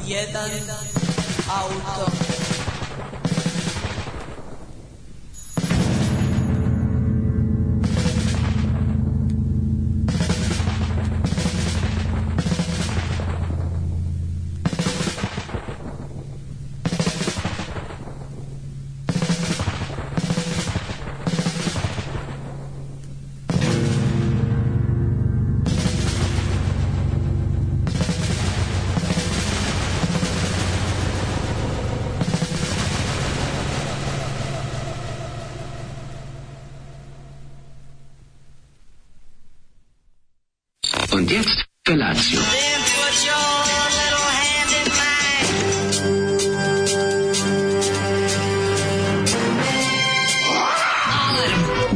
jedan auto. Und jetzt Felatio. Then put your little hand in mine.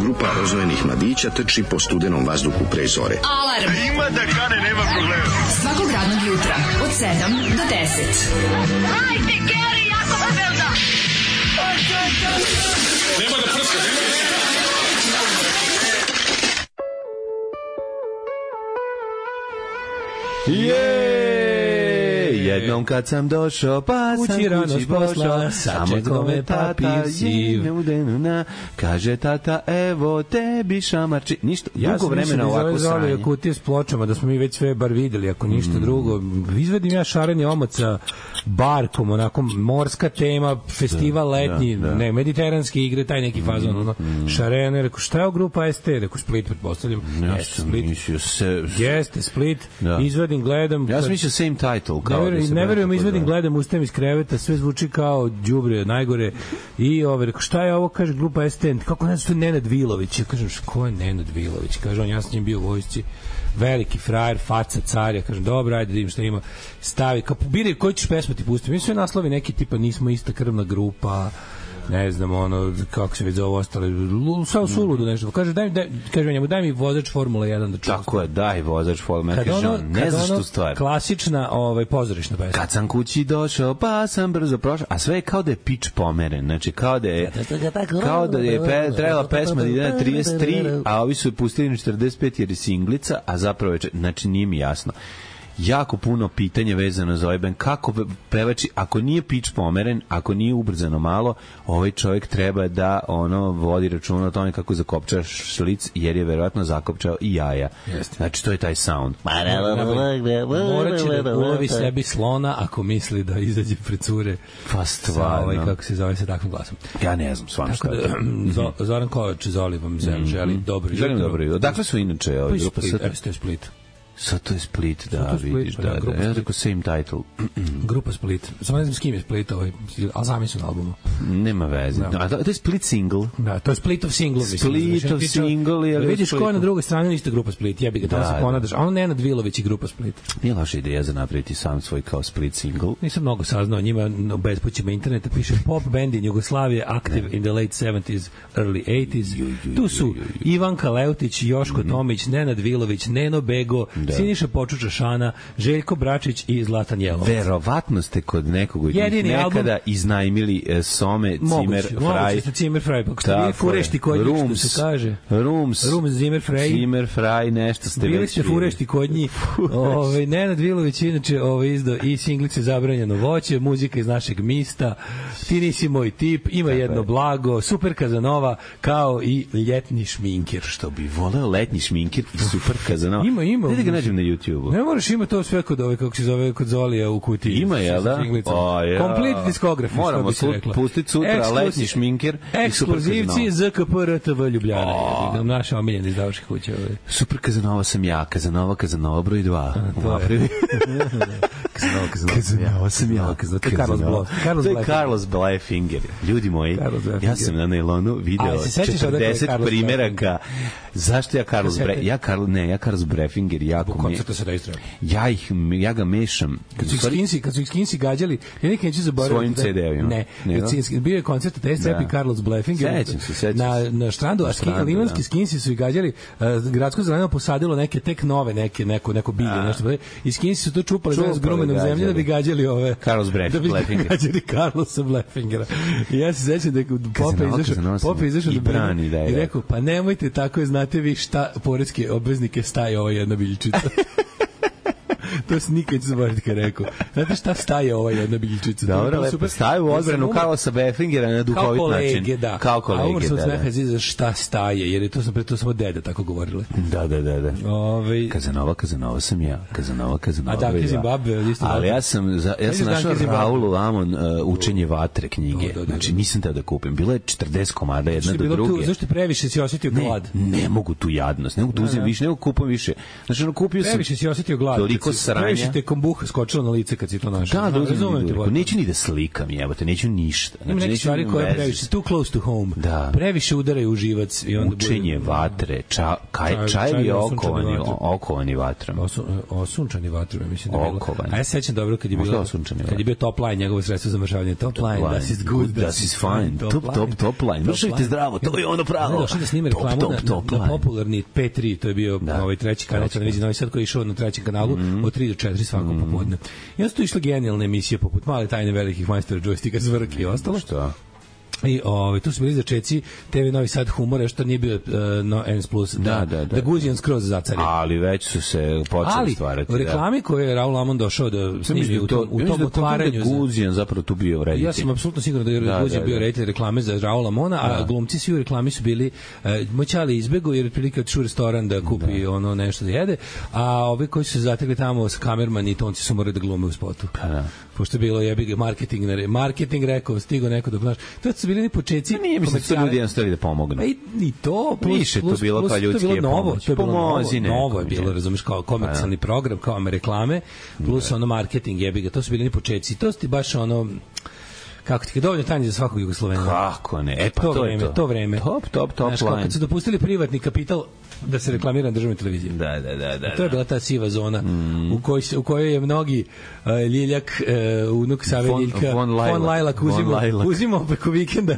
Grupa rozvojenih mladića trči po studenom vazduhu pre zore. Alarm. Ima da kane, nema problema. Svakog radnog jutra od 7 do 10. Hajde, Geri, jako se velda. Nema da prska, Jednom kad sam došao, pa sam kući pošla, samo me papi siv. Kaže tata, evo tebi šamarči. Ništa, dugo vremena ovako sranje. Ja sam kutije s pločama, da smo mi već sve bar videli, ako ništa drugo. Izvedim ja šareni omot sa barkom, onako morska tema, festival letnji, ne, mediteranske igre, taj neki fazon, šarene, rekao, šta je o grupa ST? Rekao, Split, pretpostavljam. Jeste, Split, izvedim, gledam. Ja sam mislio same title, kao ne verujem, izvedim, gledam, ustajem iz kreveta, sve zvuči kao đubre, najgore. I rekao, šta je ovo, kaže, grupa ST? Kako ne znam, što je Nenad Vilović? Ja kažem, ko je Nenad Vilović? Kaže on, ja sam njim bio u vojsci, veliki frajer, faca, carja. Kažem, dobro, ajde, da vidim šta ima. Stavi, kao biraj, koji ćeš pesmu ti pustiti? Mi sve naslovi neki tipa, nismo ista krvna grupa, ne znam, ono, kako se već zove ostale, samo suludo nešto. Kaže, kaže njemu, daj mi vozač Formula 1 da čuvam. Tako je, daj vozač Formula 1. Kaže on, ne znaš tu stvar. Klasična pozorišna pesma. Kad sam kući došao, pa sam brzo prošao, a sve je kao da je pitch pomeren. Znači, kao da je trebala pesma da ide na 33, a ovi su je pustili na 45 jer je singlica, a zapravo je, znači, nije mi jasno. Jako puno pitanja vezano za ovaj band. Kako pevači, ako nije pitch pomeren, ako nije ubrzano malo, ovaj čovjek treba da vodi računa o tome kako zakopča šlic, jer je verovatno zakopčao i jaja. Jeste. Znači, to je taj sound. Morat će da ulovi sebi slona ako misli da izađe pred cure. Pa stvarno. Kako se zove sa takvim glasom. Ja ne znam, stvarno šta je. Zoran Kovač, Zoli vam želi dobro. Želim dobro. Dakle su inače grupa Split. Sad to je Split, da, vidiš, da. Ja rekao same title. Grupa Split. Samo ne znam s kim je Split, ali sami su na albumu. Nema veze. A to je Split single. Da, to je Splitov single. Splitov single. Vidiš ko je na drugoj strani, isto grupa Split. Jebi ga, tamo se ponadaš. A ono Nenad Vilović i grupa Split. Nije loša ideja za napraviti sam svoj kao Split single. Nisam mnogo saznao njima, u bespućima interneta piše pop band in Jugoslavije, active in the late 70s, early 80s. Tu su Ivanka Leutić, Joško Tomić, Nenad Vilović, Neno Bego, Siniša Počuča Šana, Željko Bračić i Zlatan Jelovac. Verovatno ste kod nekog od njih nekada iznajmili Some, Zimmer, Frey. Moguće ste Zimmer, Frey, pa što vi furešti kod njih, što se kaže. Rooms, Zimmer, Frey, nešto ste bili već ste furešti kod njih. Nenad Vilović inače izdao i singlice Zabranjeno voće, muzika iz našeg mista, Ti nisi moj tip, Ima jedno blago, Super Kazanova, kao i Ljetni šminker. Što bi voleo Letnji šminker i Super Kazanova. Ima. Da ga nađem na YouTube-u. Ne moraš, ima to sve kod kako se zove, kod Zolija u kutiji. Ima, jel da? Complete discography. Moramo pustiti sutra Letnji šminker i Super Kazanova. Ekskluzivci ZKP RTV Ljubljana. Naša omiljena izdavačka kuća. Super Kazanova sam ja, Kazanova broj 2. Kazanova sam ja. To je Carlos Bleffinger. Ljudi moji, ja sam na Nailonu video 40 primeraka. Zašto ja Carlos Bleffinger jako ja ga mešam. Kad su ih Skinsi gađali, ja nikad neću zaboraviti. Svojim CD-ovima. Ne, bio je koncert Test Rap i Carlos Bleffinger. Na štrandu, a limanski Skinsi su ih gađali, gradsko zeleno posadilo neke tek nove, neko bilje, nešto. I Skinsi su to čupali s grumenom zemlje da bi gađali ove... Carlos Bleffinger. Da bi gađali Carlosa Bleffingera. I ja se sećam da Pope izašao i rekao, pa nemojte tako, znate vi šta poreske obveznike staje ova jedna biljčica. To se nikad neće zaboraviti kad je rekao. Znate šta staje ova jedna biljčica? Dobro, lepo staje u odbranu Karlosa Befingera na duhovit način. Kao kolege, a umr sam da. smeha za šta staje, jer je to sam pre to samo deda tako govorile. Da. Kazanova sam ja. Kazanova. A da, Zimbabwe, isto. Ali ja sam našao Raulu Lamon Učenje vatre knjige. Znači nisam teo da kupim. Bilo je 40 komada jedna do druge. Zašto previše si osetio glad? Ne mogu tu jadnost. Ne mogu tu uzem više, ne mogu kupim više. Znači kupio sam. Previše si osetio glad. Toliko sranja. Previše te kombuha skočilo na lice kad si to našao. Da, neću ni da slikam, jebote, neću ništa. Znači neke stvari koje previše too close to home. Da. Previše udaraju u živac i onda Učenje vatre, čajevi okovani vatrom. Osunčani vatrom, mislim da je bilo. A ja se sećam dobro kad je bio top line, njegovo sredstvo za mršavanje. Top line, das is good, das is fine. Top line. Mršavite zdravo, to je ono pravo. Došli da snime reklamu na popularni P3, to je bio ovaj treći kanal televizije Novi Sad koji je išao na trećem kanalu od 3 do 4 svakog popodne. I onda su tu išle genijalne emisije poput Male tajne velikih majstora džojstika, Zvrk i ostalo. Šta? I tu su bili začeci TV Novi Sad humora, što nije bio N+, da Guzijan skroz zacari. Ali već su se počeli stvarati. Ali u reklami koje je Raul Lamon došao da snimi u tom otvaranju. Da Guzijan zapravo tu bio reditelj. Ja sam apsolutno siguran da je Guzijan bio reditelj reklame za Raul Lamona, a glumci svi u reklami su bili moćali izbegu jer otprilike otišao u restoran da kupi ono nešto da jede, a ovi koji su se zatekli tamo sa kamerman i tonci su morali da glume u spotu. Pošto je bilo jebi marketing rekao, stigo neko da znaš. To su bili ni počeci. Nije mislim da ljudi jednostavno da pomognu. I to više to bilo kao ljudski pomoć. Pomozi ne. Novo je bilo, razumeš, kao komercijalni program, kao reklame, plus ono marketing jebi ga. To su bili ni počeci. To su ti baš ono kako ti je dovoljno tanje za svakog Jugoslovena. Kako ne? Pa to vreme. Top line. Kad su dopustili privatni kapital da se reklamira na državnoj televiziji. Da. To je bila ta siva zona u kojoj je mnogi Ljiljak, unuk Save Ljiljka, von Lajlak uzimao preko vikenda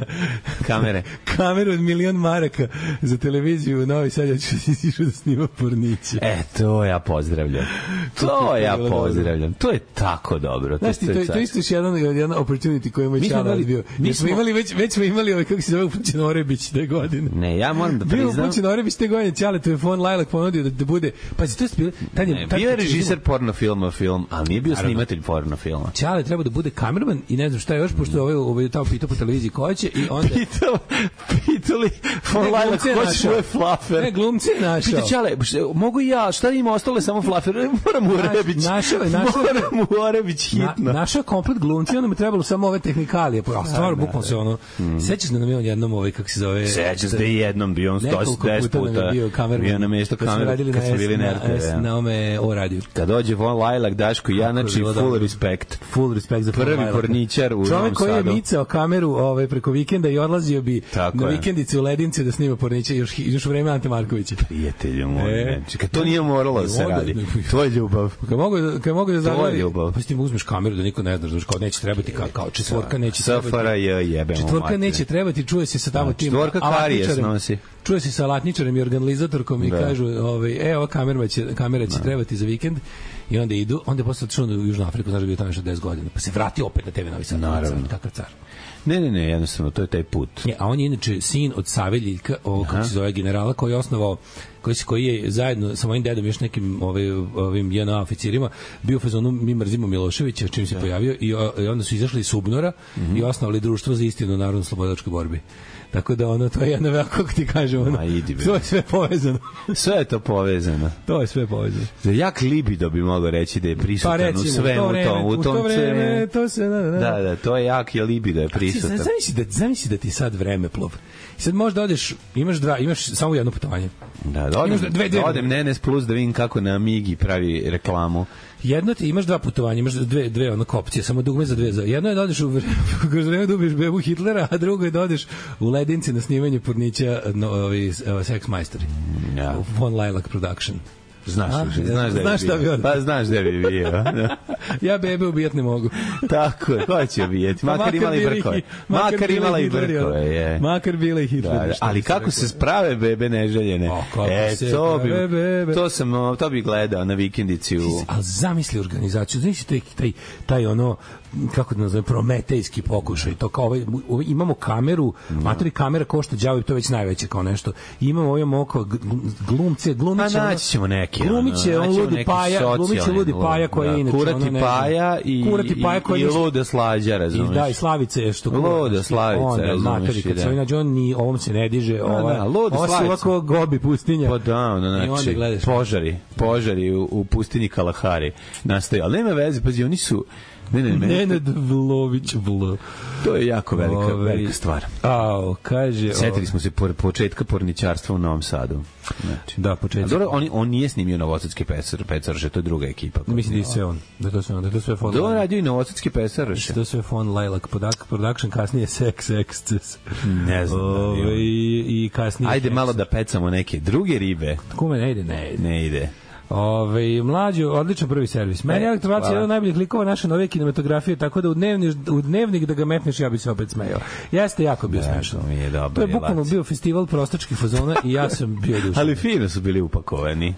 kameru od 1.000.000 maraka za televiziju u Novi Sad, ja ću išao da snima porniće. To ja pozdravljam. To je tako dobro. Znaš ti, to je isto još jedan opportunity koji je moj čala bio. Već smo imali kako se zove Upućen Orebić te godine. Ne, ja moram da priznam. Bio Upućen Orebić te godine, Ćale, to je von Lajlak ponudio da bude. Pazi, to je bilo... Bio je režiser porno filma, ali nije bio snimatelj porno filma. Ćale treba da bude kamerman i ne znam šta još, pošto ovaj tamo pitao po televiziji ko će i onda... Pitali von Lajlak ko će svoje flafer. Ne, glumci je našao. Pita Ćale, mogu i ja, šta ima ostale samo flafer? Moram u Orebić. Moram u Orebić hitno. Našao komplet glumci, onda mu trebalo samo ove tehnikalije. A stvarno, bukvalno se ono... Sećaš da nam je on jednom kako se zove... Sećaš da je jednom bio on 110 puta bio na mjesto kamera kad smo bili na RTV. Na ome o radiju. Kad dođe von Lajlak, Daško i ja, znači full respect za prvi porničar u Novom Sadu. Čovjek koji je micao kameru preko vikenda i odlazio bi na vikendice u Ledince da snima porniče još u vreme Ante Markovića. Prijatelju moj, kad to nije moralo da se radi. To je ljubav. Kad mogu da zagradi, pa s tim uzmeš kameru da niko ne zna, kao neće trebati kao četvorka neće trebati. Četvorka neće trebati, čuje se sa tamo tim. Četvorka karijes nosi. Čuje se sa alatničarem i organizatorkom i kažu, ova kamera će trebati za vikend. I onda idu, onda je posle otišao u Južnu Afriku, znaš da je bio tamo još 10 godina, pa se vrati opet na TV Novi Sad. Naravno. Kakav car. Ne, jednostavno, to je taj put. A on je inače sin od Save Ljiljka, kako se zove generala, koji je osnovao, koji je zajedno sa mojim dedom još nekim ovim JNA oficirima bio u fazonu mi mrzimo Miloševića, čim se pojavio, i onda su izašli iz Subnora i osnovali društvo za istinu u narodno-slobodačkoj borbi. Tako da to je jedno veliko, kako ti kažem, to je sve povezano. Sve je to povezano. To je sve povezano. Za jak libido bi mogao reći da je prisutan u svemu tom. U to vreme, to se... Da, to je jak je libido je prisutan. Zamisli da ti sad vremeplov. I sad možda odeš, imaš samo jedno putovanje. Da odem Nenes Plus da vidim kako na Migi pravi reklamu. Jedno ti imaš dva putovanja, imaš dve opcije, samo dugme za dve. Jedno je da odeš kroz vreme da ubiješ bebu Hitlera, a drugo je da odeš u Ledinci na snimanje pornića Sex Majstori. Von Lajlak Production. Znaš da bi bio. Ja bebe ubijat ne mogu. Tako je, ko će ubijeti? Makar imala i brkove. Makar imala i brkove. Makar bila i Hitler. Ali kako se sprave bebe neželjene? To bi gledao na vikendici. Ali zamisli organizaciju, zamisli taj kako da nazovem, prometejski pokušaj. To kao imamo kameru, matori kamera košta đavo i to je već najveće kao nešto. Imamo oko glumce. A naći ćemo neke. Glumiće on ludi Paja, glumiće ludi Paja koji je inače Kurati Paja i luda Slađa, razumiješ. Da, i Slavica je što luda Slavica, razumiješ. Kad se nađe, on ni ovom se ne diže, ovo se ovako gobi pustinja. Pa da, znači, požari u pustinji Kalahari nastaju, ali nema veze, pazi, oni su Nenad Vlović Vl. To je jako velika stvar. Kaže... Sjetili smo se početka porničarstva u Novom Sadu. Znači. Da, početak. On nije snimio Novosadske pesarše, to je druga ekipa. Mislim da je sve on. Da je to sve fond. Da on radio i Novosadske pesarše. To je sve fond Lilac Production, kasnije Sex Excess. Ne znam. I kasnije... Ajde malo da pecamo neke druge ribe. Kume, ne ide. Mlađo, odličan prvi servis. Meni Elektrovac je jedan od najboljih likova naše nove kinematografije, tako da u dnevnik da ga metneš, ja bi se opet smejao. Jeste jako bio smešno. To je bukvalno bio festival prostačkih fazona i ja sam bio dušan. Ali fino su bili upakovani.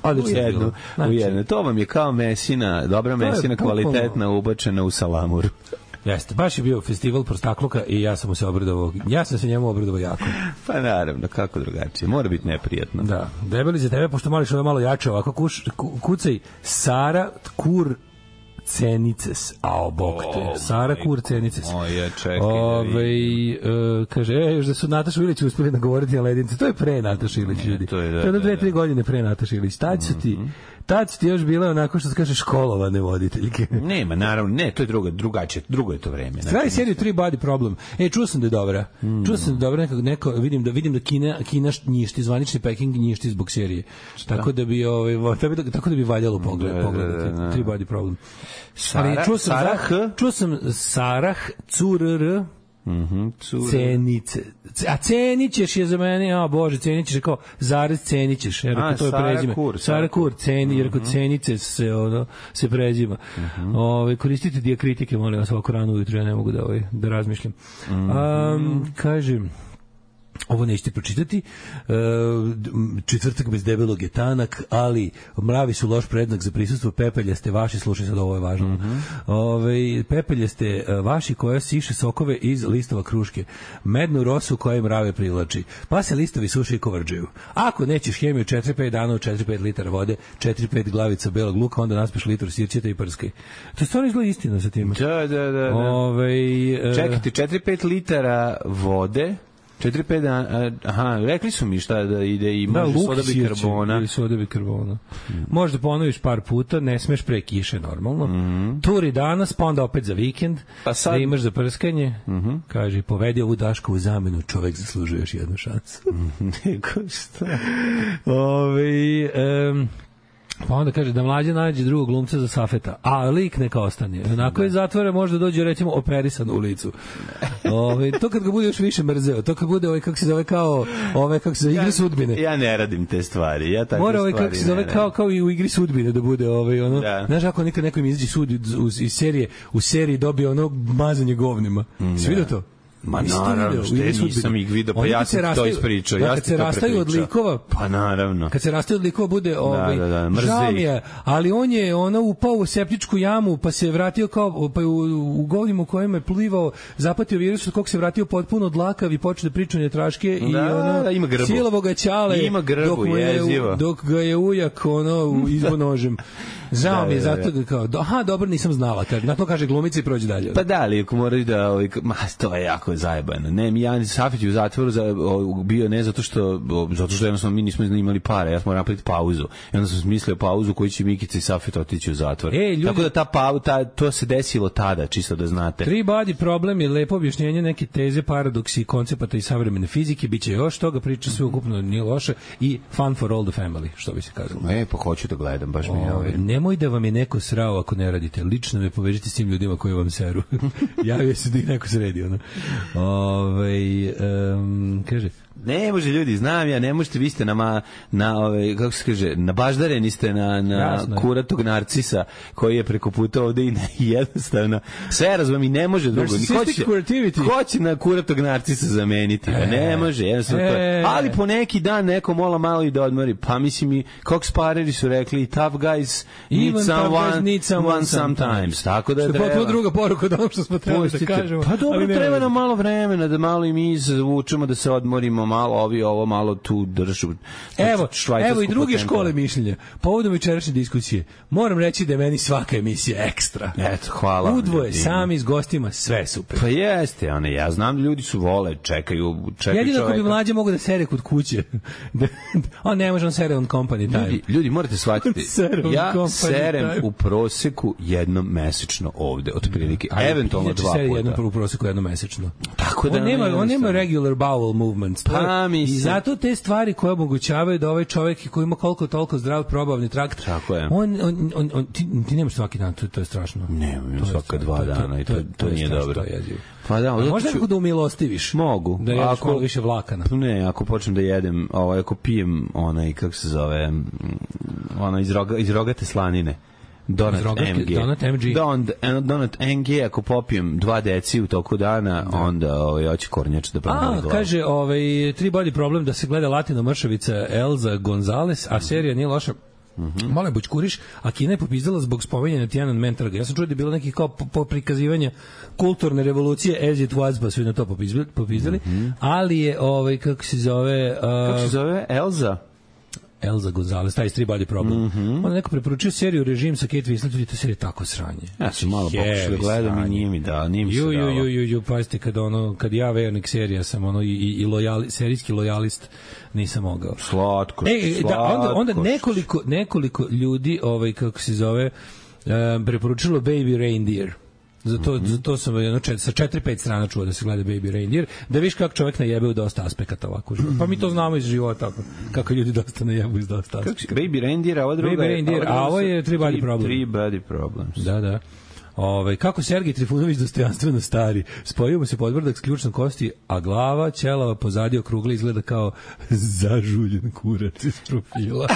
U jednu. To vam je kao mesina, dobra mesina, kvalitetna, ubačena u salamuru. Jeste, baš je bio festival prostakluka i ja sam se njemu obradovao jako. Pa naravno, kako drugačije, mora biti neprijatno. Da, debeli za tebe, pošto moliš ovo malo jače, ovako kucaj Sara Kur Cenices, bog te, Sara Kur Cenices. Kaže, još da su Nataša Ilić uspeli nagovoriti na ledince, to je pre Nataša Ilić, ljudi. To je 2-3 godine pre Nataša Ilić. Tad su ti još bile onako što se kaže školovane voditeljke. Nema, naravno, ne, to je drugačije, drugo je to vreme. Kraj seriju 3 Body Problem. Čuo sam da je dobra. Vidim da Kina njišti, zvanični Peking njišti zbog serije. Tako da bi valjalo pogledati 3 Body Problem. Čuo sam Sarah Curr Cenice. A Cenićeš je za mene, Bože, Cenićeš je kao zarez Cenićeš, jer to je prezime. Sara Kur, jer kod Cenice se prezima. Koristite dijakritike, molim vas, ovako rano ujutro, ja ne mogu da razmišljam. Kažem, ovo nećete pročitati, četvrtak bez debelog je tanak, ali mravi su loš prednak za prisustvo, pepeljaste vaši, slušaj sad, ovo je važno, pepeljaste vaši koja siše sokove iz listova kruške, mednu rosu koja mrave privlači, pa se listovi suše i kovrđaju. Ako nećeš hemiju 4-5 dana u 4-5 litara vode, 4-5 glavica belog luka, onda naspiš litru sirćeta i prskaj. To je stvarno izgleda istina sa tim. Da. Čekajte, 4-5 litara vode, 4-5 dana, rekli su mi šta da ide i može soda bikarbona. Možda ponoviš par puta, ne smeš pre kiše normalno. Turi danas, pa onda opet za vikend, da imaš za prskanje. Kaže, povedi ovu Dašku u zamenu, čovek zaslužuje još jednu šansu. Neko šta? Pa onda kaže da Mlađa nađe drugog glumca za Safeta, a lik neka ostane. Onako je zatvore, možda dođe recimo operisan u licu. To kad ga bude još više mrzeo, to kad bude kako se zove kao kako se zove igre sudbine. Ja ne radim te stvari, ja takve stvari. Mora kako se zove kao i u igri sudbine da bude Znaš ako nikad neko im izađe sud iz serije, u seriji dobije mazanje govnima. Si vidio to? Ma naravno, nisam ih vidio, pa ja sam to ispričao. Kad se rastaju od likova, pa naravno. Kad se rastaju od likova bude žao mi je, ali on je upao u septičku jamu, pa se vratio kao u govnima u kojem je plivao, zapatio virus od kog se vratio potpuno dlakav i počeo da priča njetraške i cijelovo ga ćale dok ga je ujak izbo nožem. Žao mi je, zato kao, dobro, nisam znala, na to kaže glumica i prođe dalje. Pa da, ali ako moraju da, to je jako zajebano. Ne, Mijani Safić u zatvoru bio ne zato što jednostavno mi nismo imali pare, ja smo napraviti pauzu. I onda sam smislio pauzu koju će Mikica i Safit otići u zatvor. Tako da to se desilo tada, čisto da znate. 3 Body Problem je lepo objašnjenje neke teze, paradoksi, koncepata i savremene fizike, bit će još toga, priča sve ukupno nije loše i fun for all the family, što bi se kazalo. Pa hoću da gledam, baš mi je nemoj da vam je neko srao ako ne radite. Lično me povežite s tim ljudima koji vam seru. Javio se da i neko sredi. Kaže, ne može ljudi, znam ja, ne možete, vi ste kako se kaže, nabaždareni ste na kuratog narcisa koji je preko puta ovde i jednostavno sve razumem i ne može drugo. Hoće na kuratog narcisa zameniti, ne može, jednostavno to je. Ali po neki dan neko mola malo i da odmori, pa mislim i Cox Pareri su rekli tough guys need someone sometimes, tako da treba. To druga poruka od onog što smo trebali da kažemo. Pa dobro, treba nam malo vremena da malo i mi izvučemo, da se odmorimo malo ovi ovo malo tu držu. Evo i druge škole mišljenja. Povodom večerašnje diskusije, moram reći da je meni svaka emisija ekstra. Eto, hvala. Udvoje, sami s gostima, sve super. Pa jeste, ja znam da ljudi su vole, čekaju jedino čoveka. ako bi mlađe mogu da sere kod kuće. On ne može, on sere on company time. Ljudi morate shvatiti, ja serem time. u proseku jednom mesečno ovde, otprilike, eventualno 2 puta. Seri jednom u proseku jednom mesečno. Tako da on nema regular bowel movements. I zato te stvari koje omogućavaju da ovaj čovjek koji ima koliko toliko zdrav probavni trakt, tako je. Ti nemaš svaki dan, to je strašno. Nemam svaka 2 dana i to nije dobro. Pa da, možda nekako da umilostiviš. Mogu. Da jedeš malo više vlakana. Ne, ako počnem da jedem, ako pijem kako se zove, iz rogate slanine. Donut MG, ako popijem 2 deci u toku dana, onda hoće kornjač da promeni glavu. Kaže, 3 body problem da se gleda Latino mršavica Elza Gonzalez, a serija nije loša. Malo je bućkuriš, a Kina je popizdala zbog spominjanja Tiananmen trga. Ja sam čuo da je bilo neki kao prikazivanja kulturne revolucije as it was, pa su i na to popizdali, ali je, kako se zove... Kako se zove? Elza Gonzalez, taj Three Body Problem. On je neko preporučio seriju Režim sa Kate Winslet, i to serija tako sranje. Ja sam malo pokušao da gledam i nije mi se dalo. Pazite, kad ja vernik serija sam i serijski lojalist nisam mogao. Slatko. Onda nekoliko ljudi, kako se zove, preporučilo Baby Reindeer. Zato sam sa 4-5 strana čuo da se gleda Baby Reindeer, da viš kako čovjek najebe u dosta aspekata ovako. Pa mi to znamo iz života, kako ljudi dosta najebu iz dosta aspekata. Baby Reindeer, a ovo druga je... A ovo je Three Body Problem. Three Body Problems. Da. Kako Sergej Trifunović dostojanstveno stari. Spojio mu se podbrdak s ključnom kosti, a glava ćelava pozadi okrugla izgleda kao zažuljen kurac iz profila.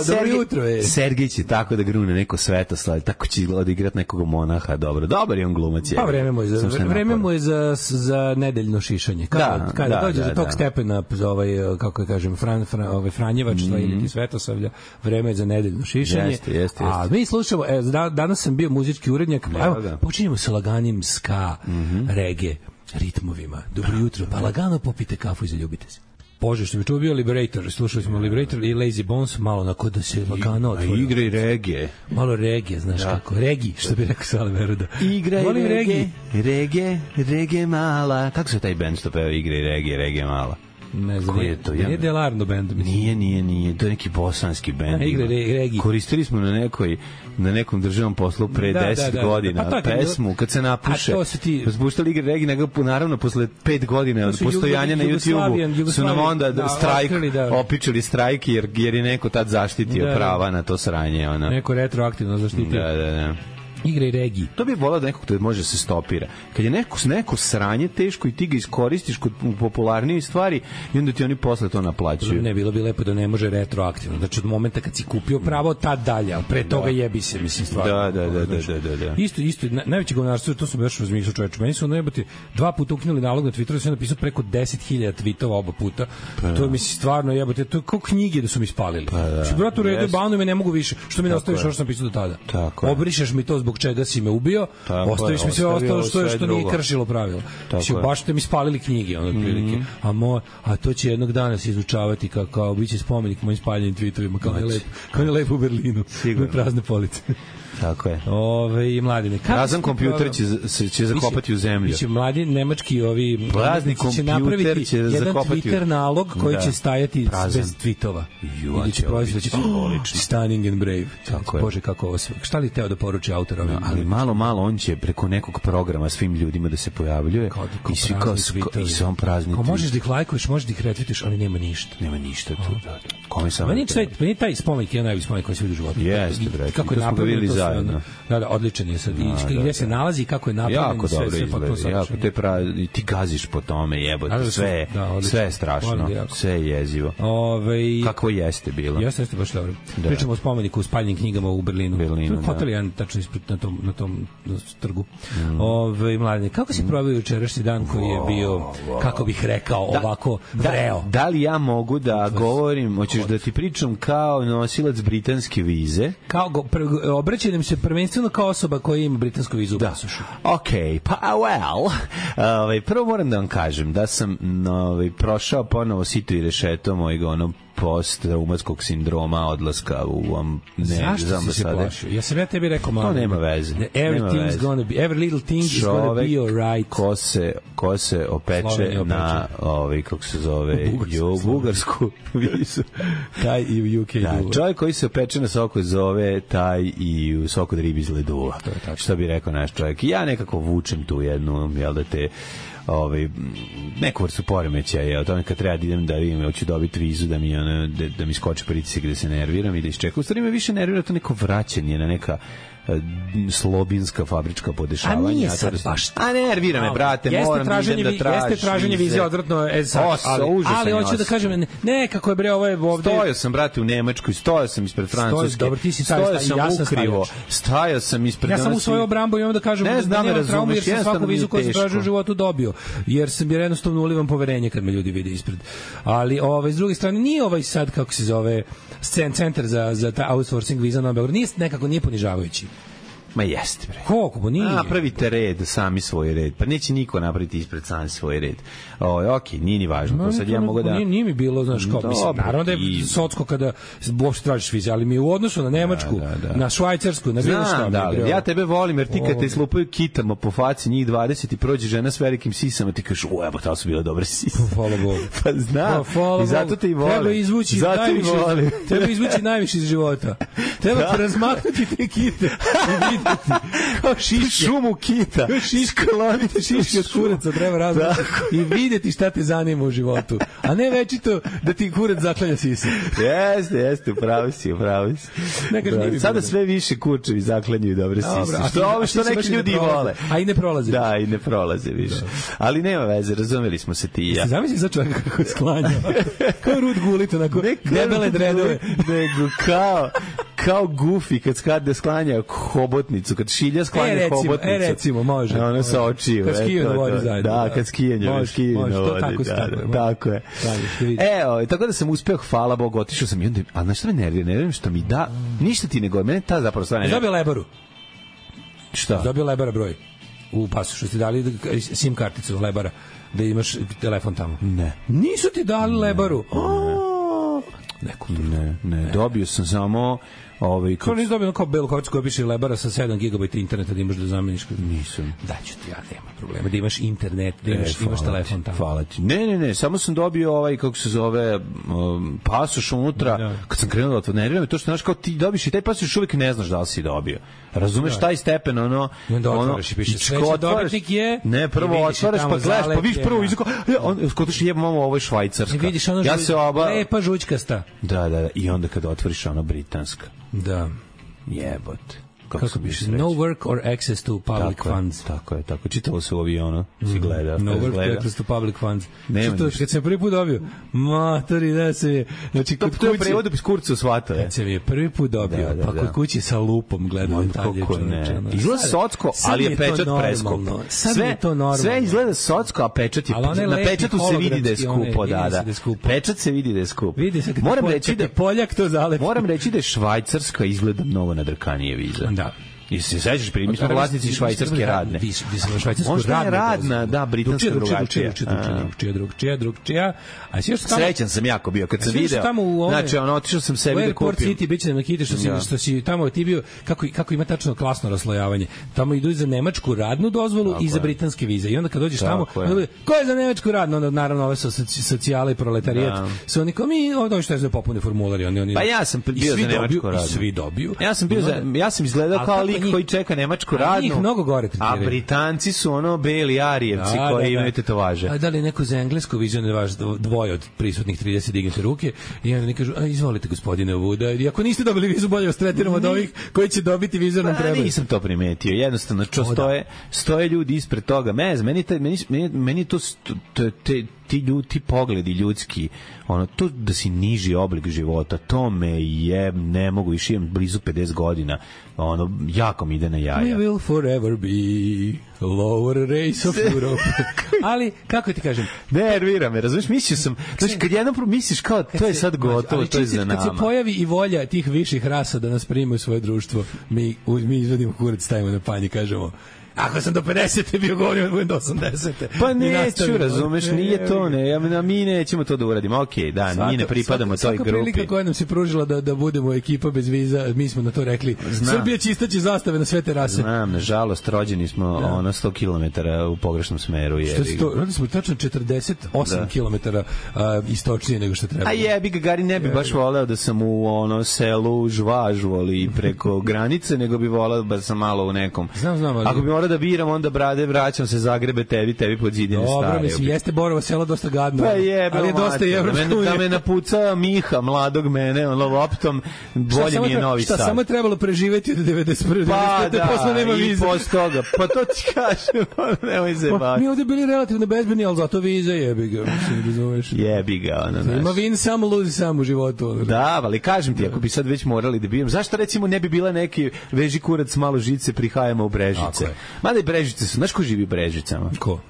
Dobro jutro je. Sergej će tako da grune neko Svetoslav, tako će odigrati nekog monaha, dobro. Dobar je on glumac. Pa vreme mu je za nedeljno šišanje. Kada dođe do tog stepena, kako kažem, Franjevačstva ili Svetosavlja, vreme je za nedeljno šišanje. Jeste. A mi slušamo, danas sam bio muzički urednjak, počinjemo sa laganim ska, reggae, ritmovima. Dobro jutro, pa lagano popite kafu i zaljubite se. Bože, što mi čuo bio Liberator, slušali smo Liberator i Lazy Bones, malo onako da se lagano otvore. Igra i reggae. Malo reggae, znaš kako, regi, što bi rekao Sale Veruda. Igra i reggae mala. Kako se taj band što peva igra i reggae mala? Ne znam, nije Delarno band, mislim. Nije, to je neki bosanski band. Regi. Koristili smo na nekom državnom poslu pre 10 godina pesmu, kad se napuše. Zbuštali igre regi, nego naravno posle 5 godina od postojanja na YouTube-u su nam onda opičili strajk, jer je neko tad zaštitio prava na to sranje. Neko retroaktivno zaštitio. Da. Igra i regiji. To bi volao da nekog to može se stopira. Kad je neko sranje teško i ti ga iskoristiš kod popularnije stvari i onda ti oni posle to naplaćuju. Ne, bilo bi lepo da ne može retroaktivno. Znači od momenta kad si kupio pravo, tad dalje, ali pre toga jebi se, mislim, stvarno. Da. Isto, najveće govnarstvo, to sam još razmišljao, čoveče. Meni su jebote 2 puta ukinuli nalog na Twitteru, sam napisao preko 10.000 tvitova oba puta. To je, mislim, stvarno jebote, to je kao knjige da su mi spalili. Brate, u redu, banuj me, ne mogu više. Što mi ne ostaviš što sam pisao do tada? Obrišeš mi to zbog čega si me ubio, ostaviš mi sve ostalo što nije kršilo pravila. Baš ste mi spalili knjige, ono otprilike. A to će jednog dana se izučavati kao biće spomenik mojim spaljenim tweetovima, kao je lepo u Berlinu. Sigurno. Prazne police. Tako je. I mladine. Prazan kompjuter će zakopati u zemlju. Biće mladi nemački prazni kompjuter će zakopati Twitter nalog koji će stajati bez tweetova. Ili će proizvati Stunning and Brave. Bože, kako ovo sve. Šta li teo da poruči autor? Ali malo on će preko nekog programa svim ljudima da se pojavljuje i svi kao i sam prazni. Možeš da ih lajkuješ, možeš da ih retweetiš, ali nema ništa. Nema ništa tu. Kome sam? Meni taj spomenik je najbolji spomenik koji se vidi u životu. Jeste, bre. Kako je napravljeno to. Da, odličan je sad. I gdje se nalazi, kako je napravljen, jako dobro izgleda. Jako ti gaziš po tome, jebote, sve je strašno, sve je jezivo. Kako jeste bilo. Jeste baš dobro. Pričamo o spomeniku u spaljenim knjigama u Berlinu. To je hotel jedan tačno ispred na tom trgu. Mladine, kako si proveo jučerašnji dan koji je bio, kako bih rekao, ovako vreo? Da li ja mogu da govorim, hoćeš da ti pričam kao nosilac britanske vize. Obraćam se prvenstveno kao osoba koja ima britansku vizu u pasošu. Okej, pa prvo moram da vam kažem da sam prošao ponovo sito i rešeto mojeg post-traumatskog sindroma odlaska u zašto si se plašio? Ja sam tebi rekao malo. To nema veze. Every little thing is gonna be alright. Ko se opeče na kako se zove bugarsku vizu. Taj i u UK. Da, čovjek koji se opeče na soko zove taj i u soko od ribi iz ledova. Što bi rekao naš čovjek. Ja nekako vučem tu jednu, jel da te neku vrstu poremećaja, o tome kad treba da idem da vidim, hoću dobiti vizu da mi skoči pritisak, da se nerviram i da iščekam. U stvari me više nervira to neko vraćanje na neka slobinska fabrička podešavanja. A nije sad baš. A nervira me, brate, moram da idem da tražim. Jeste traženje vize odvratno, ali hoću da kažem, kako je bre ovo je ovde. Stojao sam, brate, u Nemačkoj, stojao sam ispred Francuske. Dobro, ti si stajao sam ispred. Ja sam u svoju obrambu i onda kažem da nemam traumu jer sam svaku vizu koju sam tražio u životu dobio. Jer sam jednostavno ulivam poverenje kad me ljudi vide ispred. Ali s druge strane nije sad kako se zove centar za ta outsourcing viza na Beograd, nije ponižavajući. Ma jeste, bre. Koliko, bo nije? Napravite red, sami svoj red. Pa neće niko napraviti ispred sami svoj red. Okej, nije ni važno. To sad ja mogu da... Nije mi bilo, znaš, kao, mislim, naravno da je socko kada uopšte tražiš vize, ali mi u odnosu na Nemačku, na Švajcarsku, na bilo šta. Da, ja tebe volim, jer ti kad te slupaju kitama po faci, njih 20 i prođe žena s velikim sisama, ti kažeš, evo, ta su bile dobre sise. Hvala Bogu. Pa znam, i zato te i volim. Treba izvući najviše iz života. Treba razmaknuti te kite kao šiške. Šumu kita. Skloniti šiške od kuraca, treba različiti i vidjeti šta te zanima u životu. A ne večito da ti kurac zaklanja sise. Jeste, upravo si. Sada sve više kurčevi zaklanjaju dobre sise. Što neki ljudi vole. A i ne prolaze. Da, i ne prolaze više. Ali nema veze, razumeli smo se ti i ja. Zamisli za čovjeka kako sklanja. Kao Rud Gulit, onako debele dredove. Nego kao Goofy kad skade sklanja hobotnicu, kad šilja sklanja hobotnicu. Recimo, može. Ono sa očiju. Kad skiju na vodi zajedno. Da, kad skiju na vodi. Tako je. Tako da sam uspeo, hvala Bogu, otišao sam i onda, ali znaš što me nervira što mi da, ništa ti nego, mene ta zapravo stvarno. Dobio Lebaru. Šta? Dobio Lebara broj. U pasošu ste dali SIM karticu Lebara, da imaš telefon tamo. Ne. Nisu ti dali Lebaru. Ne, dobio sam samo Kao nisi dobio kao belu karticu koja piše Lebara sa 7 GB interneta da imaš da zameniš? Nisam. Daću ti, ja nema problema. Da imaš internet, da imaš telefon tamo. Hvala ti. Ne, samo sam dobio kako se zove, pasoš unutra. Kad sam krenuo da nervira me to što znaš kao ti dobiš i taj pasoš uvijek ne znaš da li si dobio. Razumeš taj stepen, I onda otvaraš i piše sledeći dobitnik je... Ne, prvo otvaraš pa gledaš, pa viš prvo izako, skotiš jebamo, ovo je švajcarska. Vidiš ono lepa žućkasta. Da, i onda kada otvoriš ono britanska. Da. Jebote. Kako piše? No work or access to public funds. Tako je. Čitalo se u avionu, si gleda. No work or access to public funds. Kad sam prvi put dobio, matori, da se je... Znači, to je u prevodu bez kurca u svata. Kad sam je prvi put dobio, pa kod kući sa lupom gledao detalje. Izgleda socko, ali je pečat preskup. Sve izgleda socko, a pečat je... Na pečatu se vidi da je skupo, da. Pečat se vidi da je skup. Moram reći da Poljak to zalepi. Moram reći da je Švajcarska izgleda mnogo nadrkanije viza. Da. I se sećaš, mi smo vlasnici švajcarske radne. Možda je radna, da, britanska drugačija. Drugčija. Srećan sam jako bio kad sam video. Znači, otišao sam sebi da kupim. U Airport City biće na kiti što si tamo ti bio, kako ima tačno klasno raslojavanje. Tamo idu i za nemačku radnu dozvolu i za britanske vize. I onda kad dođeš tamo, ko je za nemačku radnu? Onda naravno ove socijale i proletarijat. Su oni kao mi, ovo što je za popune formulari. Pa ja sam bio za nemačku radnu. I svi dobiju. Ja sam izgledao kao koji čeka nemačku radnu. Njih mnogo gore tretiraju. A Britanci su beli arijevci koji imaju tetovaže. A da li neko za englesku vizu ne vaš dvoje od prisutnih 30 dignete ruke i onda ne kažu, izvolite gospodine Vuda, i ako niste dobili vizu, bolje vas tretiramo od ovih koji će dobiti vizu nam treba. Nisam to primetio, jednostavno stoje ljudi ispred toga. Meni to ti pogledi ljudski, ono, to da si niži oblik života, to me je, ne mogu, više imam blizu 50 godina, ono, jako mi ide na jaja. We will forever be lower race of Europe. Ali, kako ti kažem? Nervira me, razumiješ, mislio sam, znači, kad jednom misliš kao, to je sad gotovo, to je za nama. Kad se pojavi i volja tih viših rasa da nas primaju u svoje društvo, mi izvodimo kurac, stavimo na panj i kažemo, ako sam do 50. bio govorio, budem do 80. Pa neću, razumeš, nije to, mi nećemo to da uradimo, okej, da, mi ne pripadamo toj grupi. Svaka prilika koja nam se pružila da budemo ekipa bez viza, mi smo na to rekli, Srbija će istaći zastave na sve te rase. Znam, nažalost, rođeni smo 100 km u pogrešnom smeru. Rodili smo tačno 48 km istočnije nego što treba. A jebi ga, Gari, ne bi baš voleo da sam u selu Žvažu, ali preko granice, nego bi voleo da sam malo u nekom. Znam, ali... Ako bi morao da biram, onda brade, vraćam se Zagrebe, tebi pod zidine stare. Dobro, mislim, jeste Borovo selo dosta gadno. Pa jebe, ali je dosta i Evropsko. Da me napuca Miha, mladog mene, loptom, bolje mi je Novi Sad. Šta samo je trebalo preživeti od 91. Pa da, posle nema vize. I posle toga, pa to ti kažem, nemoj se baviti. Mi ovdje bili relativno bezbedni, ali zato vize jebi ga, mislim, razumeš. Jebi ga, ono, znaš. Ima vin samo, luzi samo u životu. Da, ali kažem ti, ako bi sad već morali da bijem, zašto recimo ne bi bila neki veži kurac malo žice, prihajamo u Brežice? Mada i Brežice su, znaš ko živi u Brežicama? Ko?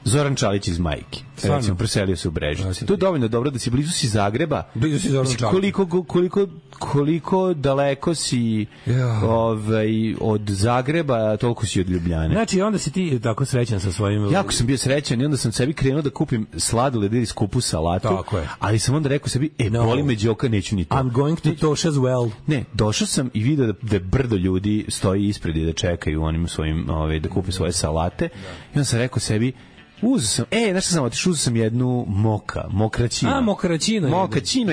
Zoran Čalić iz Majki. Recimo, preselio se u Brežice. To je dovoljno dobro da si blizu si Zagreba. Blizu si Zoran Čalić. Koliko daleko si od Zagreba, toliko si od Ljubljane. Znači, onda si ti tako srećan sa svojim... Jako sam bio srećan i onda sam sebi krenuo da kupim sladoled ili skupu salatu. Tako je. Ali sam onda rekao sebi, boli me đoka, neću ni to. I'm going to Tosha's well. Ne, došao sam i vidio da brdo ljudi stoji ispred i da čekaju onim svojim, da kupe svoje salate. I onda sam rekao sebi, uzeo sam, znaš šta sam otišao, uzeo sam jednu mokraćinu. Mokaćino,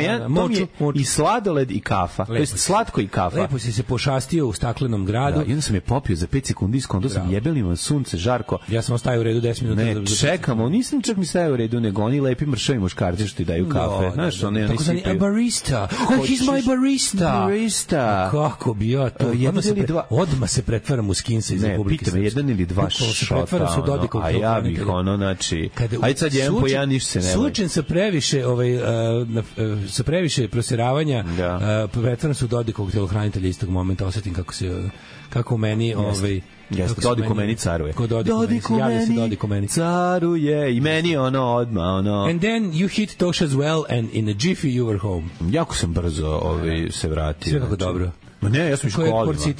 i sladoled i kafa. To je slatko i kafa. Lepo si se pošastio u staklenom gradu. Da, i onda sam je popio za 5 sekundi, skontao sam jebelima sunce, žarko. Ja sam ostao u redu 10 minuta. Ne, čekamo, nisam čak ni stajao u redu, nego oni lepi mršavi muškarci što ti daju kafe. Znaš, oni sipaju. Barista. He's my barista. Kako bi ja to... Odmah se pretvaram u skinsa iz Republike Srpske. Ne, pita me, 1 ili 2 šota. A ja bih znači, ajde sad jedan po jedan, ništa se nema. Slučen sa previše proseravanja, pretvaram se u Dodikovog telohranitelja istog momenta, osetim kako u meni... Jeste, Dodik u meni caruje. Dodik u meni caruje i meni odmah. And then you hit Tosha's well and in a jiffy you were home. Jako sam brzo se vratio. Sve kako dobro. Ma ne, ja sam u školima. Opet si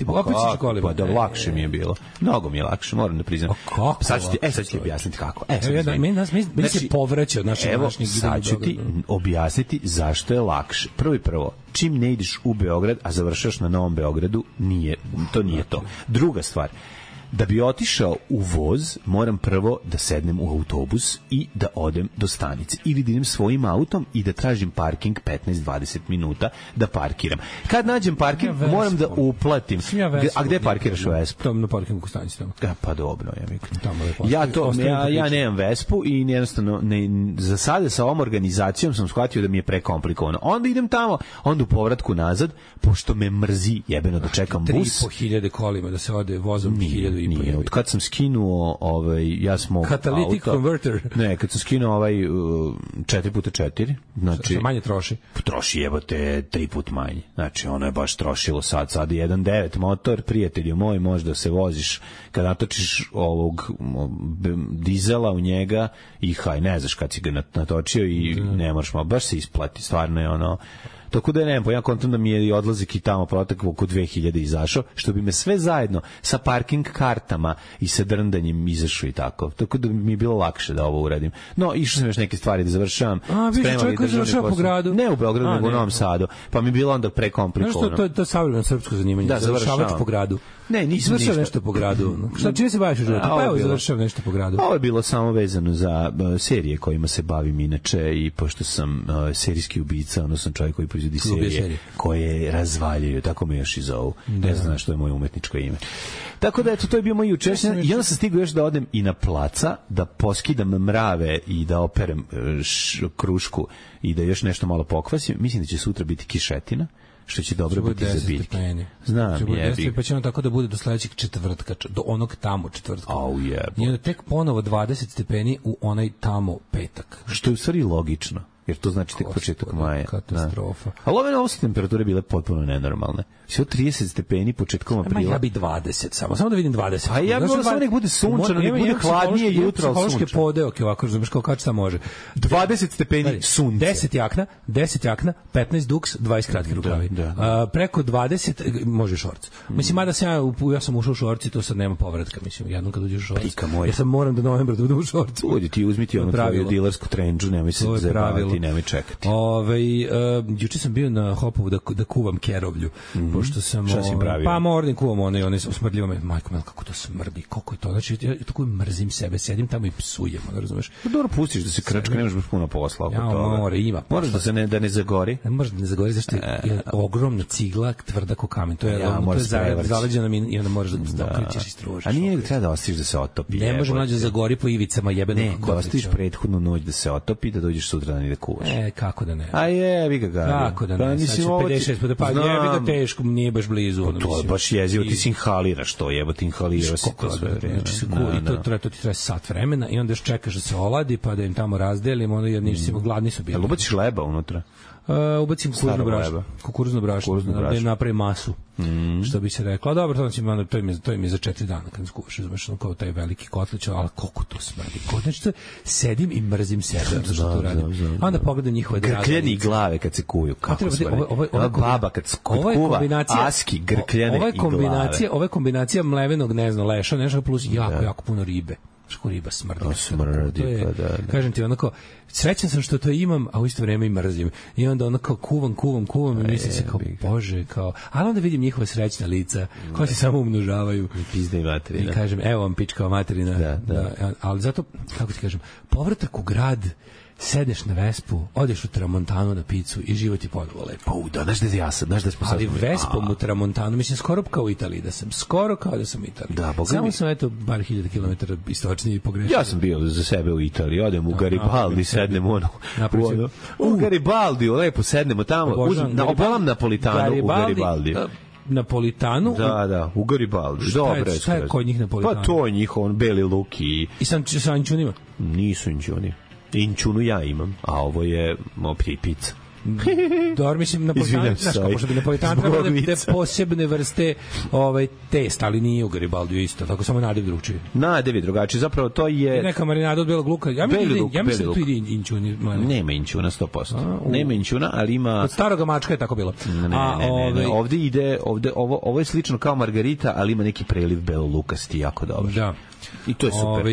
u školima. Pa da, lakše mi je bilo. Mnogo mi je lakše, moram da priznam. Sad ću ti objasniti kako. Meni se povraća od našeg današnjeg. Sad ću ti objasniti zašto je lakše. Prvo, čim ne ideš u Beograd, a završaš na Novom Beogradu, to nije to. Druga stvar, da bi otišao u voz, moram prvo da sednem u autobus i da odem do stanice. Ili da idem svojim autom i da tražim parking 15-20 minuta da parkiram. Kad nađem parking, moram da uplatim. A gde parkiraš u Vespu? Tamo na parkingu u stanici. Pa dobro, ja nemam Vespu i jednostavno za sada sa ovom organizacijom sam shvatio da mi je prekomplikovano. Onda idem tamo, onda u povratku nazad, pošto me mrzi jebeno da čekam bus. 3.500 kolima da se ode vozom 1.000. Nije, od kad sam skinuo Catalytic converter. Ne, kad sam skinuo 4x4, znači manje troši. Troši jebote 3 put manje. Znači ono je baš trošilo sad 1.9 motor, prijatelju moj, možda se voziš kad natočiš ovog dizela u njega i ne znaš kad si ga natočio i ne moraš, baš se isplati, stvarno je ono. Tako da ja kontam da mi je odlazak i tamo proteklo oko 2000 izašao, što bi me sve zajedno sa parking kartama i sa drndanjem izašao i tako. Tako da mi je bilo lakše da ovo uradim. No, išao sam još neke stvari da završavam. Više čovjek koji završava po gradu. Ne u Beogradu, nego u Novom Sadu. Pa mi je bilo onda prekomplikovano. Znaš što, to je savremeno srpsko zanimanje. Da, završavač po gradu. Ne, nisam ništa. Nešto po gradu. Šta, čime se baviš u životu? Pa evo, završavam nešto po gradu. Ovo je bilo samo vezano za serije kojima se bavim inače i pošto sam serijski ubica, ono sam čovjek koji proizvodi serije koje razvaljuju, tako me još i zovu. Ne znam što je moje umetničko ime. Tako da, eto, to je bio moj jučerašnji. I onda sam stigao još da odem i na placa, da poskidam mrave i da operem krušku i da još nešto malo pokvasim. Mislim da će sutra biti kišetina. što će dobro biti za biljke. Znam, jebi. Pa će on tako da bude do sledećeg četvrtka, do onog tamo četvrtka. Au jebo. I onda tek ponovo 20 stepeni u onaj tamo petak. Što je u stvari logično. Jer to znači tek početak maja. Katastrofa. Ali ove temperature bile potpuno nenormalne. Sve 30 stepeni početkom aprila. Ja bi 20 samo da vidim 20. A ja bih samo nek bude sunčano, nek bude hladnije jutro, ali sunčano. Podeok je ovako, znaš kao šta može. 20 stepeni sunce. 10 jakna, 15 duks, 20 kratki rukavi. Preko 20 može šorc. Mislim, mada ja sam ušao u šorci, to sad nema povratka, mislim, jednom kad uđeš u šorc. Ja sam moram do novembra da budem u šorcu. Udi ti uzmiti onu tvoju dilersku trendžu, nemoj se zajebavati, nemoj čekati. Juče sam bio na Hopovu da kuvam kerovlju, pošto sam... Šta si pravio? Pa mordim kuvam one smrdljivo me, majko mel, kako to smrdi, kako je to, znači ja tako mrzim sebe, sedim tamo i psujem, razumeš? Pa dobro, pustiš da se krčka, nemaš baš puno posla oko toga. Ima. Moraš da ne zagori? Ne može da ne zagori, zašto je ogromna cigla, tvrda ko kamen, to je zaleđena mi i onda moraš da okrećeš i stružiš. A nije treba da ostaviš da se otopi. Ne može mlađe zagori po ivicama jebeno. Ne, da ostaviš prethodnu noć da se otopi, da dođeš sutra i da kuvaš. Kako da ne? A jebi ga. Kako da ne? Sad će 56 puta, pa jebi ga teško, nije baš blizu. To je baš jezivo, ti si inhaliraš to, jebote, inhaliraš si to sve vreme. Znači, to ti traje sat vremena i onda još čekaš da se oladi, pa da im tamo razdelimo, onda jer nisu gladni su bili. Jel ubaciš leba unutra? Ubacim kukuruzno brašno, da im napravi masu, što bi se reklo. A dobro, to im je za 4 dana kad skuvaš, izmešano kao taj veliki kotlić, ali koliko to smrdi. Znači, sedim i mrzim sebe, što to radim. A onda pogledam njihove drage. Grkljeni glave kad se kuju, kako smrdi. Ova baba kad kuva, aski, grkljene i glave. Ova kombinacija mlevenog, ne znam, leša, nešto plus jako puno ribe. Ško riba smrdi. To je, kažem ti, onako, srećan sam što to imam, a u isto vreme i mrzim. I onda onako kuvam i mislim se kao, bože, kao, ali onda vidim njihove srećna lica, koja se samo umnožavaju. I pizda i materina. I kažem, evo vam pičkava materina. Ali zato, kako ti kažem, povratak u grad, sedneš na Vespu, odeš u Tramontanu na picu i život je ponovo lepo. Znaš da smo ali Vespom u Tramontanu, mislim, skoro kao u Italiji, skoro kao da sam u Italiji. Samo sam, eto, bar 1000 kilometara istočnije pogrešio. Ja sam bio za sebe u Italiji, odem u Garibaldi, sednem u Garibaldi, lepo sednemo tamo, obolam Napolitanu u Garibaldi. Napolitanu? Da, u Garibaldi. Šta je kod njih Napolitanu? Pa to je njihov beli luk i sa ančunima? Nisu ančuni. Inčunu ja imam, a ovo je pizza. Dobro, mislim, Napolitano, znaš kako što bi Napolitano trebalo da posebne vrste testa, ali nije u Garibaldiju isto, tako samo nadev drugčiji. Nadev je drugačiji, zapravo to je... Neka marinada od belog luka, ja mislim da tu ide inčuni. Nema inčuna 100%. Nema inčuna, ali ima... Od staroga mačka je tako bilo. Ne. Ovde ide, ovo je slično kao margarita, ali ima neki preliv belolukasti, jako dobro. Da. I to je super.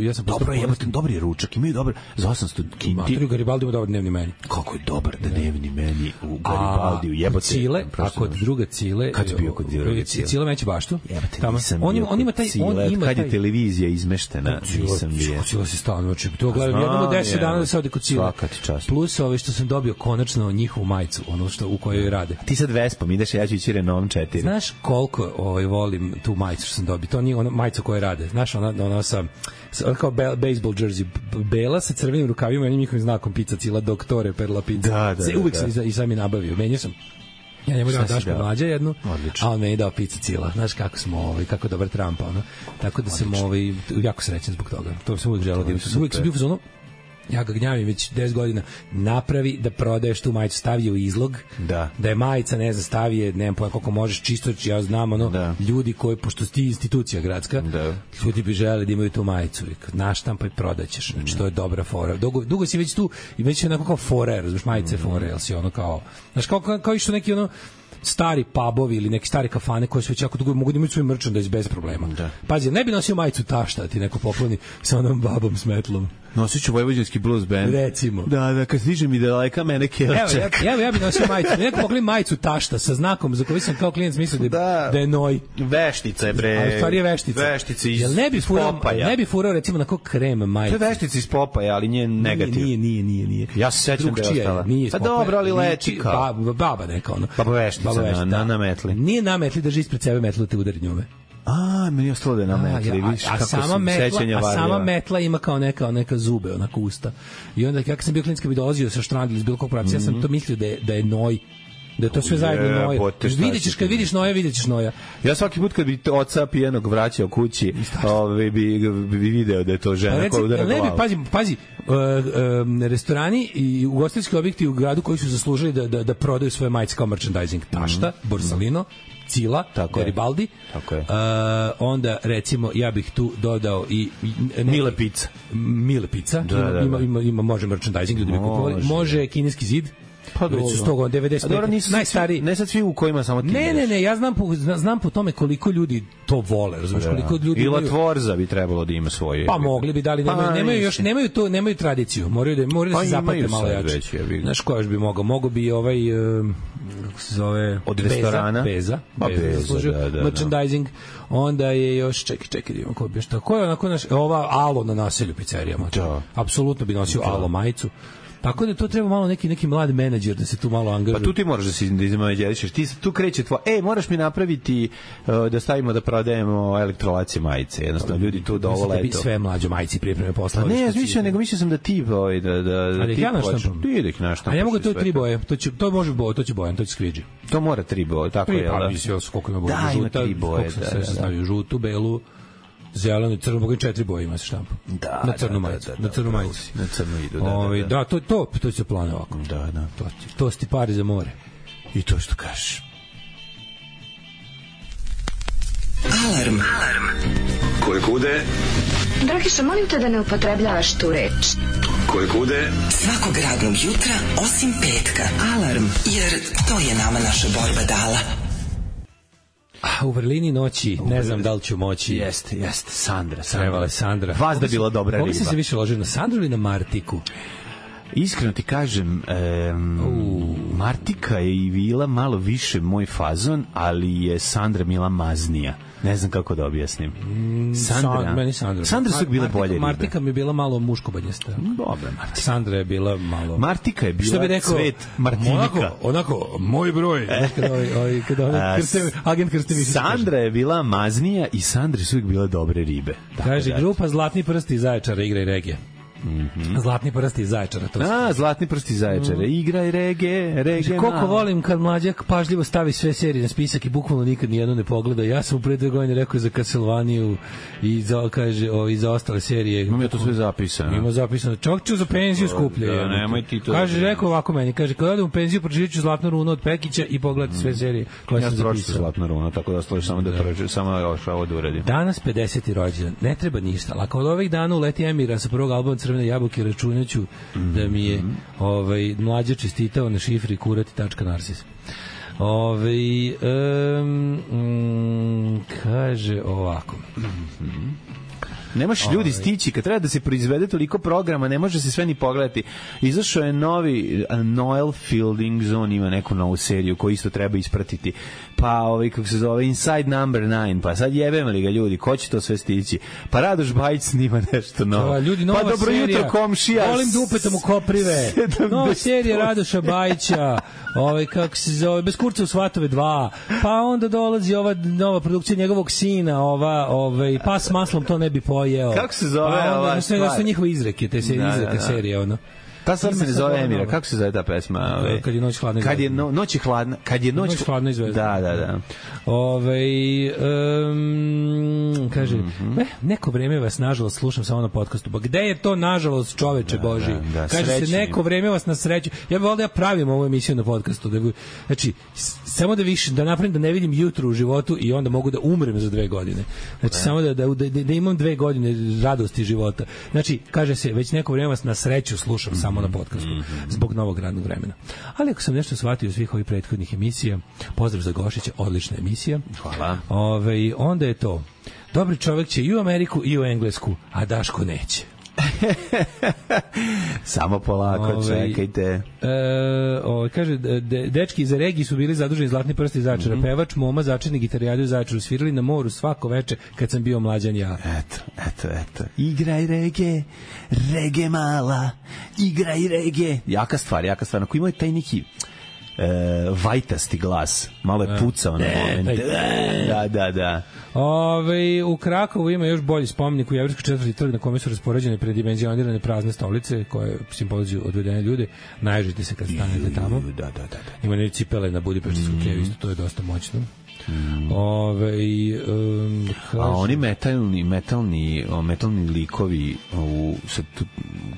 Ja sam dobro, dobri ručak, imaju dobar za 800 kinti. Matri u Garibaldiju dobar dnevni meni. Kako je dobar dnevni meni u Garibaldiju, jebote. Cile, a kod druga Cile... Kad je bio kod druga Cile? Cile meće baštu. Jebote, nisam bio kod Cile. Kad je televizija izmeštena, nisam bio. Cile si stalno, znači, to gledam jednom od 10 dana da se ode kod Cile. Plus što sam dobio konačno njihovu majicu, ono u kojoj rade. Ti sad Vespom ideš, ja ću ići Renault 4. Znaš koliko volim tu majicu što sam dobio? To nije ona majica koju rade. Znaš, ona sa kao baseball jersey, bela sa crvenim rukavima i njihovim znakom pizza Cila, doktore per la pizza. Uvijek sam i sam je nabavio. Menio sam. Ja njemu dao Daško mlađa jednu, a on meni dao pizza Cila. Znaš kako smo, kako dobar Trump, ono. Tako da sam jako srećan zbog toga. To sam uvijek želao. Uvijek sam bio u zonu, ja ga gnjavim već 10 godina, napravi da prodaješ tu majicu, stavi u izlog, da je majica, ne znam, stavi je, nemam pojma koliko možeš, čisto, ja znam, ljudi koji, pošto ti institucija gradska, ljudi bi želeli da imaju tu majicu, naštampa i prodaćeš, znači to je dobra fora. Dugo si već tu i već je onako kao fora, razumiješ, majice fora, jel si ono kao, znaš, kao išto neki ono, stari pubovi ili neki stari kafane koji su već jako dugo mogu da imaju svoj merchandise bez problema. Pazi, ne bi nosio majicu tašta, ti neko pokloni sa onom babom s metlom. Nosit ću vojvođanski blues band. Recimo. Da, kad stiže mi daleka mene kelček. Evo, ja bi nosio majicu. Neko pokloni majicu tašta sa znakom za koji sam kao klijent mislio da je noj. Veštica je, bre. A u stvari je veštica. Veštica iz Popaja. Ne bi furao recimo na kog krem majicu. To je veštica iz Popaja, ali nje negativ. Nije. Ja se sećam da je ostala. Pa dobro, ali leči kao. Baba neka ono. Baba veštica na metli. Nije na metli, drži ispred sebe metlu te udari njome. Meni je ostalo da je na metli, vidiš kako su sećanja varljiva. A sama metla ima kao neka zube, onako usta. I onda, kako sam bio klinska, bi dolazio sa štrandili iz bilo kog pravca, ja sam to mislio da je noj. Da je to sve zajedno noje. Jebote, šta Videćeš, kad vidiš noja, videćeš noja. Ja svaki put kad bi oca pijenog vraćao kući, bi video da je to žena koja udara glavu. Pazi, restorani i ugostiteljski objekti u gradu koji su zaslužili da prodaju svoje majice kao merchandising. Tašta, Borsalino, Cila, Garibaldi. Tako je. Onda, recimo, ja bih tu dodao i Mile Pizza. Mile Pizza. Ima, može merchandising, ljudi bi kupovali. Može kineski zid. Pa već su 195. Najstariji. Ne sad svi u kojima samo ti. Ne, ja znam po tome koliko ljudi to vole, razumeš, koliko ljudi. I Latvorza bi trebalo da ima svoje. Pa mogli bi, dali nemaju tradiciju. Moraju da se zapate malo jače. Znaš ko još bi mogao? Mogao bi ovaj kako se zove, od restorana Beza, merchandising. Onda je još čekaj, idemo ko bi šta. Ko je onako ova Alo na naselju pizzerijama. Apsolutno bi nosio Alo majicu. Tako da to treba malo neki mlad menadžer da se tu malo angažuje. Pa tu ti moraš da se izmenadžerišeš. Ti tu kreće moraš mi napraviti da stavimo da prodajemo elektrolacije majice. Jednostavno ljudi tu dovole eto. Sve mlađe majice pripreme posla. Ne, mislio sam da ti da ti hoćeš. A ja mogu to 3 boje. To može boje, to će Bojan, to će Skvidži. To mora 3 boje, tako je. Pa mislim koliko ima boje. Da, ima 3 boje. Da, stavio žutu, belu, zeleno i crno, mogu i 4 boje ima se štampa. Na crnu majicu. Na crnu majicu. Na crnu idu, da. To će plan ovako. Da. To sti pari za more. I to što kažeš. Alarm. Koje kude? Dragiša, molim te da ne upotrebljavaš tu reč. Koje kude? Svakog radnog jutra, osim petka. Alarm, jer to je nama naša borba dala. U vrlini noći, ne znam da li ću moći. Jeste, Sandra. Vazda bila dobra riba. Koga si se više ložio, na Sandru ili na Martiku? Iskreno ti kažem, Martika je i bila malo više moj fazon, ali je Sandra bila maznija. Ne znam kako da objasnim. Sandra su bile bolje ribe. Martika mi je bila malo muškobanjesta. Dobre, Martika. Sandra je bila malo... Martika je bila cvet Martinika. Onako, moj broj. Kada agent Krstević. Sandra je bila maznija i Sandri su uvijek bile dobre ribe. Kaže, grupa Zlatni prsti iz Zaječara igra i regije. Zlatni prsti iz Zaječara. Zlatni prsti iz Zaječara. Igraj regije. Koliko volim kad mlađak pažljivo stavi sve serije na spisak i bukvalno nikad nijednu ne pogleda. Ja sam u pre 2 godine rekao za Castlevaniu i za ostale serije. Imam ja to sve zapisano. Ima zapisano. Čovjek ću za penziju skuplje. Nemoj ti to. Kaže, rekao ovako meni. Kaže, kad odem u penziju, pročitat ću Zlatnu runu od Pekića i pogledati sve serije koje sam zapisao. Ja sam Zlatna runa, tako da složiš samo da pročitam, samo ovo da uradim. Danas 50. rođendan. Ne treba ništa. Ali od ovih dana uleti Emira sa prvog albuma Crvene jabuke, računaću da mi je mlađe čestitao na šifri kurati.narcis. Kaže ovako. Ne možeš ljudi stići, kad treba da se proizvede toliko programa, ne može se sve ni pogledati. Izašao je novi Noel Fielding Zone, ima neku novu seriju koju isto treba ispratiti. Pa kako se zove Inside Number 9, pa sad jebem li ga ljudi, ko će to sve stići? Pa Radoš Bajić snima nešto novo. Ljudi, nova pa dobro serija, jutro komšija. Volim dupetom u koprive. Nova serija Radoša Bajića, kako se zove, Bez kurca u Svatove 2. Pa onda dolazi ova nova produkcija njegovog sina, Pas s maslom to ne bi pojeo. Kako se zove ova stvar? Da su njihove izreke, te serije, ono. Ta stvar se ne zove Emira, kako se zove ta pesma? Kad je noć hladna izvezda. Kad je noć hladna izvezda. Da. Kaže, neko vreme vas nažalost slušam samo na podcastu. Pa gde je to nažalost, čoveče Boži? Kaže se, neko vreme vas na sreću. Ja bih volio da ja pravim ovu emisiju na podcastu. Znači, samo da napravim da ne vidim jutro u životu i onda mogu da umrem za 2 godine. Znači, samo da imam 2 godine radosti života. Znači, kaže se, već neko vreme vas na sreću slušam samo na podcastu, zbog novog radnog vremena. Ali ako sam nešto shvatio svih ovih prethodnih emisija, pozdrav za Gošića, odlična emisija. Hvala. Onda je to, dobri čovjek će i u Ameriku i u Englesku, a Daško neće. Samo polako, čekajte. Kaže, dečki za regiji su bili zaduženi Zlatni prsti iz Zaječara. Pevač, moma, začetnik gitarijadu u Zaječaru. Svirali na moru svako veče kad sam bio mlađan ja. Eto. Igraj rege mala, igraj rege. Jaka stvar. Ako imaju taj neki vajtasti glas. Malo je pucao na moment. Da. U Krakovu ima još bolji spomenik u Jevrejskoj četvrti trg na kome su raspoređene predimenzionirane prazne stolice koje simpoziju odvedene ljude. Naježite se kad stanete tamo. Da. Ima ne cipele na Budimpeštskom kevu, isto to je dosta moćno. A oni metalni likovi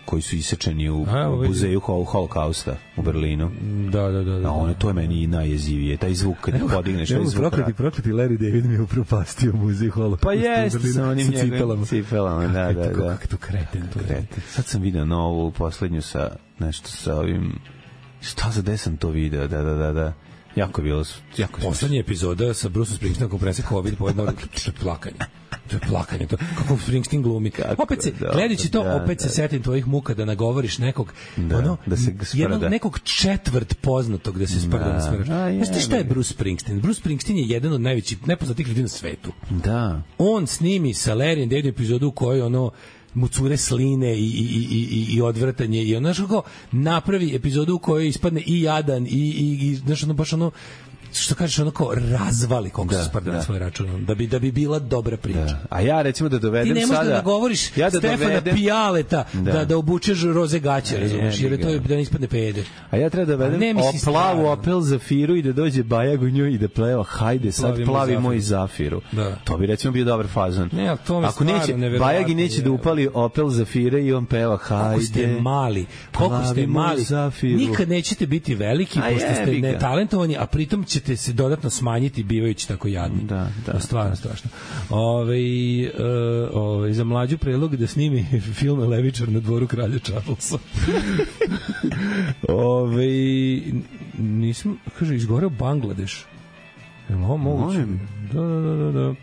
koji su isečeni u muzeju Holokausta u Berlinu. Da. To je meni najjezivije. Taj zvuk kad podigneš, taj zvuk. Prokleti Larry David mi je upropastio muzej Holokausta. Pa jeste sa onim njegovim cipelama. Da. Kako to kreten. Sad sam video novu poslednju sa nešto sa ovim. Šta za desam to video? Da. Jako je bilo... Poslednja epizoda sa Bruce Springsteenom kako prese COVID pojedno plakanje. To je plakanje. Kako Springsteen glumi. Opet se, gledajući to, opet se setim tvojih muka da nagovoriš nekog jednog nekog četvrt poznatog da se sprda na smrda. Znaš ti šta je Bruce Springsteen? Bruce Springsteen je jedan od najvećih nepoznatih ljudi na svetu. Da. On snimi sa Larryjem Davidom epizodu u kojoj mu cure sline i odvrtanje i ono što napravi epizodu u kojoj ispadne i jadan i znaš baš što kažeš kao razvali koliko se sprda na svoj račun da bi bila dobra priča. Da. A ja recimo da dovedem sada... Ti ne možeš da nagovoriš Stefana Pijaleta da obučeš roze gaće, razumiješ, jer je to da ne ispadne pede. A ja treba da dovedem plavu Opel Zafiru i da dođe Bajag u nju i da pleva hajde sad plavi moj Zafiru. To bi recimo bio dobar fazon. Ako neće, Bajagi neće da upali Opel Zafire i on peva hajde. Koliko ste mali, nikad nećete biti veliki pošto ste netalentovani, a pritom ćete se dodatno smanjiti bivajući tako jadni. Da. Stvarno strašno. Za mlađu predlog da snimi film Levičar na dvoru kralja Charlesa. Nisam, kaže, izgoreo Bangladeš. Ovo moguće? Da.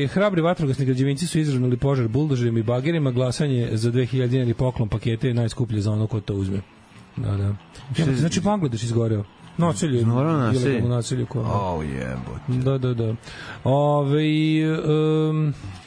Hrabri vatrogasni građevinci su izravnali požar buldožerima i bagerima. Glasanje za 2000 dinari poklon pakete je najskuplje za ono ko to uzme. Da. Znači Bangladeš izgoreo. Naselje, ilegalno naselje. Da.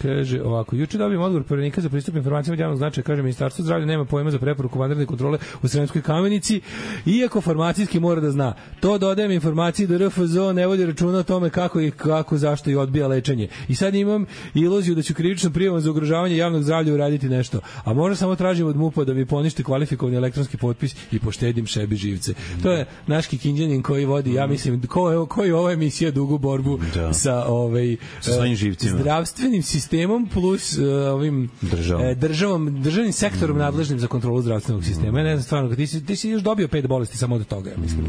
Kaže ovako, juče dobijem odgovor Poverenika za pristup informacijama od javnog značaja, kaže Ministarstvo zdravlja nema pojma za preporuku vanredne kontrole u Sremskoj Kamenici, iako farmacijski mora da zna. To dodajem informaciji da RFZO ne vodi računa o tome kako, zašto i odbija lečenje. I sad imam iluziju da ću krivičnom prijavom za ugrožavanje javnog zdravlja uraditi nešto. A možda samo tražim od MUP-a da mi poništi kvalifikovani elektronski potpis i poštedim šebi živce. To je naš Kikinđanin koji vodi, ja mislim, koji ova emisija dugu borbu sa svojim živcima. Zdravstvenim sistemom plus ovim državnim sektorom nadležnim za kontrolu zdravstvenog sistema. Ja ne znam stvarno, ti si još dobio 5 bolesti samo od toga, ja mislim.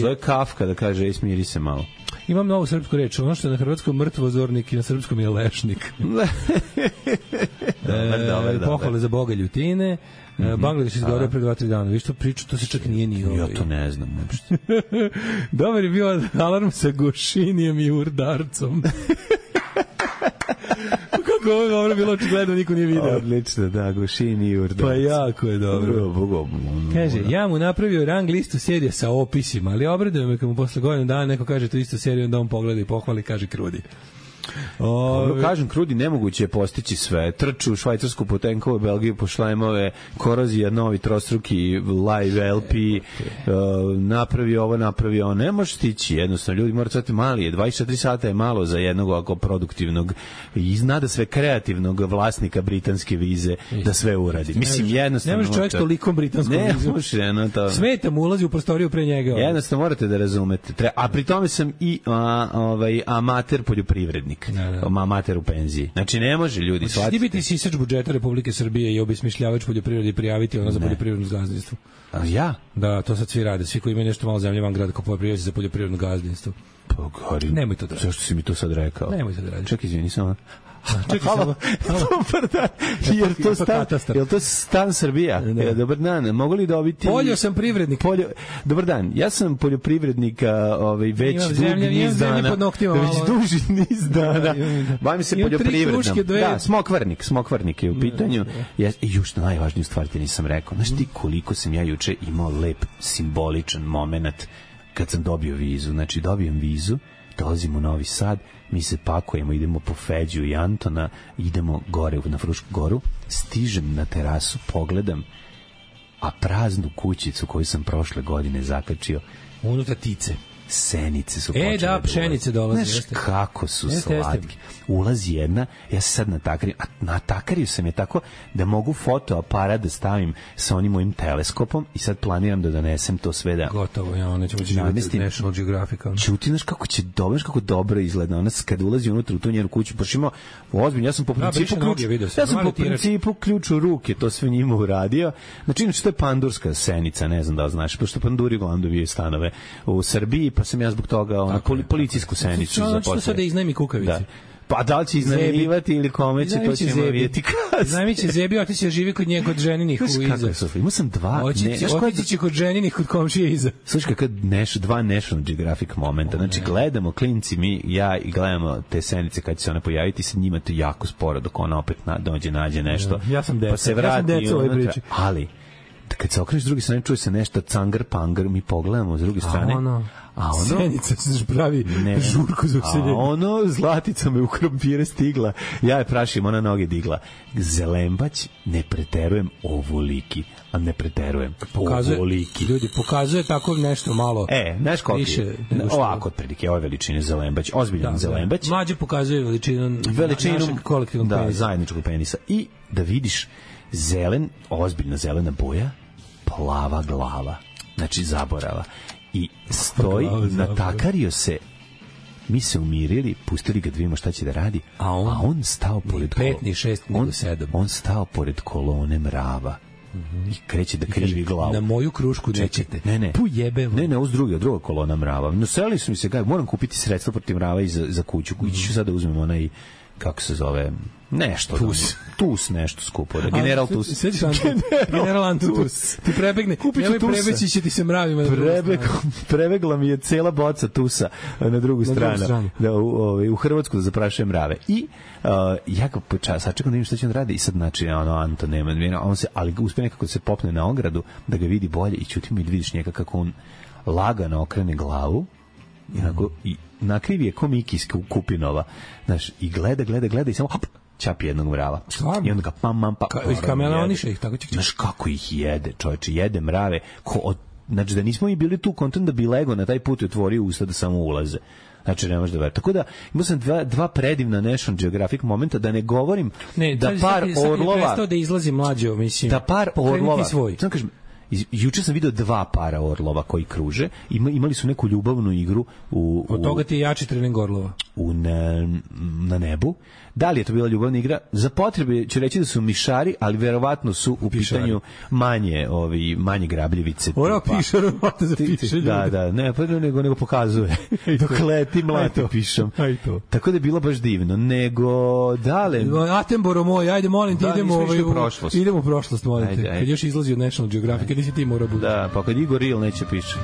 Zove Kafka da kaže, smiri se malo. Imam novu srpsku reč, ono što je na hrvatskom mrtvozornik i na srpskom je lešnik. Pohvale za Boga ljutine. Bangladeš izgoreo pre 2-3 dana. Viš to priču, to se čak nije ni Ja to ne znam uopšte. Dobar je bio alarm sa Gošinijem i Urdarcom. Kako ovo je dobro bilo, očigledno niko nije video. Odlično, da, Gošini i Urdarc. Pa jako je dobro. Kaže, ja mu napravio rang listu serije sa opisima, ali obraduje me kad mu posle godinu dana neko kaže tu istu seriju, onda on pogleda i pohvali, kaže krudi. Kažem, krudi, nemoguće je postići sve. Trču u Švajcarsku po tenkove, Belgiju po šlajmove, korozija, novi trostruki live LP, napravi ovo, napravi ovo. Ne može stići, jednostavno. Ljudi moraju stati mali je. 24 sata je malo za jednog ovako produktivnog i znada sve kreativnog vlasnika britanske vize da sve uradi. Mislim, jednostavno... Ne može čovjek tolikom britanskom vizu. Ne može, to... Smeta mu, ulazi u prostoriju pre njega. Jednostavno morate da razumete. A pri tome sam i amater poljoprivrednik. Amater u penziji. Znači ne može ljudi shvatiti. Ti biti sisač budžeta Republike Srbije i obesmišljavač poljoprivrede i prijaviti ono za poljoprivredno gazdinstvo. A ja? Da, to sad svi rade. Svi koji imaju nešto malo zemlje van grada kao poljoprivrednici za poljoprivredno gazdinstvo. Pa gori. Nemoj to da radiš. Zašto si mi to sad rekao? Nemoj to da radiš. Čekaj, izvini samo. Čekaj samo. Je to stan Srbija? Dobar dan, mogu li dobiti... Poljo sam privrednik. Dobar dan, ja sam poljoprivrednik već duži niz dana. Bavim se poljoprivrednom. Da, smokvarnik je u pitanju. I još najvažniju stvar ti nisam rekao. Znaš ti koliko sam ja juče imao lep, simboličan moment kad sam dobio vizu. Znači, dobijem vizu, dolazim u Novi Sad, mi se pakujemo, idemo po Feđu i Antona, idemo gore na Frušku goru, stižem na terasu, pogledam a praznu kućicu koju sam prošle godine zakačio, unutra tice. Senice su počele. Da, pšenice dolaze. Znaš kako su slatke. Ulazi jedna, ja se sad natakarim, a natakario sam je tako da mogu fotoaparat da stavim sa onim mojim teleskopom i sad planiram da donesem to sve da... Gotovo, ja nećemo živjeti National Geographic. Čuti, znaš kako će dobro, kako dobro izgleda. Ona kad ulazi unutra u tu njenu kuću, baš ima ozbiljno, ja sam po principu ključ u ruke to sve njima uradio. Znači, inače, to je pandurska senica, ne znam da li znaš, pošto panduri uglavnom dobiju stanove u Srbiji, pa sam ja zbog toga policijsku senicu zaposlio. Što sad da iznajmi kukavici? Da. Pa da li će iznajmljivati ili kome će, to ćemo vidjeti kasnije. Iznajmit će Zebi, otići da živi kod nje, kod ženinih u iza. Imao sam dva... Otići će kod ženinih, kod komšije iza. Slušaj, kad dva National Geographic momenta. Znači, gledamo, klinci, ja i gledamo te senice kad će se one pojaviti, sa njima to jako sporo, dok ona opet nađe nešto. Ja sam deca. Pa se vrati i unutra. Ali, kad se okreneš s druge strane, čuje se nešto cangar-pangar, mi pogledamo s druge strane. A ono senica se pravi žurku za useljenje. A ono zlatica me u krompire stigla. Ja je prašim, ona noge digla. Zelembać, ne preterujem, ovoliki. A ne preterujem, ovoliki. Ljudi, pokazuje tako nešto malo. Znaš koliko je? Ovako, otprilike, ove veličine zelembać. Ozbiljan zelembać. Mlađe pokazuje veličinu našeg kolektivnog penisa. Da, zajedničkog penisa. I da vidiš ozbiljna zelena boja, plava glava. Znači, zaborava. I stoji, natakario se, mi se umirili, pustili ga da vidimo šta će da radi, a on stao pored on stao pored kolone mrava i kreće da krivi glavu. Na moju krušku nećete. Ne. Pujebe. Ne, uz druga kolona mrava. No, seli su mi se, moram kupiti sredstva protiv mrava i za kuću. Ići ću sad da uzmem onaj, kako se zove, nešto. Tus nešto skupo. General Tus. General Antus. Ti prebegne. Nemoj prebeći će ti se mravima. Prebegla mi je cela boca Tusa na drugu stranu. Da, u Hrvatsku da zaprašujem mrave. I ja ga sačekam da vidim šta će on radi i sad znači Anto nema. On se, ali uspe nekako da se popne na ogradu da ga vidi bolje i čutimo i da vidiš njega kako on lagano okrene glavu i nakrivi je ko Miki iz Kupinova. Znaš, i gleda i samo hop, čapi jednog mrava. I onda ga pam. Iz kameleoniša ih tako će. Znaš kako ih jede, čovječe, jede mrave. Znači da nismo i bili tu kontent da bi lego na taj put i otvorio usta da samo ulaze. Znači ne može da veruje. Tako da imao sam dva predivna National Geographic momenta, da ne govorim da par orlova... Prestao da izlazi mlađo, mislim. Da par orlova... Samo kažem, juče sam video 2 para orlova koji kruže. Imali su neku ljubavnu igru od toga ti je jači trening orlova na nebu. Da li je to bila ljubavna igra? Za potrebe ću reći da su mišari, ali verovatno su u pitanju manje grabljevice. Ora pišar, za piše. Da, ne, pa nego pokazuje. Dok leti mlati pišom. Tako da je bilo baš divno. Nego dale. Attenborough moj, ajde molim ti idemo u prošlost, molim te. Kad još izlazi od National Geographic, nisi ti mora bude. Da, pa kad Igor Ril neće piše.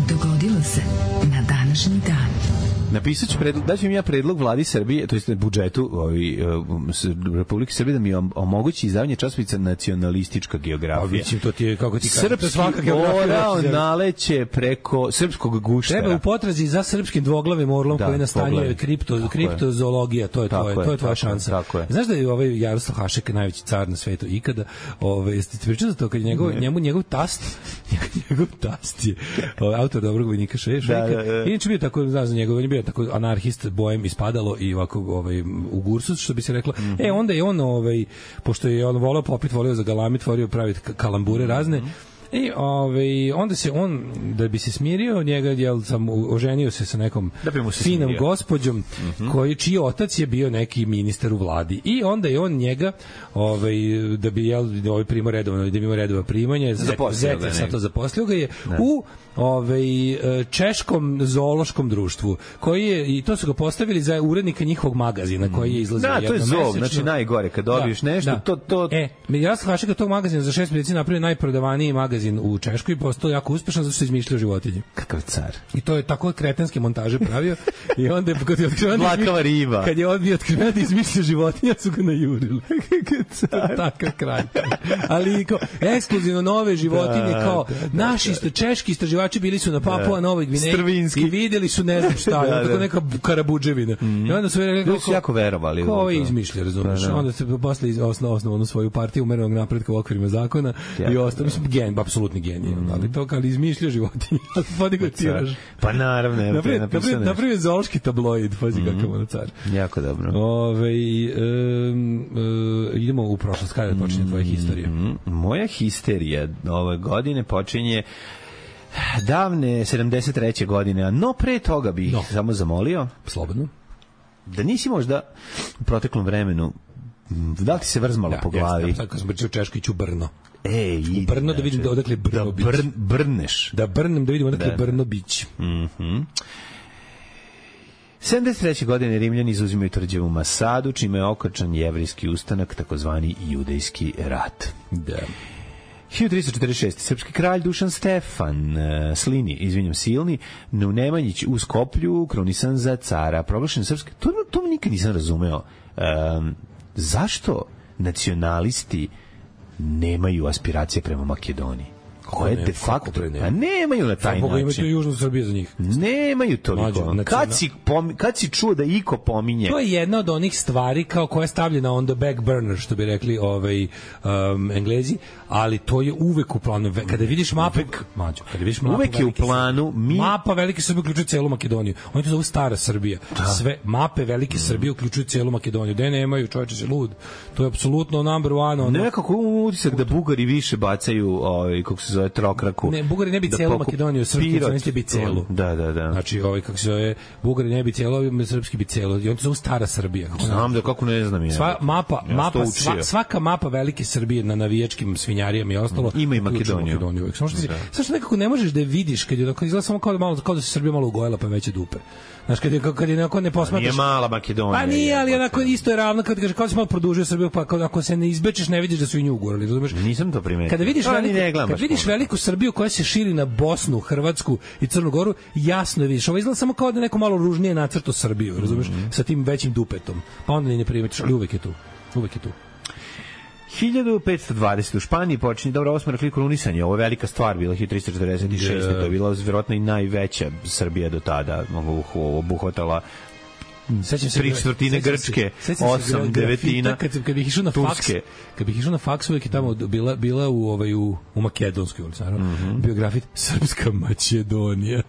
Dogodilo se na današnji dan. Napisat ću daću im ja predlog vladi Srbije, to jest budžetu Republike Srbije da mi omogući izdavanje časopisa Nacionalistička geografija. To ti je, kako ti kažem, srpski orao naleće preko srpskog guštera. Treba u potrazi za srpskim dvoglavim orlom koji nastanjuje kriptozoologija, to je tvoja šansa. Znaš da je ovaj Jaroslav Hašek najveći car na svetu ikada? Jeste ti pričali za to kad je njegov tast je autor Dobrog vojnika Šejka. Inače bio tako, znaš za njegov, on je bio tako anarhist, bojem ispadalo i ovako u gursus, što bi se reklo. Onda je on, pošto je on volao popit, volio za galamit, volio praviti kalambure razne, i onda se on, da bi se smirio njega, oženio se sa nekom finom gospođom čiji otac je bio neki ministar u vladi, i onda je on njega da bi primao redova primanja, zete sa to zaposlio ga je u češkom zoološkom društvu, koji je, i to su ga postavili za urednika njihovog magazina koji je izlazio jednom mesečno. Da, to je zov, znači najgore kad dobiješ nešto, to... Ja sam Hašeka tog magazina za 6 meseci napravio najprodavaniji magazin magazin u Češkoj i postao jako uspešan zato što je izmišljao životinje. Kakav car. I to je tako kretenske montaže pravio i onda je kad je otkriven Dlakava riba. kad je odbio otkriven da izmišlja životinja su ga najurili. Kakav car. Takav kralj. Ali kao ekskluzivno nove životinje kao naši češki istraživači bili su na Papua Novoj Gvineji i videli su ne znam šta, tako neka karabudževina. I onda su rekli su jako verovali. Ko ovo izmišlja, razumiješ? Onda se posle osnovno svoju partiju umerenog napretka u okvirima zakona i ostao, mislim, apsolutni genij. Ali izmišlja životinje. Podigao tiraž. Pa naravno. Napravio zoološki tabloid, pazi kakav ono car. Jako dobro. Idemo u prošlost, kada počinje tvoja historija? Moja histerija ove godine počinje davne 73. godine, no pre toga bih samo zamolio slobodno da nisi možda u proteklom vremenu da li ti se vrzmalo po glavi? Sad kad sam pričao Češko iću Brno. U Brno da vidim da odakle Brno bić. Brneš. Da brnem da vidim odakle Brno bić. 73. godine Rimljani izuzimaju tvrđavu Masadu, čime je okončan jevrijski ustanak, takozvani judejski rat. Da. 1346. Srpski kralj Dušan Stefan Silni, u Nemanjić u Skoplju, krunisan za cara, proglašen srpski. To mi nikad nisam razumeo. Zašto nacionalisti nemaju aspiracije prema Makedoniji? Koje de facto nemaju na taj način. Imaju južnu Srbiju za njih. Nemaju toliko. Kad si čuo da iko pominje? To je jedna od onih stvari kao koja je stavljena on the back burner, što bi rekli Englezi, ali to je uvek u planu. Kada vidiš mapu, uvek je u planu. Mapa Velike Srbije uključuje celu Makedoniju. Oni to zovu Stara Srbija. Sve mape Velike Srbije uključuju celu Makedoniju. Da nemaju, čoveče se lud. To je apsolutno number one. Nekako utisak da Bugari više bacaju kako se zove trokraku. Ne, Bugari ne bi celu Makedoniju, srpski bi celu. Da. Znači, kako se zove, Bugari ne bi celu, srpski bi celu. I on to zove Stara Srbija. Znam da kako ne znam ja. Svaka mapa Velike Srbije na navijačkim svinjarijama i ostalo ima i Makedoniju. Samo što nekako ne možeš da je vidiš kad izgleda samo kao da se Srbija malo ugojela pa veće dupe. Znaš, kad je neko ne posmatraš... Nije mala Makedonija. Pa nije, ali onako isto je ravno kad kaže kao si malo produžio Srbiju, pa ako se ne izbečeš ne vidiš da su i nju ugorali, razumeš? Nisam to primetio. Kada vidiš veliku Srbiju koja se širi na Bosnu, Hrvatsku i Crnu Goru, jasno je vidiš. Ovo izgleda samo kao da neko malo ružnije nacrto Srbiju, razumeš? Sa tim većim dupetom. Pa onda ni ne primetiš, ali uvek je tu. 1520. u Španiji počinje, dobro, ovo smo rekli krunisanje, ovo je velika stvar bila 1346. To je bila vjerojatno i najveća Srbija do tada, obuhvatala 3/4 Grčke, 8/9 kad bih išao na faks, kad bih išao na faks uvek je tamo bila u Makedonskoj ulici, bio grafit Srpska Makedonija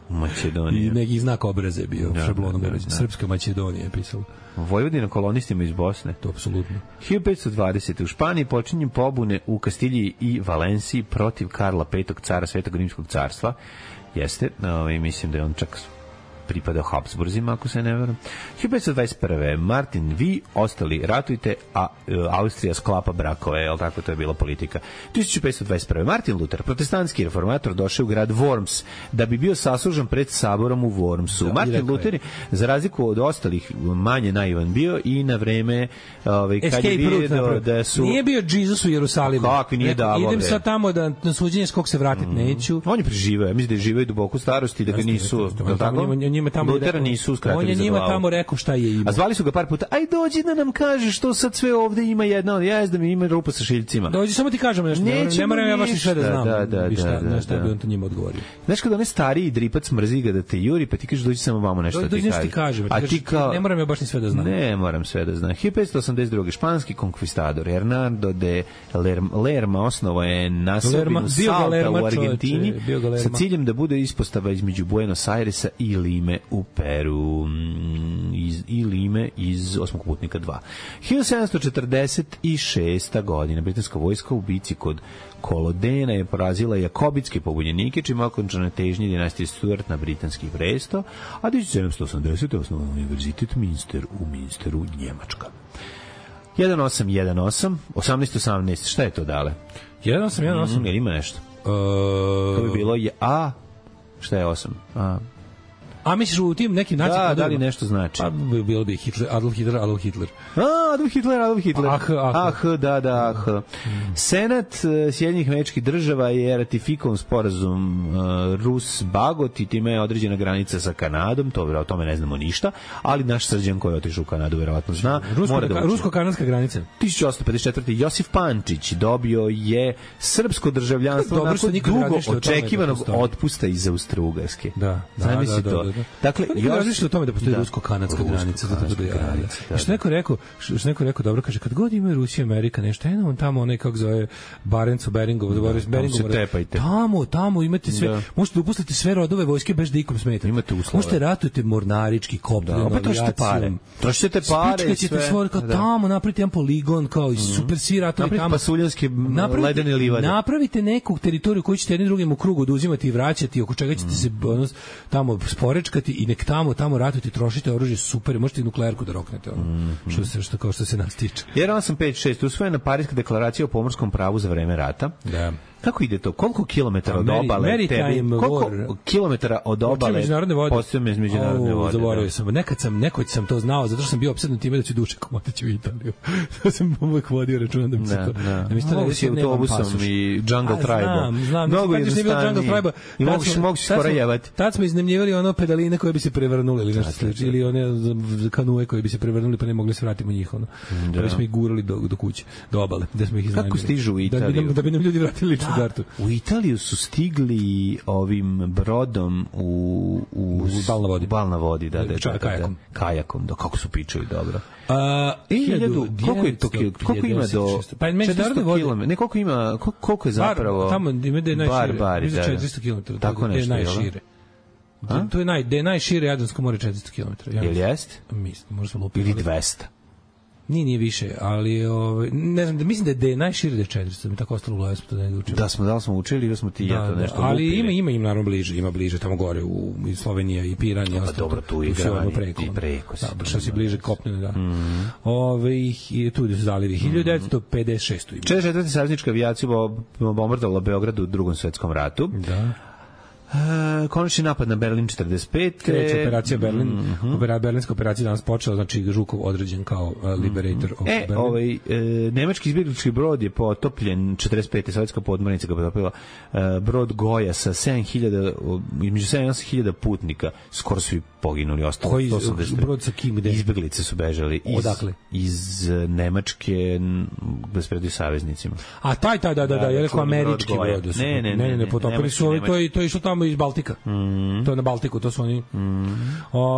i neki znak obraza je bio šablonom urađen. Srpska Makedonija je pisalo. Vojvodina kolonistima iz Bosne. To apsolutno. 1520. u Španiji počinju pobune u Kastilji i Valenciji protiv Karla V, cara Svetog Rimskog carstva. Jeste, mislim da je on čak pripadao Habsburzima, ako se ne varam. 1521. Martin, vi ostali ratujte, a Austrija sklapa brakove, jel tako, to je bila politika. 1521. Martin Luther, protestantski reformator, došao u grad Worms da bi bio saslužan pred saborom u Wormsu. Martin Luther je, za razliku od ostalih, manje naivan bio i na vreme kad je vidio da su... Nije bio Jesus u Jerusalimu. Kakvi nije davo. Idem sad tamo da na suđenje skog se vratit neću. On je preživao, mislim da je živao i duboko starosti, da ga nisu... Lutera nisu uskratili za glavu. On je njima tamo rekao šta je ima. A zvali su ga par puta, aj dođi da nam kaže što sad sve ovde ima jedna, da mi ima rupa sa šiljcima. Dođi, samo ti kažem nešto, ne moram ja baš ni sve da znam. Da. Šta bi on to njima odgovorio. Znaš kada onaj stariji dripac mrzi ga da te juri, pa ti kažeš dođi samo vamo nešto da ti kaže. A ti kao... Ne moram ja baš ni sve da znam. Ne moram sve da znam. 1582. španski konkvistador Hernando de Lerma osnovao je naselbinu Salta u Argentini sa ciljem da bude ispostava između Buenos Airesa i Lime u Peru i Lime iz Osmog putnika 2. 1746. godina britanska vojska u bici kod Kolodena je porazila jakobitske pobunjenike, čime je okončana težnje dinastije Stuart na britanski presto, a 1780. osnovan univerzitet Minster u Minsteru, Njemačka. 1818, 1818, šta je to dale? 1818? Jer ima nešto? To bi bilo šta je 8? A misliš u tim nekim naci kodovima? Da li nešto znači? Pa bilo bi Adolf Hitler. Adolf Hitler. Da. Senat Sjedinjenih Američkih Država je ratifikovan sporazum Rus-Bagot i time je određena granica sa Kanadom, o tome ne znamo ništa, ali naš Srđan koji je otišao u Kanadu verovatno zna. Rusko-kanadska granica. 1854. Josif Pančić dobio je srpsko državljanstvo nakon dugo očekivanog otpusta iz Austro-Ugarske. Da. Dakle, još o tome da postoji rusko-kanadska granica. Što neko rekao, dobro, kaže, kad god ima Rusija, Amerika, nešto, on tamo, onaj, kako zove, Barenco, Beringov, tamo imate sve, možete da upustite sve rodove vojske bez da ikom smeta. Imate uslove. Možete ratujete mornarički, kopljenu avijacijom. Trošite pare. Spičkaćete svoje, kao tamo, napravite jedan poligon, kao i super svi ratovi tamo. Napravite pasuljanske ledene livade. Napravite neku teritoriju koju ćete jednim drugim u krugu oduzimati i vraćati, oko čega ćete se tamo sporečkati i nek tamo ratujete, trošite oružje, super, možete i nuklearku da roknete, što se nas tiče. Jer 856 usvojena Pariska deklaracija o pomorskom pravu za vreme rata. Da. Kako ide to? Koliko kilometara od obale koliko kilometara od obale postoje međunarodne vode? Zaboravio sam. Nekoć sam to znao, zato što sam bio opsednut time da ću Dušek otići u Italiju. To sam uvek vodio računa da mi se to... Mogu si autobusom i Jungle Tribe-a. Znam. Mnogo jednostavnije. I mogu si skoro jevati. Tad smo iznemljivali pedaline koje bi se prevrnuli ili nešto slično. Ili one kanue koje bi se prevrnuli pa ne mogli se vratiti u njih. Da bi smo ih gurali do kuće, do obale. Kako stižu u Italiju? Da bi nam ljudi vratili u Italiju su stigli ovim brodom u bal na vodi, kajakom, da kako su pičali dobro. 1000, koliko ima do 400 km? Ne, koliko je zapravo? Tamo ima da je najšire. 400 km. Tako nešto, najšire. To je najšire Jadransko more 400 km. Jel jest? Mislim, možda smo lupili. Ili 200. Nije više, ali ne znam, mislim da je najšire da je 400, mi tako ostalo u glavi smo to negdje učili. Da li smo učili ili smo ti to nešto ali lupili? Ima naravno bliže, tamo gore u Slovenija i Piran i ostalo. Dobro, tu i preko. Što si bliže kopnene, da. I tu su zalivi. 1956. 44. saveznička avijacija bombardovala Beograd u Drugom svetskom ratu. Da. Konačni napad na Berlin 45. Kreće operacija Berlin. Berlinska operacija danas počela, znači Žukov određen kao liberator of Berlin. Nemački izbjeglički brod je potopljen 45. Sovjetska podmornica ga potopila. Brod Goja sa 7.000, između 7 i 8.000 putnika. Skoro su i poginuli. Koji brod sa kim? Izbjeglice su bežali. Odakle? Iz Nemačke bez predio saveznicima. A taj, je rekao američki brod. Ne, potopili su ovi, to je išlo tamo iz Baltika. To je na Baltiku, to su oni...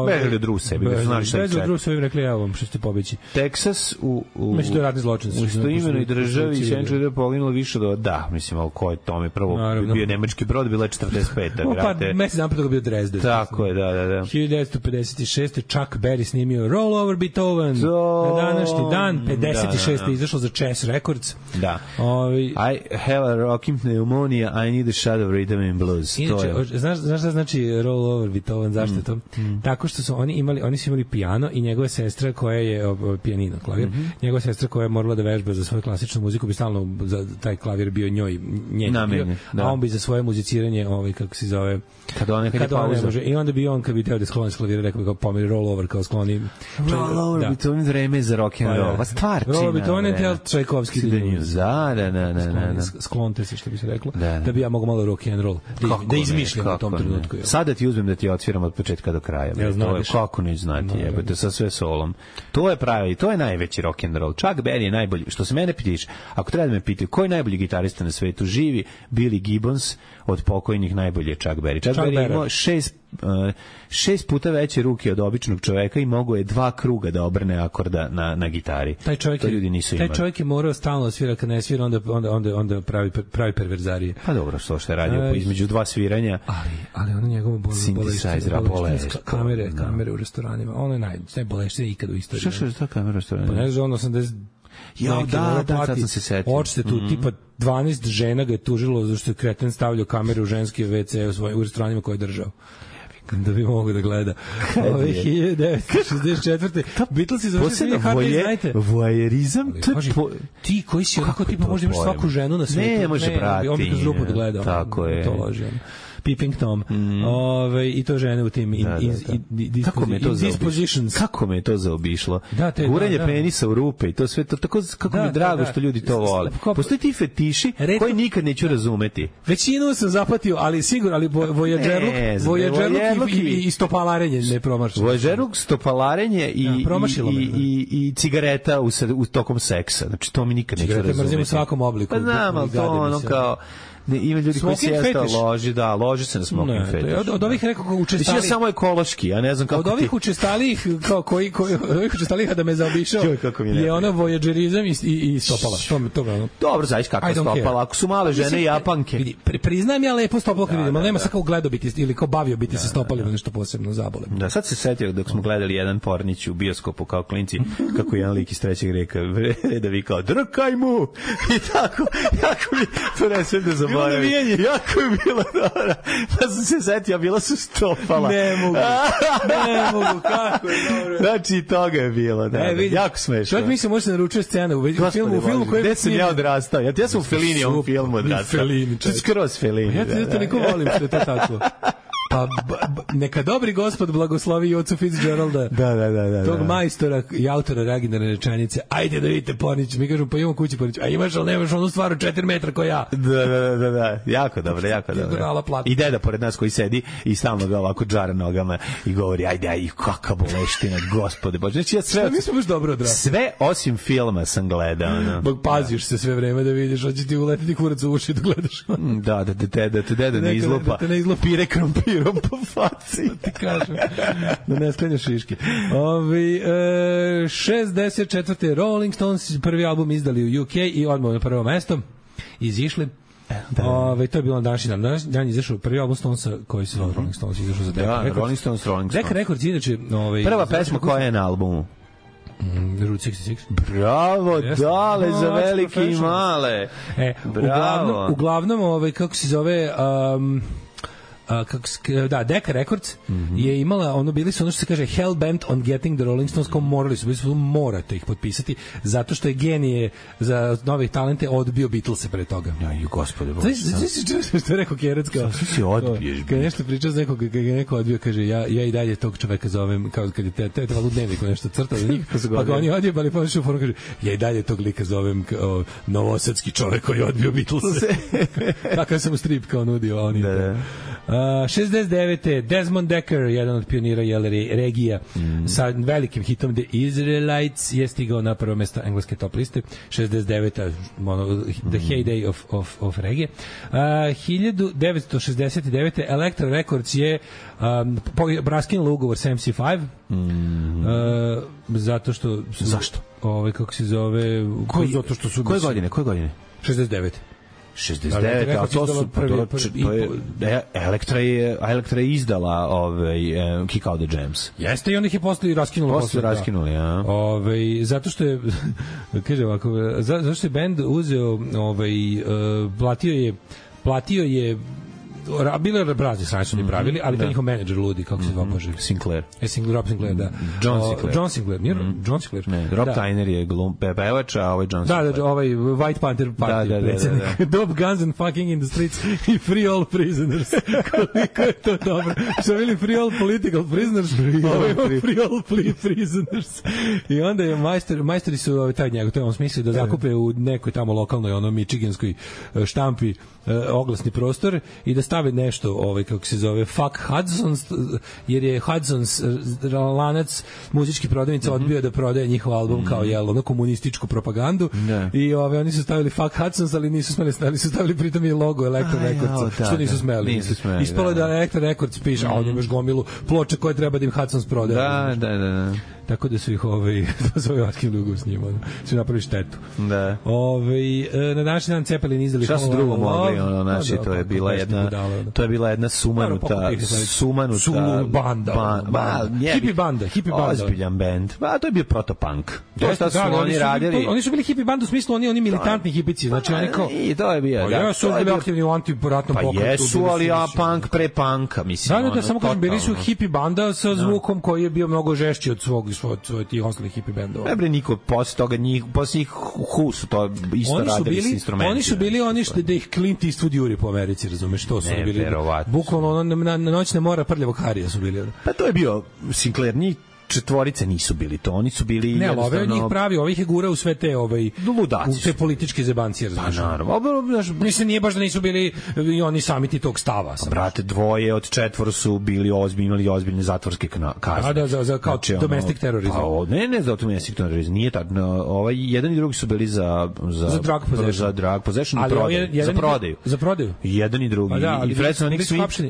Bežali od Rusa, znali šta je ček. Bežali od Rusa, im rekli, evo vam, što ste pobeći. Teksas u radni zločin. U istoimenoj državi Sjenčar je poginulo više do... Da, mislim, ali ko je tome prvo bio nemački brod, bila je 45. Pa mesec napred toga bio Dresden. Tako je, da. 1956. Chuck Berry snimio Roll Over Beethoven. Na današnji dan, 56. izašlo za Chess Records. Da. I have a rocking pneumonia, I need a shot of rhythm and blues. Znaš šta znači Roll Over Beethoven, zašto je to? Tako što su oni su imali pijano i njegova sestra koja je pijanino, klavir, njegova sestra koja je morala da vežba za svoju klasičnu muziku, bi stalno za taj klavir bio njoj njen, a on bi za svoje muziciranje, kako se zove, kad je pauza. I onda bi on, kad bi teo da skloni s klavira, rekao bi kao pomeri Roll Over, kao skloni Roll Over Beethoven, vreme za rock and roll. Stvarčina. Roll Over Beethoven je Čajkovski da. Sklonite se, što bi se reklo, da bi ja mogu malo rock and roll da izmišljam u tom trenutku. Sada ti uzmem da ti odsviram od početka do kraja. To je kako neću znati, jebate, sa sve solom. To je pravi, to je najveći rock and roll. Chuck Berry je najbolji. Što se mene pitiš, ako treba da me pitaju ko je najbolji gitarista na svetu, živi Billy Gibbons, od pokojnih najbolji je Chuck Berry. Chuck Berry imao 6 puta veće ruke od običnog čoveka i mogo je 2 kruga da obrne akorda na gitari. To ljudi nisu imali. Taj čovjek je morao stalno svira, kad ne svira onda pravi perverzarije. Pa dobro, što je radio između 2 sviranja. Ali ono njegovo boleštinska kamere u restoranima. Ono je najboleštinije ikad u istoriji. Što je ta kamera u restoranima? Pa ne znam, 80... Da, sad sam se setio. Očite tu, tipa 12 žena ga je tužilo zašto je kreten stavljao kameru u ženske WC u restoranima koje je držao. Da bi mogo da gleda. 1964. Beatlesi završili voajerizam. Ti koji si onako tipa možda imaš svaku ženu na svijetu. Ne može prati. On bi kroz rupu da gleda. Tako je. To loži. Peeping Tom. I to žene u tim Kako me je to zaobišlo? Da, guranje penisa u rupe i to sve to tako kako mi je drago što ljudi to vole. Postoje ti fetiši koji nikad neću razumeti. Većinu sam zapatio, ali sigurno, ali vojađerluk i stopalarenje ne promašilo. Vojađerluk, stopalarenje i cigareta u tokom seksa. Znači to mi nikad neću razumeti. Mrzim u svakom obliku. Pa znam, ali to ono kao ima ljudi koji sjesta loži se na smoking fetiš. Od ovih rekao učestalih samo ekološki, ja ne znam kako od ovih učestalih koji od ovih učestalih da me zaobišao je ono vojađerizam i stopala. To dobro, znaš kako stopala, ako su male žene Japanke. Priznajem ja lepo stopalo kad vidim, ali nema sad kao gledao biti ili kao bavio biti se stopalima nešto posebno zabole. Da, sad se setio dok smo gledali jedan pornić u bioskopu kao klinci, kako jedan lik iz trećeg reda vikao drkaj mu i tako, jako mi to ne sve da zaboravim. Jako je bilo dobro. Pa sam se setio, bila su stopala. Ne mogu, kako je dobro. Znači, toga je bilo, da. Jako smešno. Čovjek mi se može se naručiti scena u filmu koji... Gde sam ja odrastao? Ja sam u Felinijevom filmu odrastao. Skroz Felini. Ja te toliko volim što je to tako. Pa neka dobri gospod blagoslovi ocu Fitzgeralda. Da. Tog majstora i autora originalne rečenice. Ajde da vidite pornić. Mi kažemo, pa imamo kući pornić. A imaš, ali nemaš onu stvar 4 metra ko ja. Da. Jako dobro. I deda pored nas koji sedi i stalno ga ovako džara nogama i govori, ajde, kakav boleština, gospode Bože. Znači, ja sve... Mi smo baš dobro odrasli. Sve osim filma sam gledao. Bog, paziš se sve vreme da vidiš, hoće ti uletiti kurac u uši da gledaš. Da te deda ne izlupa. Pire krompir po faci. Ti kažem, da ne sklenjaš šiške. 64. Rolling Stones prvi album izdali u UK i odmah na prvo mesto izišli. To je bilo današnji dan izašao prvi album Stonesa koji se zove Rolling Stones, izašao za Decca Records. Rolling Stones. Decca Records inače... Prva pesma koja je na albumu? Route 66. Bravo, dale, za velike i male. Bravo. Uglavnom, kako se zove... Decca Records je imala, bili su ono što se kaže hell bent on getting the Rolling Stones, kao morate ih potpisati, zato što je genije za nove talente odbio Beatlese pre toga. Aj, gospode Bože. Što je rekao Kjerac, kao... Što si odbiješ? Kad nešto pričao za nekog, kad je neko odbio, kaže, ja i dalje tog čoveka zovem, kao kad je trebalo u dnevniku nešto crtao za njih, pa ga oni odjebali, pa više u foru kaže, ja i dalje tog lika zovem novosadski čovek koji je odbio Beatlese. Tako sam u strip kao nudio, oni... 69. Desmond Decker, jedan od pionira regija, sa velikim hitom The Israelites je stigao na prvo mesto engleske top liste. 69. The heyday of regije. 1969. Elektra Records je raskinula ugovor sa MC5. Zato što... Zašto? Kako se zove... Zato što su... Koje godine? 69. 69, a to su Elektra je izdala Kick Out the Jams. Jeste, i on ih je posle raskinula. Ja. Zato što je kaže ovako, zato što je bend uzeo platio je bile razni strane su ni pravili, ali to njihov menadžer ludi, kako se zvao Bože? Sinclair. Rob Sinclair, da. John Sinclair. Ne, Rob Tyner je pevač, a ovaj John Sinclair. Da, ovaj White Panther party predsjednik. Dope guns and fucking in the streets i free all prisoners. Koliko je to dobro. Što bili free all political prisoners, free all prisoners. I onda je majstori su taj njegov, to je on smislio da zakupe u nekoj tamo lokalnoj michiganskoj štampi oglasni prostor i da stave nešto, kako se zove, fuck Hudson's, jer je Hudson's lanac muzički prodavnica odbio da prodaje njihov album kao komunističku propagandu i oni su stavili fuck Hudson's, ali nisu smeli, ali su stavili pritom i logo Elektra Records, što nisu smeli. Ispalo da Elektra Records piše, a on imaš gomilu ploče koje treba da im Hudson's prodaje. Da. Tako da su ih svoj vaskim ugovor s njima, su napravili štetu. Da. Na današnji dan Zeppelin izdali šta su drugo mogli, to je bila jedna sumanuta banda. Hippie banda. Ozbiljan band. To je bio protopunk. To su oni radili. Oni su bili hippie band u smislu, oni militantni hipici, znači oni kao... I to je bio, da. Su bili aktivni u antiratnom pokretu. Pa jesu, ali punk pre punka, mislim. Da, samo kažem, bili su hippie banda sa zvukom koji je bio mnogo žešći od svog svoj tih ostalih hippie bendova. Ne bre, niko posle toga posle njih Who su to isto radili s instrumentima. Oni su bili oni što da ih Clint Eastwood juri po Americi, razumeš, to su bili. Bukvalno na noćne mora prljavog Harija su bili. Pa to je bio Sinclair, njih četvorice nisu bili to, oni su bili ne, jednostavno... Ne, ove njih pravi, ovih je gura u sve te ludaci u te političke zebancije, razumiješ. Pa naravno. Mislim, nije baš da nisu bili i oni sami ti tog stava. Brate, dvoje od četvoro su bili imali ozbiljne zatvorske kazne. Da, za kao znači, domestic terorizam. Pa, ne za domestic terorizam, nije tako. Jedan i drugi su bili za drug possession. Za drug possession i prodaju. Za prodaju. Jedan i drugi. Da, i Fred Sonic Smith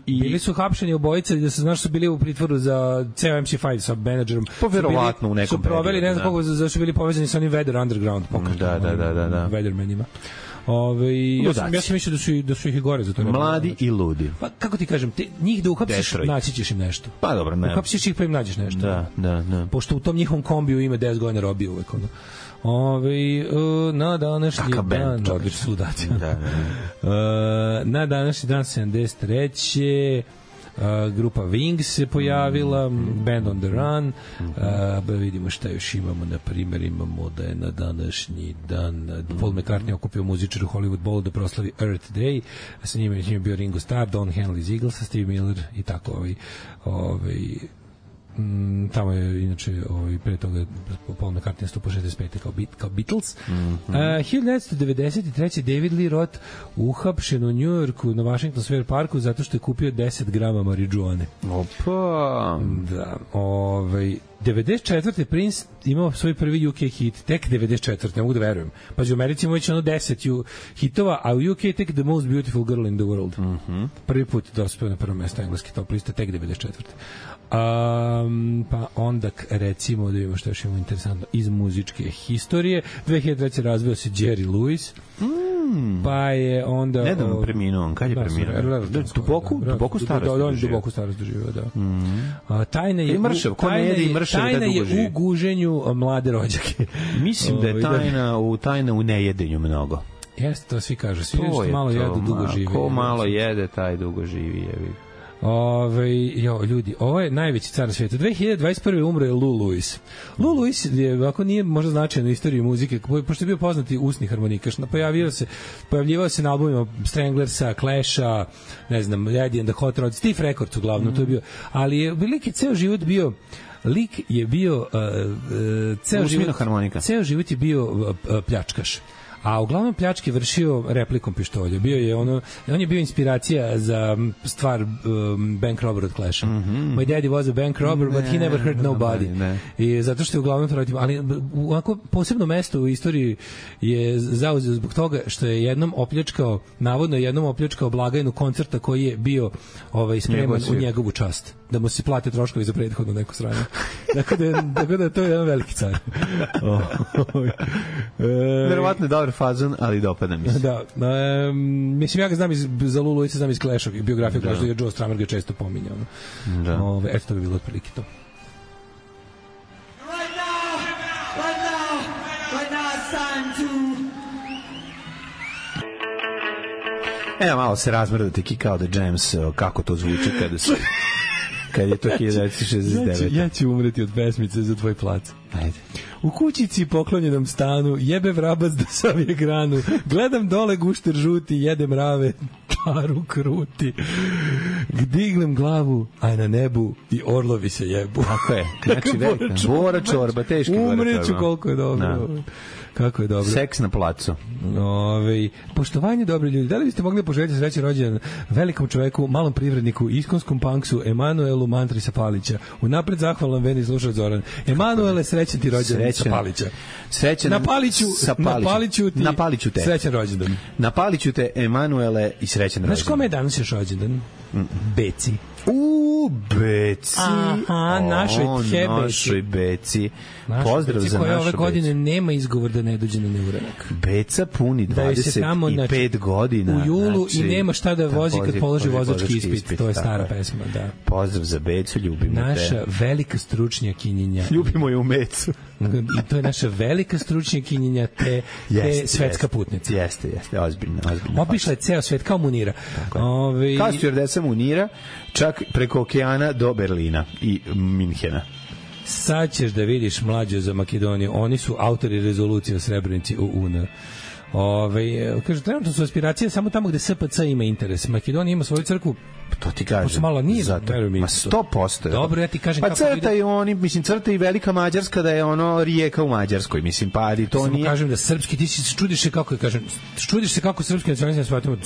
bili su hapšeni obojica da se znaš su bili u pritvoru za ceo MC5 sa menadžerom. Verovatno u nekom su proveli, ne znam koliko, zašto su bili povezani sa onim Weather Underground pokretom. Da. Weathermanima. Ja sam mislio da su ih i gore za to. Mladi i ludi. Pa kako ti kažem, njih da uhapsiš, naći ćeš im nešto. Pa dobro, ne. Uhapsiš ih pa im nađeš nešto. Da. Pošto u tom njihovom kombiju ima 10 godina robije uvek. Na današnji dan odlično sudac. Na današnji dan 73. Grupa Wings se pojavila, Band on the Run, vidimo šta još imamo, na primjer imamo da je na današnji dan Paul McCartney okupio muzičar u Hollywood Bowlu da proslavi Earth Day, sa njima je bio Ringo Starr, Don Henley iz Eaglesa, Steve Miller i tako tamo je inače pre toga Paul McCartney stupo 65. kao Beatles. 1993. David Lee Roth uhapšen u New Yorku na Washington Square Parku zato što je kupio 10 grama marijuane. Opa! Da. 94. Prince imao svoj prvi UK hit, tek 94. Ne mogu da verujem. Pa u Americi imamo već 10 hitova, a u UK tek The Most Beautiful Girl in the World. Prvi put dospeo na prvo mesto engleski top lista, tek 94. Pa onda recimo da vidimo što još imamo interesantno iz muzičke historije. 2003. razveo se Jerry Lewis. Pa je onda nedavno preminuo. Kad je preminuo? Duboku starost. Duboku starost doživio, da. Tajna je u guženju mlade rođake. Mislim da je tajna u nejedenju mnogo. Jeste, to svi kažu. Svi što malo jedu, dugo živi. Ko malo jede, taj dugo živi. Ljudi, ovo je najveći car na svijetu. 2021. umro je Lou Lewis. Lou Lewis je, ovako nije možda značajan u istoriji muzike, pošto je bio poznati usni harmonikaš. Pojavljivao se na albumima Stranglersa, Clasha, ne znam, Eddie and the Hot Rods, Stiff Records uglavnom, to je bio. Ali je ceo život bio ceo život je bio pljačkaš. A uglavnom pljačke vršio replikom pištolja. On je bio inspiracija za stvar bank robber od Clasha. My daddy was a bank robber, but he never hurt nobody. I zato što je uglavnom to radio. Ali onako posebno mesto u istoriji je zauzeo zbog toga što je navodno jednom opljačkao blagajnu koncerta koji je bio spreman u njegovu čast. Da mu se plate troškovi za prethodno neko sranje. Tako da to je jedan veliki car. Verovatno je dobar fazon, ali dopada mi se. Da. Mislim, ja ga znam za Lulu i se znam iz Clash-a, biografiju Clash-a, jer Joe Strummer ga često pominjao. Eto, to bi bilo otprilike to. Right now it's time to... Evo, malo se razmrdate Kick Out the Jams, kako to zvuči kad je to 1969. Ja ću umreti od pesmice za tvoj plac. Ajde. U kućici poklonjenom stanu, jebe vrabac da savije granu, gledam dole gušter žuti, jede mrave, paru kruti. Dignem glavu, a na nebu i orlovi se jebu. Tako je. Znači, Bora čorba, teški Bora čorba. Umreću koliko je dobro. Kako je dobro. Seks na placu. Poštovanje dobri ljudi. Da li biste mogli poželjeti srećan rođendan velikom čoveku, malom privredniku, iskonskom punksu, Emanuelu Mantrisa Palića. Unapred zahvalan Veni slušač Zoran. Emanuele, srećan ti rođendan sa Palića. Srećan na Paliću te. Srećan rođendan. Na Paliću te, Emanuele, i srećan rođendan. Znaš kome je danas još rođendan? Beci. Beci. Aha, našoj Beci. Pozdrav za našu Becu. Koja ove godine nema izgovor da ne dođe na neuranak. Beca puni 25 godina. U julu i nema šta da vozi kad položi vozački ispit. To je stara pesma, da. Pozdrav za Becu, ljubimo te. Naša velika stručnjakinjenja. Ljubimo je u Mecu. I to je naša velika stručnjakinjenja te svetska putnica. Jeste, ozbiljno. Obišla je ceo svet kao Munira. Kao stjuardesa Munira, čak preko okeana do Berlina i Minhena. Sad ćeš da vidiš mlađe za Makedoniju. Oni su autori rezolucije o Srebrenici u UN. Kaže, trenutno su aspiracije samo tamo gde SPC ima interes. Makedonija ima svoju crkvu. To ti kažem. Malo nije, zato. Ma 100%. Dobro, ja ti kažem pa crta i oni, mislim, crta i Velika Mađarska da je ono Rijeka u Mađarskoj, mislim, pa ali to nije. Samo kažem da srpski, ti se čudiš se kako je, kažem, čudiš se kako srpski nacionalizam shvatimo,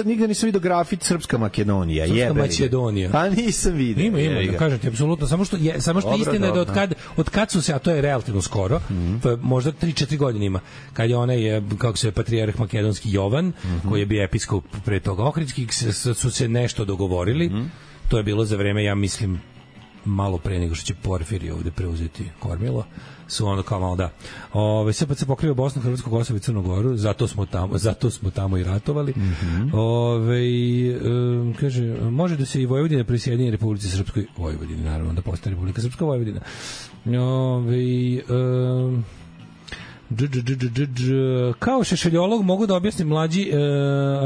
nigde nisam vidio grafit Srpska Makedonija, Srpska Makedonija. Pa nisam vidio. Ima, da kažem ti, apsolutno, samo što istina je da od kad su se, a to je relativno skoro, možda 3-4 godine ima, kad je onaj, kako se patrijarh makedonski Jovan, koji je bio episkop pre toga Ohridski, su se nešto dogovorili. To je bilo za vreme, ja mislim, malo pre nego što će Porfirije ovde preuzeti kormilo. Su ono kao malo da. SPC pokriva Bosnu, Hrvatsku, Kosovo i Crnu Goru, zato smo tamo i ratovali. Kaže, može da se i Vojvodina prisjedini Republici Srpskoj Vojvodini, naravno da postane Republika Srpska Vojvodina. Kao šešeljolog mogu da objasnim mlađi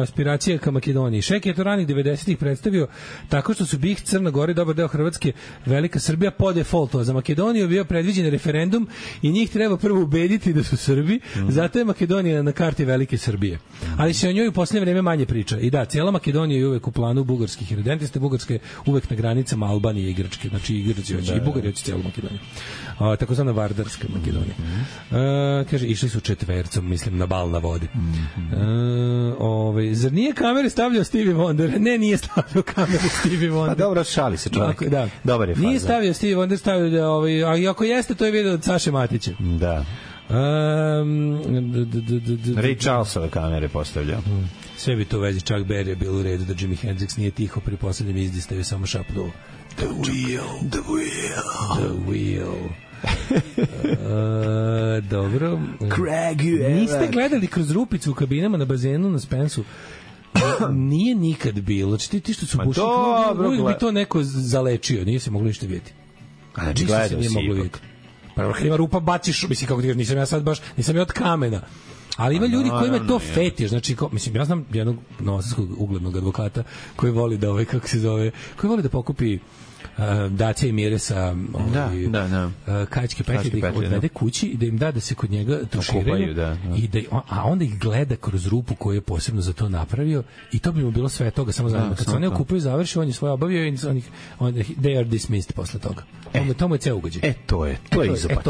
aspiracije ka Makedoniji. Šek je to ranih 90-ih predstavio tako što su BiH, Crna Gora i dobar deo Hrvatske, Velika Srbija po defaultu, a za Makedoniju bio predviđen referendum i njih treba prvo ubediti da su Srbi, zato je Makedonija na karti Velike Srbije. Ali se o njoj u posljednje vreme manje priča. I da, cijela Makedonija je uvek u planu bugarskih redentista, Bugarska je uvek na granicama Albanije i Grčke, znači i Grci hoće, i Bugari hoće cijelu Makedoniju. Takozvana Vardarska Makedonija. Kaže, išli su četvercom, mislim, na bal na vodi. Zar nije kamere stavljao Stevie Wonder? Ne, nije stavljao kamere Stevie Wonder. Pa dobro, šali se čovjek. Da. Dobar je faza. Nije stavio Stevie Wonder, stavio da, a ako jeste, to je video od Saše Matića. Da. Ray Charlesove kamere postavljao. Sve bi to u vezi, Chuck Berry je bilo u redu da Jimi Hendrix nije tiho pri poslednjem izdistavi, samo šapnuo The wheel. Dobro. Niste gledali kroz rupicu u kabinama na bazenu na Spensu? Nije nikad bilo. Znači ti što su pušili, uvijek bi to neko zalečio. Nije se moglo ništa vidjeti. Znači gledao si ipak. Pa kad ima rupa baciš, mislim kako ti kažeš, nisam ja sad baš, nisam ja od kamena. Ali ima ljudi kojima to fetiš, znači, mislim, ja znam jednog novosadskog uglednog advokata koji voli da, kako se zove, koji voli da pokupi Dacia i Mire sa kačke petlje, da ih odvede kući i da im da se kod njega tuširaju, a onda ih gleda kroz rupu koju je posebno za to napravio i to bi mu bilo sve toga, samo zanimljivo. Kad se one okupaju, završi, on je svoje obavio i they are dismissed posle toga. To mu je ceo ugađaj. To je izopač.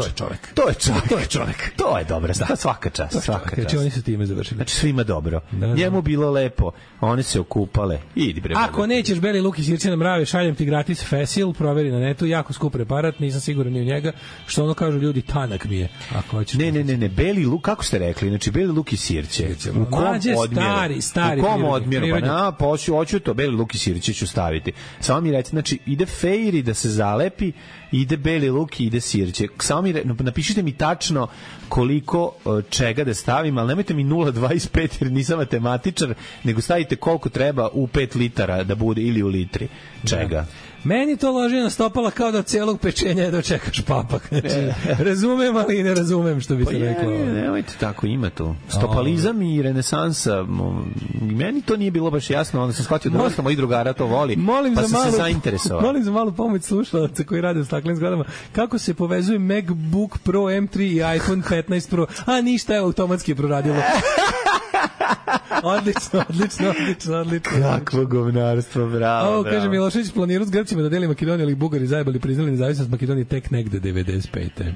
To je čovek. To je dobro, svaka čast. Znači oni su time završili. Znači svima dobro. Njemu bilo lepo, one se okupale. Idi bre. Ako nećeš beli luk i sirće na mrave, šaljem ti gratis Fesil, proveri na netu, jako skup preparat, nisam siguran ni u njega, što ono kažu ljudi, tanak mi je. Ako hoćeš. Ne, beli luk, kako ste rekli? Znači beli luk i sirće. U kom odmjeru? Stari. U kom odmjeru? Pa hoću to, beli luk i sirće ću staviti. Samo mi recite, znači ide fejri da se zalepi, ide beli luk i ide sirće. Samo mi napišite mi tačno koliko čega da stavim, ali nemojte mi 0,25 jer nisam matematičar, nego stavite koliko treba u 5 litara da bude ili u litri čega. Meni to loži na stopala kao da celog pečenja dočekaš papak. Znači, razumem, ali ne razumem što bi se reklo. Nemojte tako, ima to. Stopalizam i renesansa, meni to nije bilo baš jasno, onda sam shvatio da dosta mojih drugara to voli, pa sam se zainteresovao. Molim za malu pomoć slušalaca koji rade u staklenim zgradama. Kako se povezuje MacBook Pro M3 i iPhone 15 Pro? A ništa, je automatski je proradilo. Odlično. Kakvo govnarstvo, bravo. Kaže Milošević, planirao s Grcima da deli Makedoniju, ali Bugari zajebali, priznali nezavisnost Makedonije tek negde 95.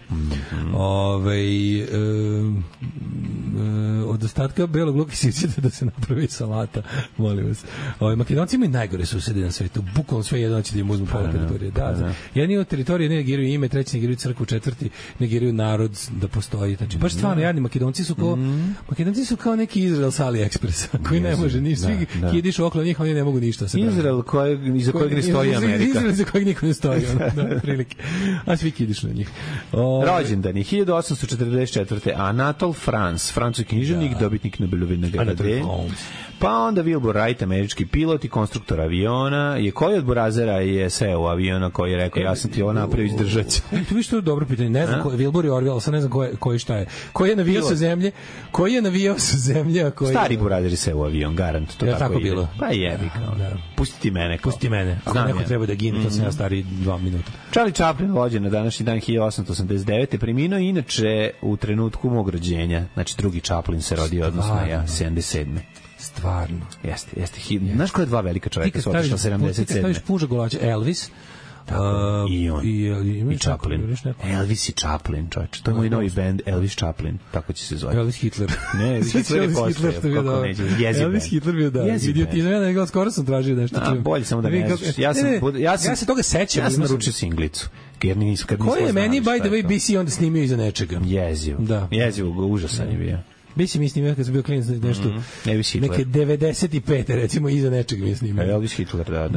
Od ostatka belog luka sićete da se napravi salata, molim vas. Makedonci imaju najgore susede na svetu, bukvalno sve jedan će da im uzmu pola teritorije. Jedni od teritorije ne negiraju ime, treći negiraju crkvu, četvrti negiraju narod da postoji. Znači, baš stvarno, jadni Makedonci su kao neki Izrael sa AliExpressa, koji ne može ništa. Svi kidiš okolo njih, oni ne mogu ništa. Izrael iza kojeg ne stoji Amerika. Izrael iza kojeg niko ne stoji. Prilike. A svi kidiš na njih. Rođendani 1844. Anatole France, francuski književnik, dobitnik Nobelove nagrade. Pa onda Wilbur Wright, američki pilot i konstruktor aviona. Koji od burazera je seo u aviona koji je rekao ja sam ti ovo napravio, izdržat ću? To vi što je dobro pitanje. Ne znam, Wilbur je Orville, sad ne znam koji šta je. Koji je navijao sa zemlje? Stari burazer odveri se u avion, garant. To Ja tako ide. bilo. Pa jebi kao. Da. Pusti ti mene. Kao. Pusti mene. Ako Znam neko ja. treba da gine, to sam ja stari 2 minuta. Charlie Chaplin rođen na današnji dan 1889. Preminuo inače u trenutku mog rođenja. Znači drugi Chaplin se rodio, odnosno ja, 77. Stvarno. Jeste. Znaš koja je dva velika čoveka su otišla 77. Ti kad staviš puža golača, Elvis, i on. I Chaplin. Neko. Elvis i Chaplin, čovječe. To je moj novi band, Elvis Chaplin. Tako će se zvati. Elvis Hitler. Ne, Elvis Hitler je postao. Kako neće, jezi Elvis band. Hitler bio da. Idiotizam, ja ne skoro sam tražio nešto. Bolje samo da ne znaš. Ja se toga sećam. Ja sam naručio singlicu. Ko je meni, by the way, BC onda snimio iza nečega? Jezivo. Da. Jezivo, užasan je bio. BC mi snimio kad sam bio klinac nešto. Neke 95. recimo iza nečega mi je snimio. Elvis Hitler, da.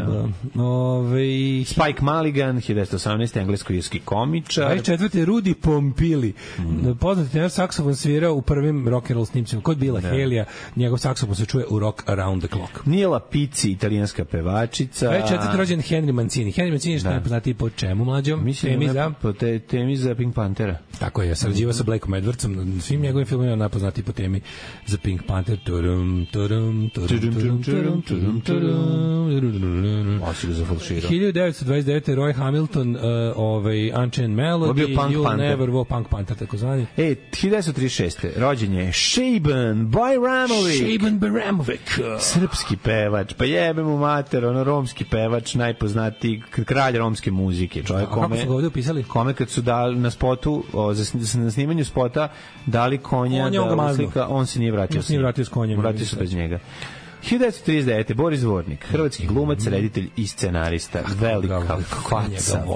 Spike Mulligan, 1918. englesko-irski komičar. 24. Rudy Pompili. Poznati tenor saksofon svirao u prvim rock and roll snimcima. Kod Bila Helija, njegov saksofon se čuje u Rock Around the Clock. Nijela Pizzi, italijanska pevačica. 24. rođen Henry Mancini. Henry Mancini je što najpoznatiji po čemu mlađom? Temi za Pink Panthera. Tako je, sarađivao sa Blakeom Edwardsom. Svim njegovim filmima najpoznatiji po temi za Pink Panther. Osi ga zafalširao. 1929. Roy Hamilton, Unchained Melody, You'll Never Walk, Punk Panther, tako zvani. 1936. rođen je Shaban Bajramović. Srpski pevač, pa jebe mu mater, romski pevač, najpoznatiji, kralj romske muzike. Čovjek kako su ga ovdje upisali? Kome kad su dali na spotu, na snimanju spota, dali konja da uslika, on se nije vratio. S konjem. Vratio se bez njega. 1939. Boris Dvornik, hrvatski glumac, reditelj i scenarista. Velika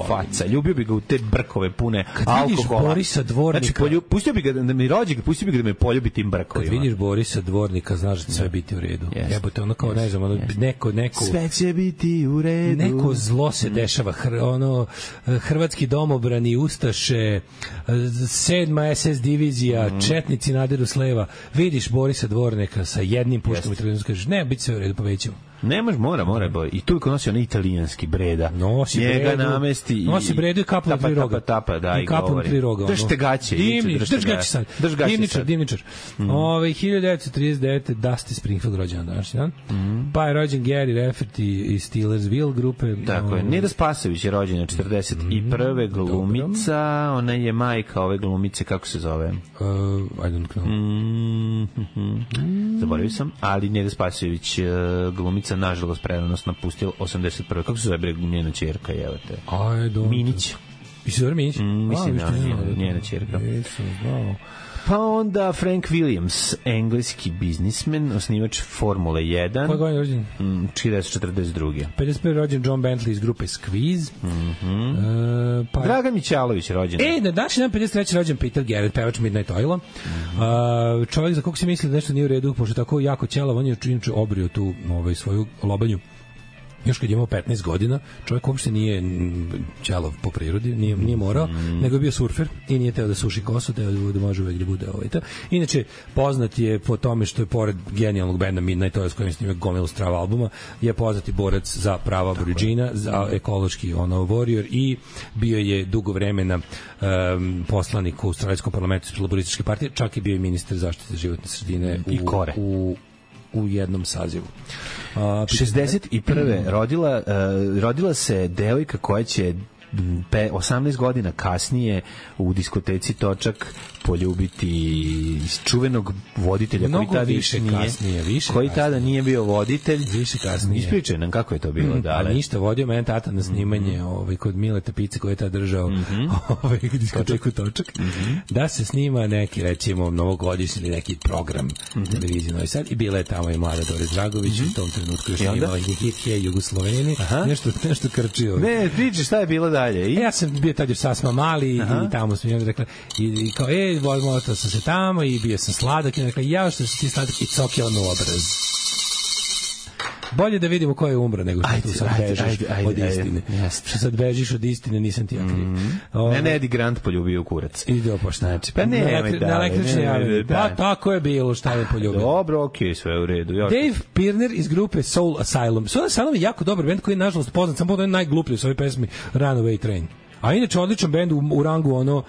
faca. Ljubio bi ga u te brkove pune alkohola. Kad vidiš Borisa Dvornika... Znači, pustio bi ga da mi rođe, pustio bi ga da me poljubi tim brkovima. Kad vidiš Borisa Dvornika, znaš da će sve biti u redu. Jebote, ono kao, ne znam, neko... Sve će biti u redu. Neko zlo se dešava. Hrvatski domobrani, ustaše, 7. SS divizija, četnici nadiru s leva. Vidiš Borisa Dvornika sa jednim puškom i televizijom, kažeš, ne, biti sve u redu, povećamo. Ne može, mora. I toliko nosi onaj italijanski breda. Nosi njega bredu, namesti i... Nosi bredu i kapom tri roga. Da, i kapom tri roga. Držite gaće. Drž gaće sad. Divničar. 1939. Dusty Springfield rođen današnji dan. Pa je rođen Gary Rafferty iz Steelersville grupe. Tako je. Neda Spasović je rođena 41. glumica. Ona je majka ove glumice, kako se zove? I don't know. Zaboravio sam, ali Neda Spasović glumica nažalost predanost napustila 81. Kako se zove njena ćerka, evo te? Minić. I se zove Minić? Mislim da njena ćerka. Pa onda Frank Williams, engleski biznismen, osnivač Formule 1. Koja godina rođen? 1942. 51. rođen John Bentley iz grupe Squeeze. Dragan Mićalović rođen. Na današnji dan 53. rođen Peter Garrett, pevač Midnight Oila. Čovjek za kog se misli da nešto nije u redu, pošto tako jako ćelav, on je činječe obrio tu svoju lobanju. Još kad je imao 15 godina, čovjek uopšte nije ćelav po prirodi, nije morao, nego je bio surfer i nije teo da suši kosu, teo da može uvek da bude to. Inače, poznat je po tome što je pored genijalnog benda Midnight Oil s kojim snimio gomilu strava albuma, je poznati borac za prava Aboridžina, za ekološki warrior i bio je dugo vremena poslanik u Australijskom parlamentu iz Laborističke partije, čak i bio i ministar zaštite životne sredine u jednom sazivu. 61. rodila se devojka koja će 18 godina kasnije u diskoteci Točak poljubiti čuvenog voditelja koji tada nije bio voditelj. Više kasnije. Ispričaj nam kako je to bilo. A ništa, vodio mene tata na snimanje kod Mileta Pice koji je tada držao diskoteku Točak. Da se snima neki, recimo, novogodišnji ili neki program televizije Novi Sad i bila je tamo i mlada Dore Dragović u tom trenutku još imala hit Jugosloveni. Nešto krčio. Ne, priči šta je bilo dalje. Ja sam bio tad još sasma mali i tamo sam joj rekla i kao, motao sam se tamo i bio sam sladak i rekla, ja što si ti sladak i cokio na obraz. Bolje da vidimo ko je umro nego što tu sad bežiš od istine. Što sad bežiš od istine, nisam ti ja kriv. Ne, Eddie Grant poljubio u kurac. Idi opoštači. Pa ne, na električni javljen. Pa tako je bilo, šta je poljubio. Dobro, okej, sve u redu. Dave Pirner iz grupe Soul Asylum. Soul Asylum je jako dobar band koji je nažalost poznat samo po najgluplji u svojoj pesmi Runaway Train. A inače odličan bend u rangu ono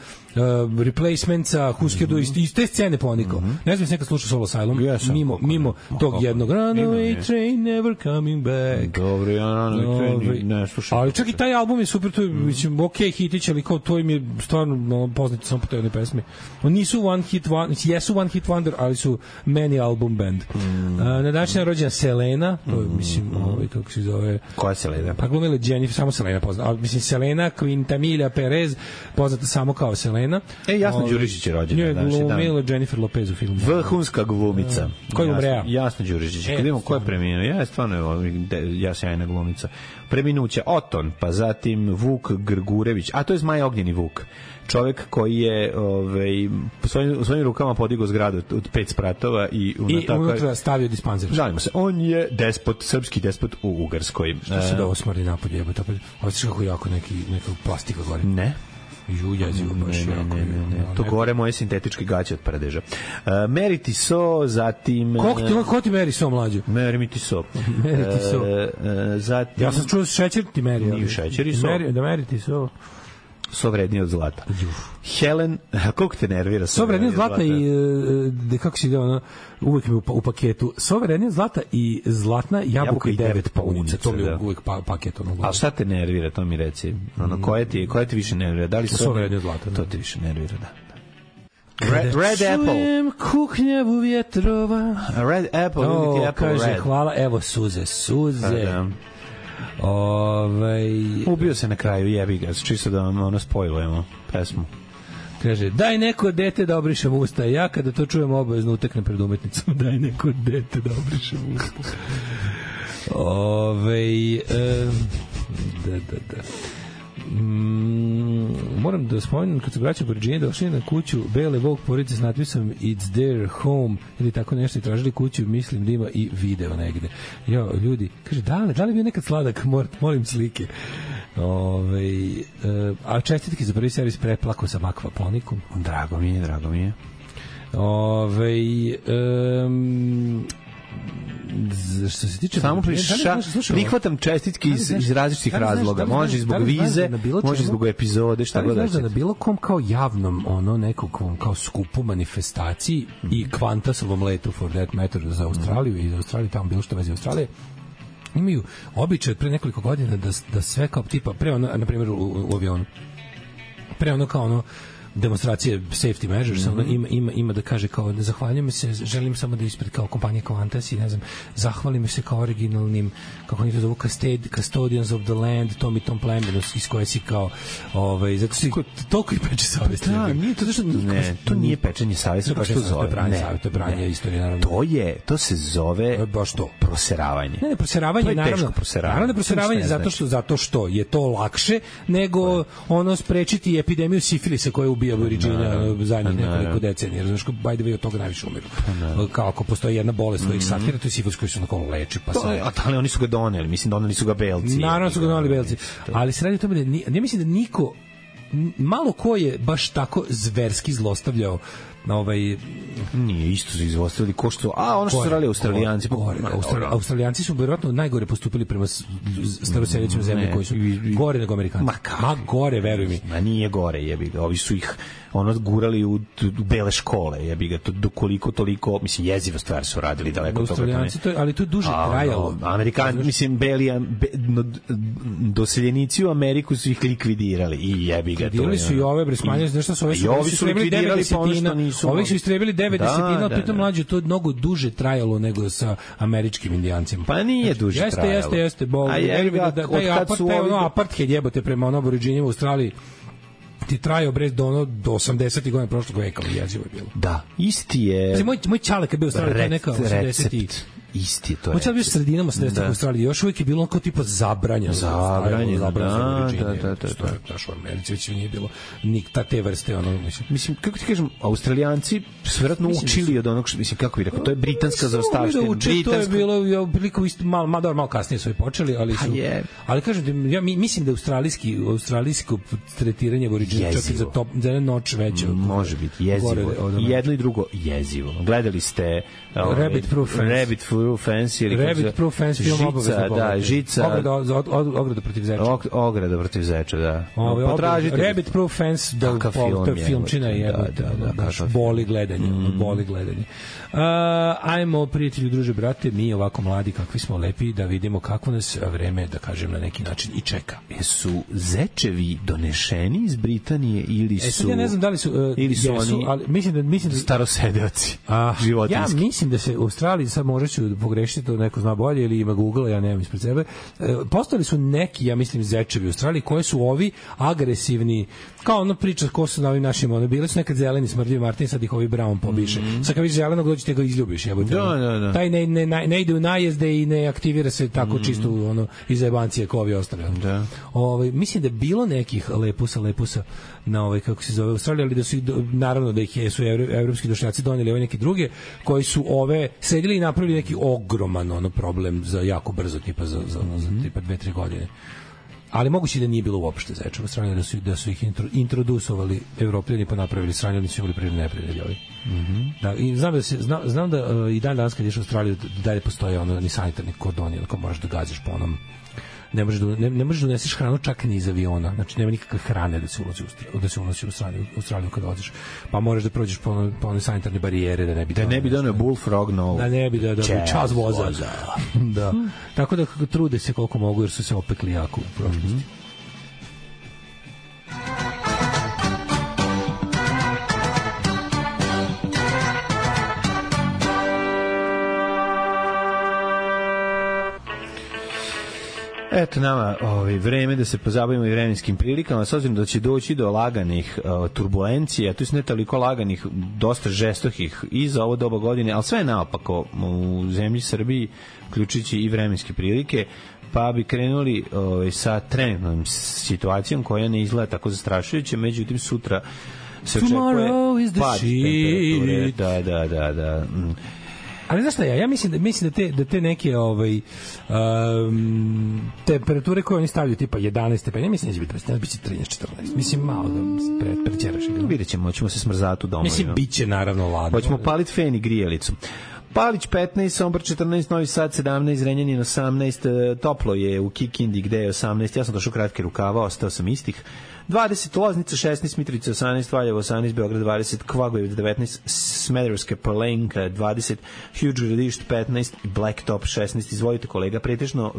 Replacementsa, Husker Du, iz te scene ponikao. Ne znam, nekad slušao Soul Asylum, mimo tog jednog Runaway Train Never Coming Back. Dobro, ja Runaway Train ne slušam. Ali čak i taj album je super, to je, mislim, hitić, ali kao to im je stvarno poznati samo po toj jednoj pesmi. Oni nisu jesu one hit wonder, ali su many album band. Na današnji je rođena Selena, to je, mislim, kako se zove... Koja je Selena? Pa glumila Jennifer, samo Selena poznata. Mislim, Selena Quintanilla Perez, poznata samo kao Selena. Jasna Đurišić je rođena. Nju je glumila Jennifer Lopez u filmu. Vrhunska glumica. Ko je umrea? Jasna Đurišić. Kad vidimo ko je preminuo, ja stvarno ja sjajna glumica. Preminuće Oton, pa zatim Vuk Grgurević, a to je Zmaj Ognjeni Vuk. Čovek koji je u svojim rukama podigao zgradu od 5 spratova i unutra stavio dispanzer. Žalimo se. On je despot, srpski despot u Ugarskoj. Što se da ovo smrdi napolje, jebote. Osjećaš kako jako neka plastika gore. Ne. Jezivo baš jako. To gore moje sintetičke gaće od paradeža. Meri ti so, zatim... Ko ti meri so, mlađo? Meri mi ti so. Meri ti so. Zatim... Ja sam čuo šećer ti meri. Nije šećer i so. Da meri ti so. So vrednije od zlata. Helen, koliko te nervira? So vrednije od zlata i kako si ide ono, uvijek mi u paketu. So vrednije od zlata i zlatna jabuka i 9 paunica. To mi je uvijek paket. A šta te nervira, to mi reci? Koje ti više nervira? Da li so vrednije od zlata? To ti više nervira, da. Red Apple. Kuhnjavu vjetrova. Red Apple, vidite Apple kaže, Red. hvala, evo suze. Ubio se na kraju, jebi ga, čisto da ono spojlujemo pesmu. Kaže, daj neko dete da obrišem usta. Ja kada to čujem obavezno uteknem pred umetnicom. Daj neko dete da obrišem usta. Da. Moram da spomenem kad se braća Borđini došli na kuću Bele Vogue porodice s natpisom It's their home ili tako nešto i tražili kuću, mislim da ima i video negde. Ljudi, kaže, da li bio nekad sladak? Molim slike. A čestitke za prvi servis, preplako sam akvaponikom. Drago mi je. Što se tiče samo prihvatam čestitke iz različitih razloga. Može zbog vize, može zbog epizode, šta god. Da na bilo kom kao javnom nekog kao skupu manifestaciji i Qantasovom letu for that matter za Australiju i za Australiju tamo bilo što vezi Australije imaju običaj od pre nekoliko godina da sve kao tipa pre ono, na primjer u avionu pre ono kao ono demonstracije safety measures, ima da kaže kao ne zahvaljujem se, želim samo da ispred kao kompanija Qantas i ne znam, zahvalim se kao originalnim, kako oni to zovu, custodians of the land, tom i tom plemenu iz koje si kao zato si toliko i peče savjesti. To nije pečenje savjesti, to se zove to je branje istorije, naravno. To se zove baš to, proseravanje. Ne, proseravanje, naravno proseravanje zato što je to lakše nego ono sprečiti epidemiju sifilisa koja ubija Aboriđina zadnjih nekoliko decenija. Znaš, by the way, od toga najviše umiru. Kao ako postoji jedna bolest koja ih satira, to je sifilus koji su na kolo leči. Ali oni su ga doneli, mislim, doneli su ga Belci. Naravno su ga doneli Belci. Ali se radi o tome da ja mislim da niko, malo ko je baš tako zverski zlostavljao nije isto su izvostavili ko što ono što su radili Australijanci. Australijanci su vjerojatno najgore postupili prema staroseljačkim zemljama koji su gore nego Amerikanci. Ma gore, veruj mi. Ma nije gore, jebi ga. Ovi su ih gurali u bele škole, jebi ga. Koliko toliko, mislim, jezivo stvari su radili daleko od toga. Australijanci, ali to je duže trajalo. Amerikanci, mislim, doseljenici u Ameriku su ih likvidirali i jebi ga. Likvidirali su i ove bresmanje, nešto su ovi su likvidirali pa ono što nisu. Ovih su istrebili 9 pritom mlađe, to je mnogo duže trajalo nego sa američkim indijancima. Pa nije duže trajalo. Jeste. Apartheid jebote prema Aboriđinima u Australiji ti trajao do 80. godina prošlog veka, jezivo je bilo. Da, isti je. Moj čale kad bio u Australiji, to je neka 80. Isti je to. Hoće bio sredinama 70. u Australiji, još uvijek je bilo kao tipa zabranjeno. Da. U Americi već nije bilo nikta te vrste. Mislim, kako ti kažem, Australijanci su vjerojatno učili od onog, mislim, kako bih rekao, to je britanska zaostavština. To je bilo priliku malo kasnije su i počeli, ali kažem, ja mislim da australijsko tretiranje Aboriđina čak i za jedan noć veće. Može biti jezivo. Jedno i drugo jezivo. Gledali ste Rabbit Proof Proof Fence ili Rabbit Proof Fence film obavezno pogledajte. Žica, Ograda protiv zeča. Ograda protiv zeča, da. Potražite. Rabbit Proof Fence, da filmčina je, boli gledanje, boli gledanje. Ajmo, prijatelji, druže, brate, mi ovako mladi, kakvi smo lepi, da vidimo kako nas vreme, da kažem, na neki način i čeka. Jesu zečevi donešeni iz Britanije ili su... Sad ja ne znam da li su... ili su jesu, oni ali mislim da starosedeoci, životinjski. Ja mislim da se u Australiji, sad možda ću pogrešiti, to neko zna bolje ili ima Google, ja nemam ispred sebe, postali su neki, ja mislim, zečevi u Australiji koji su ovi agresivni, kao ono priča ko su na ovim našim, bili su nekad zeleni smrdljivi Martin, sad ih ovi brown pobiše. Sad kad vidiš zelenog, dođi te ga izljubiš. Da. Taj ne ide u najezde i ne aktivira se tako čisto iz jebancije kao ovi ostali. Da. Mislim da je bilo nekih lepusa na kako se zove Australija, ali da su naravno da ih su evropski došljaci doneli ove neke druge koji su ove sedili i napravili neki ogroman problem za jako brzo, tipa za tipa 2-3 godine. Ali moguće da nije bilo uopšte zečeva u Australiji, da su ih introdusovali Evropljani pa napravili sranje, oni su imali prirodne neprijatelje ovi. Da, i znam da i dan danas kad ješ u Australiju dalje postoje ni sanitarni kordoni, ako možeš da gađaš po onom, ne možeš da uneseš hranu čak ni iz aviona, znači nema nikakve hrane da se unosi u Australiju kada odeš, pa moraš da prođeš po one sanitarne barijere da ne bi donio bullfrog na ovo. Da ne bi da čas voza. Da. Tako da trude se koliko mogu jer su se opekli jako u prošlosti. Eto nama vreme da se pozabavimo i vremenskim prilikama, s obzirom da će doći do laganih turbulencija, to je ne toliko laganih, dosta žestokih i za ovo doba godine, ali sve je naopako u zemlji Srbiji, uključujući i vremenske prilike, pa bi krenuli sa trenutnom situacijom koja ne izgleda tako zastrašujuće, međutim sutra se očekuje pad temperature. Da. Ali znaš šta ja mislim da te neke temperature koje oni stavljaju tipa 11 stepeni, mislim da će biti 13-14. Mislim malo da prećeraš. Vidjet ćemo se smrzati u domu. Mislim, bit će naravno ladno. Hoćemo paliti fen i grijelicu. Palić 15, Sombor 14, Novi Sad 17, Zrenjanin 18, toplo je u Kikindi gde je 18, ja sam došao kratke rukava, ostao sam istih. 20, Loznica 16, Mitrovica 18, Valjevo 18, Beograd 20, Kvagojevac 19, Smederevska Palanka 20, Huge Gradišt 15 i Blacktop 16. Izvolite kolega, pretežno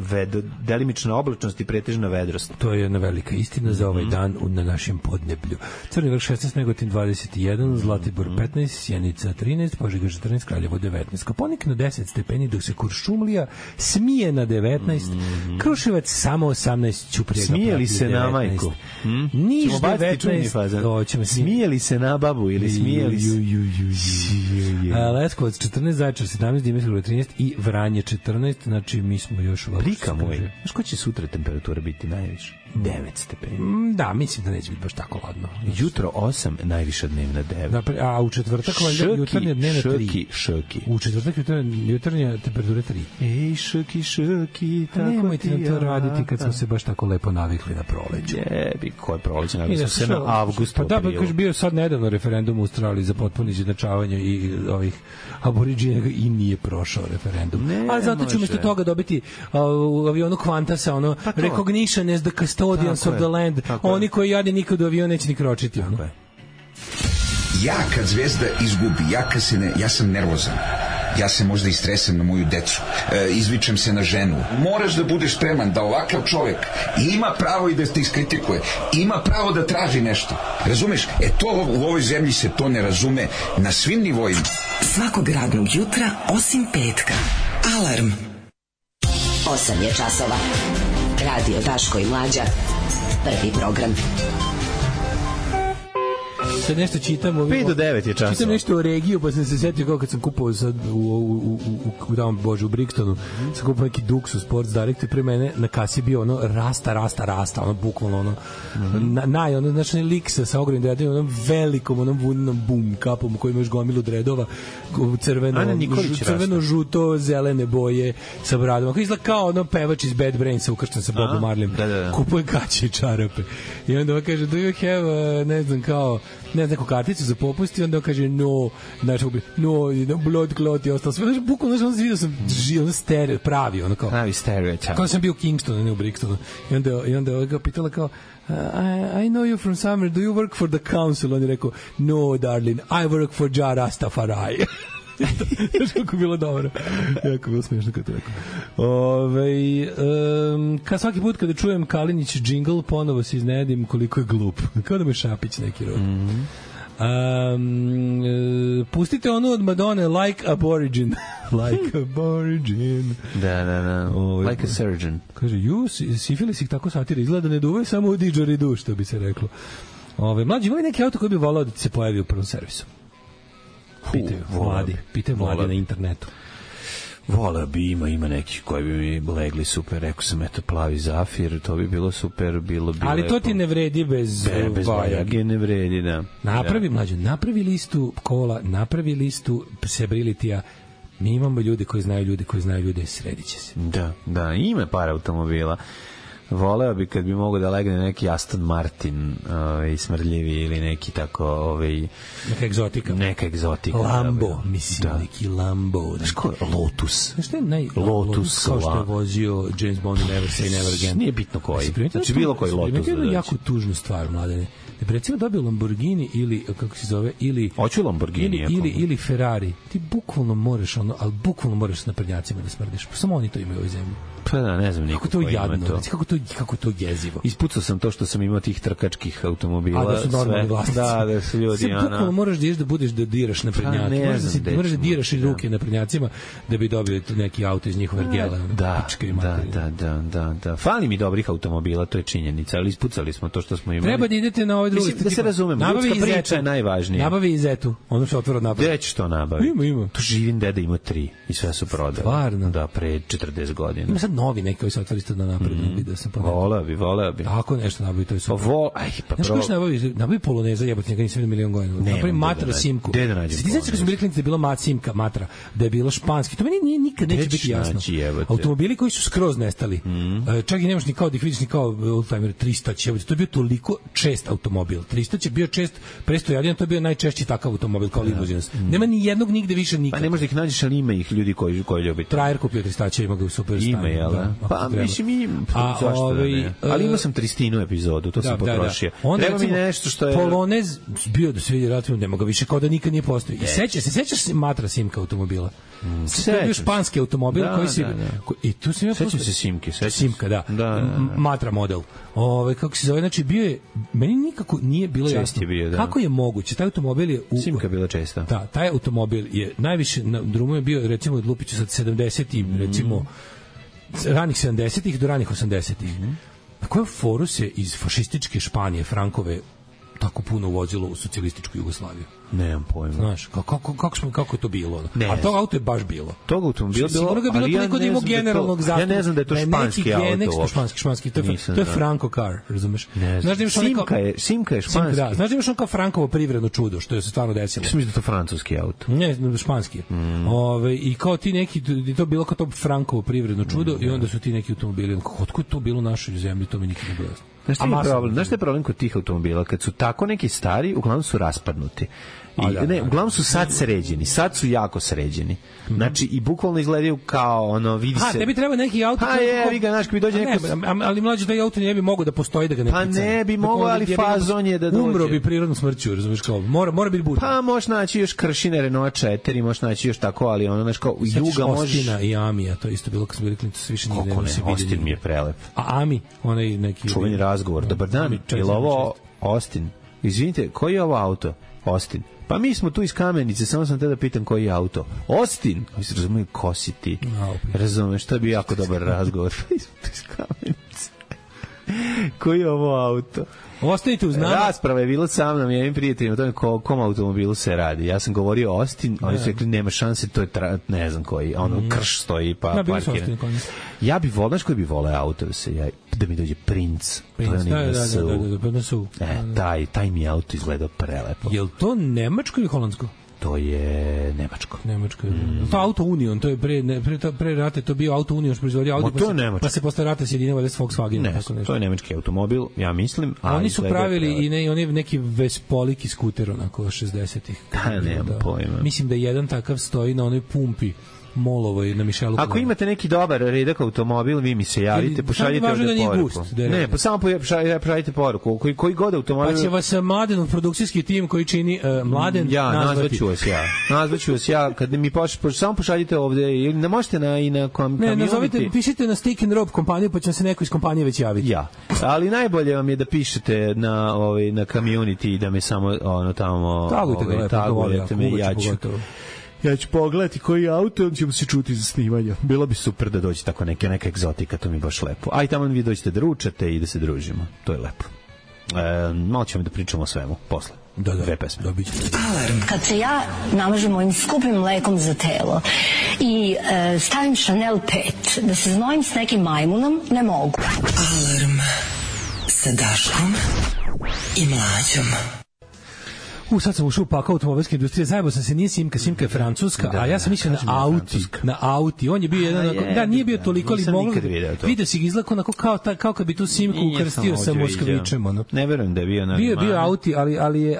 delimična oblačnost i pretežna vedrost. To je jedna velika istina za ovaj dan na našem podneblju. Crni Vrh 16, Negotin 21, Zlatibor 15, Sjenica 13, Požega 14, Kraljevo 19, Koponik na 10 stepeni, dok se Kuršumlija smije na 19, Kruševac samo 18, Ćuprija smijeli se na majku. Niš 19, smijeli se na babu ili smijeli se Leskovac 14, Zaječar 17, Dimitrovgrad 13 i Vranje 14, znači mi smo još Prika moj, znaš ko će sutra temperatura biti najviše? 9 stepeni. Da, mislim da neće biti baš tako ladno. Jutro 8, najviša dnevna 9. A u četvrtak jutarnja dnevna 3. Šoki. U četvrtak jutarnja temperatura 3. Ej, šoki, tako nemojte nam to raditi kad smo se baš tako lepo navikli na proleće. Jebi, koje proleće? Navikli se na avgust. Pa da, kaže bio sad nedavno referendum u Australiji za potpuno izjednačavanje i ovih aboriđina i nije prošao referendum. Ali zato ću umjesto toga dobiti u avionu Qantasa, recognition as the custodians of the land. Oni koji jade nikad u avion neće ni kročiti. Ja kad Zvezda izgubi, ja sam nervozan. Ja se možda istresem na moju decu, izvičem se na ženu. Moraš da budeš spreman da ovakav čovek ima pravo i da te iskritikuje, ima pravo da traži nešto. Razumeš? To u ovoj zemlji se to ne razume na svim nivoima. Svakog radnog jutra, osim petka. Alarm. 8 je časova. Radio Daško i Mlađa. Prvi program. Sad nešto čitam 5 do 9 je časova. Čitam nešto o regiju, pa sam se setio kao kad sam kupovao sad u Brixtonu, sam kupovao neki Duxus Sports Direct i pre mene na kasi bio rasta, bukvalno znači lik sa ogromnim dredovima, velikom vunenom bum kapom u kojima još gomilu dredova, crveno, žuto, zelene boje sa bradom. Ako izgleda kao pevač iz Bad Brainsa ukršten sa Bobom Marleyem. Kupuje gaće i čarape. I onda kaže, do you have, ne znam, kao ne znam, neku karticu za popust i onda kaže no, znači no, blood clot i ostalo sve. Znači, bukvalno, znači, vidio sam ono stereo, pravi, ono kao. Pravi stereo, kao sam bio u Kingstonu, ne u Brixtonu. I onda ga pitala kao, I know you from somewhere, do you work for the council? On je rekao, no, darling, I work for Ja Rastafari. Kako bilo dobro. Jako bilo smiješno kad to rekao. Kad svaki put kada čujem Kalinić džingl, ponovo se iznenadim koliko je glup. Kao da mu je Šapić neki rod. Pustite onu od Madone, Like Aborigin. Like Aborigin. Da. Like a surgeon. Kaže, sifilis ih tako satira, izgleda ne duvaju samo u didžeridu, što bi se reklo. Mlađi, imali neki auto koji bi volao da se pojavi u prvom servisu? Pitaju mladi na internetu. Voleo bi, ima neki koji bi mi legli super, rekao sam, eto, plavi Zafir, to bi bilo super, bilo bi ali lepo. To ti ne vredi bez Vajage, ne vredi, da. Napravi listu kola, napravi listu Sebrilitija. Mi imamo ljude koji znaju ljude, sredit će se. Da, ima par automobila. Voleo bi kad bi mogo da legne neki Aston Martin smrdljivi ili neki tako neka egzotika Lambo, mislim, neki Lambo. Znaš ko je Lotus? Znaš što je Lotus kao što je vozio James Bond i Never Say Never Again. Nije bitno koji. Znači bilo koji Lotus. To je jako tužnu stvar, mladene. Da bi recimo dobio Lamborghini ili, kako se zove, ili... Hoću Lamborghini. Ili Ferrari. Ti bukvalno moraš na prednjacima da smrdiš. Samo oni to imaju u ovoj zemlji. Pa da, ne znam kako to jadno, kako to jezivo. Ispucao sam to što sam imao tih trkačkih automobila. A da su normalni vlasnici. Da su ljudi. Bukvalno moraš da budeš da diraš na prednjake. Moraš da diraš i ruke na prednjacima da bi dobio neki auto iz njihove ergela. Da. Fali mi dobrih automobila, to je činjenica, ali ispucali smo to što smo imali. Treba da idete na ovaj drugi. Da se razumemo, ljudska priča je najvažnija. Nabavi i Zetu, ono što otvara nabavi. Gde ćeš to nabavi? Ima. Tu živim deda ima 3 i sve su prodali. Stvarno? Da, pre 40 godina. Ima sad novi neki koji se otvori isto na naprednom video sam voleo bi. Tako nešto nabavi, to je super. Znaš ko što nabavi Poloneza, jebote, njega nisam vidio milion godina. Nabavi Matra Simku. Gde da nađem? Ti znaš kad smo bili klinci da je bilo Mat Simka, Matra, da je bilo španski. To meni nikad neće biti jasno. Automobili koji su skroz nestali. Čak i nemaš ni kao da ih vidiš ni kao oldtimer 300 jebote. To je bio toliko čest automobil. 300 je bio čest, presto Jadina, to je bio najčešći takav automobil kao limuzina. Nema ni jednog nigde više nikad. Pa ne možeš da ih nađeš, ali ima ih ljudi koji ljubite. Trajer kupio 300, ima ga u super stanju. Ima, jel? Pa mislim ali imao sam 300 epizodu, to sam potrošio. Treba mi nešto što je... Polonez bio da se vidi relativno, nema ga više, kao da nikad nije postojao. I sećaš se Matra Simka automobila? To je bio španski automobil koji si... I tu sam sećam se Simke. Simka, da. Matra model. Kako se zove, znači bio je... Meni nikako nije bilo jasno. Kako je moguće? Taj automobil je... Simka bila česta. Da, taj automobil je najviše na drumu je bio, recimo, od Lupiću sad 70-ih, recimo ranih 70-ih do ranih 80-ih. Na koju foru se iz fašističke Španije, Frankove, tako puno uvozilo u socijalističku Jugoslaviju? Nemam pojma. Znaš, kako je to bilo? A to auto je baš bilo. Tog automobila bilo, ali ja ne znam da je to španski auto. Španski, to je Franco car, razumeš? Simka je španski. Znaš da imaš on kao Frankovo privredno čudo, što je se stvarno desilo? Mislim da je to francuski auto. Ne, španski. I kao ti neki, to bilo kao to Frankovo privredno čudo i onda su ti neki automobili. Otko je to bilo u našoj zemlji, to mi nikad ne bilo jasno. Znaš što je problem kod tih automobila? Kad su tako neki stari, uglavnom su raspadnuti. Uglavnom su sad sređeni, sad su jako sređeni. Znači, i bukvalno izgledaju kao, vidi se... tebi treba neki auto... znaš, kad bi dođe neko... Ali mlađe, taj auto ne bi mogao da postoji, da ga ne picane. Ne bi mogao, ali fazon je da dođe. Umro bi prirodnom smrću, razumiješ kao, mora biti butan. Pa možeš naći još Kršine Renault 4, možeš naći još tako, ali znaš kao, Juga možeš... Ostina i Amija, to isto bilo kad smo bili klinci, se više nigde ne se vidi. Ostin mi je prelep. A Ami, onaj neki... Čuveni razgovor, dobar dan, je li ovo Ostin? Izvinite, koji je ovo auto? Ostin. Pa mi smo tu iz Kamenice, samo sam te da pitam koji je auto. Ostin! Razumiju, ko si ti? Razumeš, to bi jako dobar razgovor. Mi smo tu iz Kamenice. Koji je ovo auto? Ostanite uz nama. Rasprava je bila sa mnom, jednim prijateljima, o tome kom automobilu se radi. Ja sam govorio Austin, oni su rekli nema šanse, to je ne znam koji, Krš stoji pa parkira. Ja bi volao, znaš koji bi volao auto da mi dođe Prince. Da. Taj mi auto izgledao prelepo. Je li to nemačko ili holandsko? To je Nemačko. To Auto Union, to je pre rata to bio Auto Union što proizvodio Audi, pa se posle rata sjedinjavali s Volkswagenom. Ne, to je nemački automobil, ja mislim. Oni su pravili i oni neki Vespoliki skuter onako 60-ih. Nemam pojma. Mislim da jedan takav stoji na onoj pumpi Molovoj na Mišelu. Ako imate neki dobar redak automobil, vi mi se javite, pošaljite ovde poruku. Ne, pa samo pošaljite poruku. Koji god automobil... Pa će vas Mladenov produkcijski tim koji čini Mladen nazvaću vas ja. Kad mi samo pošaljite ovde, ili ne možete i na Ne, nazovite, pišite na Stick and Rope kompaniju, pa će se neko iz kompanije već javiti. Ja, ali najbolje vam je da pišete na community i da me samo tamo... Tagujete me, ja ću pogledati koji auto, on ćemo se čuti za snimanje. Bilo bi super da dođe tako neka egzotika, to mi je baš lepo. A i tamo vi dođete da ručate i da se družimo. To je lepo. Malo ćemo da pričamo o svemu posle. Dve pesme. Alarm. Kad se ja namažem mojim skupim mlekom za telo i stavim Chanel 5, da se znojim s nekim majmunom, ne mogu. Alarm sa Daškom i Mlađom. Sad sam ušao u pakao automobilske industrije, zajebo sam se, nije Simka je francuska, a ja sam mislio na Auti, on je bio jedan, nije bio toliko, ali moglo, vidio si ga izlako onako kao kad bi tu Simku ukrstio sa Moskvićem, ono. Ne verujem da je bio na... Bio Auti,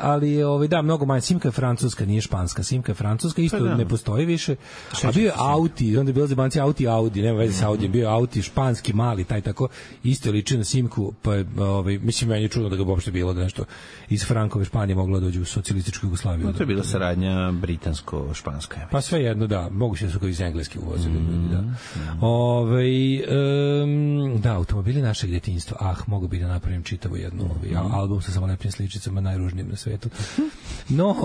ali je, da, mnogo manje, Simka je francuska, nije španska, Simka je francuska, isto ne postoji više, a bio je Auti, onda je bilo zebanci Audi, nema veze sa Audijem, bio je Auti, španski, mali, taj tako, isto liči na Simku, pa je, mislim, meni je čudno da ga uopšte bilo da nešto iz Frankove Španije moglo dođu u socijalističku Jugoslaviju. To je bila saradnja britansko-španska. Pa sve jedno, da. Moguće su kao iz engleski uvozili. Da, automobili našeg djetinjstva. Mogu bi da napravim čitavu jednu album sa samo lepim sličicama, najružnijim na svetu. No,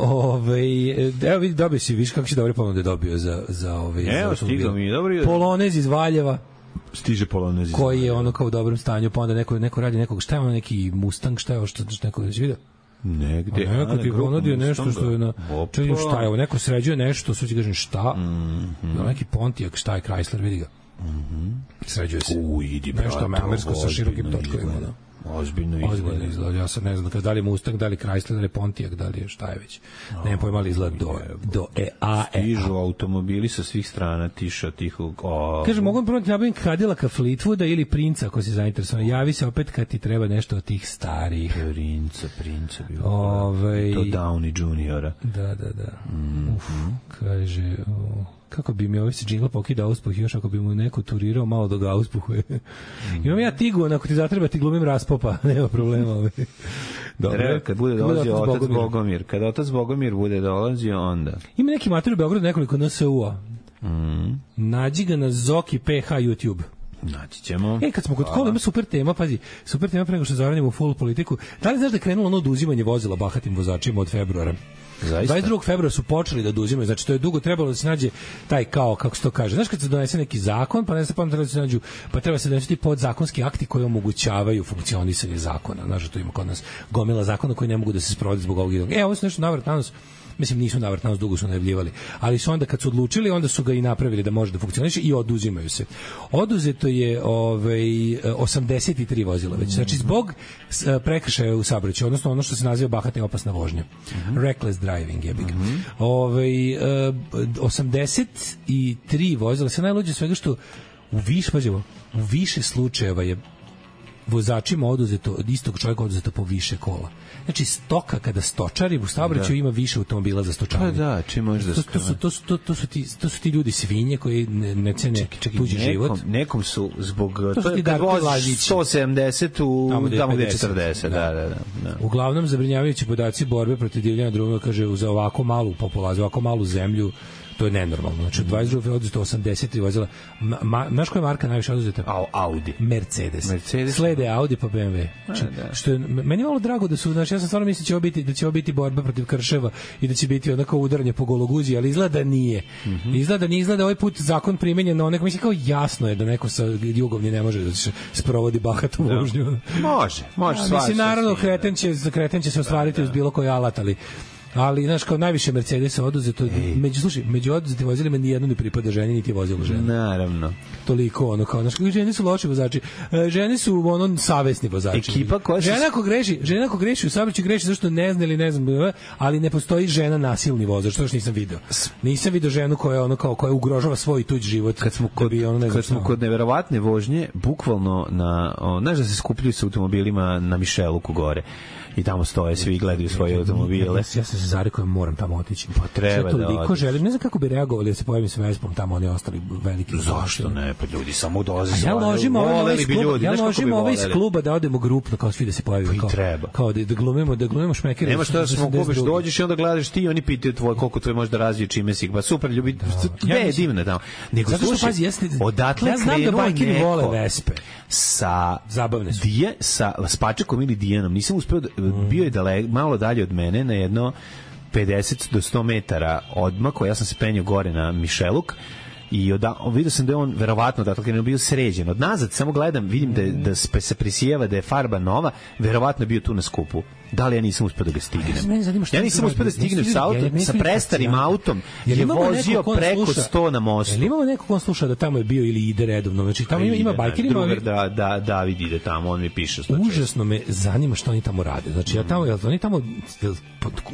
evo vidi, dobio si, viš kako si dobre ponude dobio za evo, stigao mi je dobro. Polonez iz Valjeva. Stiže Polonez. Koji je ono kao u dobrom stanju, pa onda neko radi nekog, šta je ono neki Mustang, šta je ovo što neko već vidio? Negde. Neko ti ponudio nešto što je na... Čekaj, šta je ovo? Neko sređuje nešto, sve ti kažem šta? Neki Pontiac, šta je Chrysler, vidi ga. Sređuje se. Nešto amersko sa širokim točkovima. Ozbiljno izgleda. Ja sad ne znam da li je Mustang, da li Chrysler, da li je Pontiac, da li je šta je već. Nemam pojma, ali izgleda do EA. Stižu automobili sa svih strana, tiho. Kaže, mogu prvo ti nabavim Cadillac'a Fleetwooda ili Princa, ako si zainteresovan. Javi se opet kad ti treba nešto od tih starih. Princa bilo. To Downey Juniora. Da. Kaže... Kako bi mi ovaj se džingla pokidao uspuh još ako bi mu neko turirao malo do ga uspuhuje. Imam ja Tiguan, ako ti zatreba ti glumim Raspopa, nema problema. Dobro, kad bude dolazio otac Bogomir. Kad otac Bogomir bude dolazio, onda... Ima neki mater u Beogradu, nekoliko NSU-a. Nađi ga na Zoki PH YouTube. Naći ćemo. Kad smo kod kola, ima super tema, pazi, super tema pre nego što zavrnemo u full politiku. Da li znaš da je krenulo ono oduzimanje vozila bahatim vozačima od februara? Zaista? 22. februara su počeli da oduzimaju, znači to je dugo trebalo da se nađe taj kao, kako se to kaže, znaš kad se donese neki zakon, pa ne znam, treba da se nađu, pa treba se donesti podzakonski akti koji omogućavaju funkcionisanje zakona, znaš, to ima kod nas gomila zakona koji ne mogu da se sprovode zbog ovog jednog. Ovo su nešto navrat na nos, mislim nisu navrat na nos, dugo su najavljivali, ali su onda kad su odlučili, onda su ga i napravili da može da funkcioniše i oduzimaju se. Oduzeto je 83 vozila već, znači zbog prekršaja u saobraćaju, odnosno ono što se naziva bahata i opasna vožnja. Reckless driving je big. 83 vozila, sve najluđe svega što u više slučajeva je vozačima oduzeto, od istog čovjeka oduzeto po više kola. Znači, stoka kada stočari u saobraćaju ima više automobila za stočaranje. Pa da, čim možeš da to su ti ljudi svinje koji ne cene tuđi život. Nekom su zbog... To je kad voziš 170 tamo gde je 40. Da. Uglavnom, zabrinjavajući podaci borbe protiv divljanja drugog, kaže, za ovako malu populaciju, ovako malu zemlju, to je nenormalno. Znači, 22. oduzeto 83 vozila. Znaš koja je marka najviše oduzeta? Audi. Mercedes. Slede Audi pa BMW. Znači, što je, meni je malo drago da su, znači, ja sam stvarno mislio da će ovo biti borba protiv krševa i da će biti onako udaranje po gologuzi, ali izgleda da nije. Izgleda ovaj put zakon primenjen na onako, mislim, kao jasno je da neko sa jugovnje ne može da se sprovodi bahatu vožnju. Može. Mislim, naravno, kreten će se ostvariti uz bilo koji alat, ali Ali, znaš, kao najviše Mercedesa oduzeto, među oduzetim vozilima nijedno ne pripada ženi, niti je vozilo žena. Naravno. Toliko, ono, kao, znaš, žene su loši vozači, žene su, ono, savesni vozači. Ekipa koja se... Žena ako greši u saobraćaju, greši zašto ne zna ili ne znam, ali ne postoji žena nasilni vozač, to još nisam video. Nisam video ženu koja, ono, kao, koja ugrožava svoj tuđ život. Kad smo kod neverovatne vožnje, bukvalno znaš da se skupljaju sa automobilima na Mišeluku gore. I tamo stoje, svi gledaju svoje automobile. Ja sam se zarekao, moram tamo otići. Pa treba da odiš. Želim, ne znam kako bi reagovali da se pojavim sa Vespom tamo, oni ostali veliki. Zašto ne? Pa ljudi samo dolaze. Ja ložim ovaj iz kluba da odemo grupno, kao svi da se pojavimo. Pa i treba. Kao da glumimo šmekere. Nema što da smo kupiš, dođeš i onda gledaš ti, oni pitaju koliko tvoj može da razvije, čime si. Pa super, ljubi. Ne, je divno tamo. Nego slušaj, odatle krenuo neko zabavne su. Sa Spačekom ili Dijanom. Nisam uspeo, bio je malo dalje od mene na jedno 50 do 100 metara odmako, ja sam se penjao gore na Mišeluk i vidio sam da je on verovatno da je bio sređen. Od nazad samo gledam, vidim da se prisijeva da je farba nova, verovatno je bio tu na skupu. Da li ja nisam uspeo da ga stignem? Ja nisam uspeo da stignem sa prestarim autom, je vozio preko 100 na mostu. Jel imamo neko ko sluša da tamo je bio ili ide redovno? Znači tamo ima bajkeri, David ide tamo, on mi piše. Užasno me zanima šta oni tamo rade. Znači ja tamo, oni tamo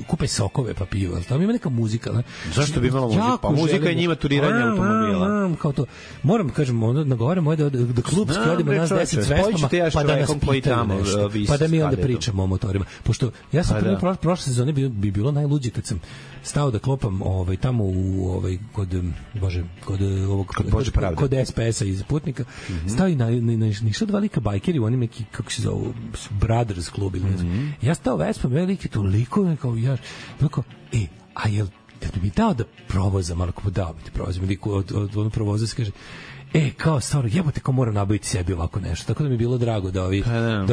kupe sokove pa piju, ali tamo ima neka muzika. Zašto bi imala muzika? Pa muzika je njima turiranje automobila. Kao to. Moram kažem, onda nagovaramo da klubski odemo nas 10 zvestama, pa da nas pitaju nešto. Pa da mi onda pričamo o motorima. Pošto ja sam prošle sezone bi bilo najluđe kad sam stao da klopam tamo u kod SPS-a iz Putnika, stao i ništa dva lika bajkeri u onim neki, kako se zovu, Brothers klub ili ne znam. Ja stao Vespom, veliki toliko, kao ja, a jel da mi dao da provozam, ali ako dao mi ti provozam, od ono provoza se kaže, kao stvarno, jebote, kao moram nabaviti sebi ovako nešto. Tako da mi je bilo drago da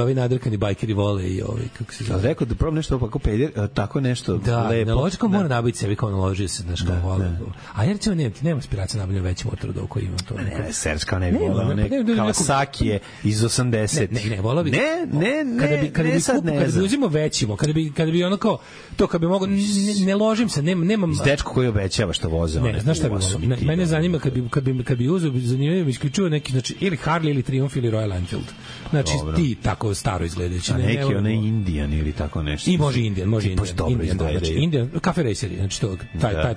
ovi nadrkani bajkeri vole i ovi, kako se zove. Rekao da probam nešto ovako peder, tako nešto lepo. Da, naloži kao moram nabaviti sebi, kao naložio se, znaš, kao vole. A jer ćemo, nema aspiracija nabavljena veći motor od ovo koji imam to. Ne, Serge kao ne bi volao, Kawasaki je iz 80. Ne, volao bi. Kada bi uzimo većimo, kada bi ono kao, to kad bi mogo, ne ložim se, nemam... Iz dečko koji obećava što voze. Ne, znaš šta bi volao? Mene zanima kad bi uzeo zanimljivo isključivo neki, znači, ili Harley ili Triumph ili Royal Enfield. Znači, ti tako staro izgledajući. A neki onaj Indian ili tako nešto. I može Indian. Indian, Cafe Raceri, znači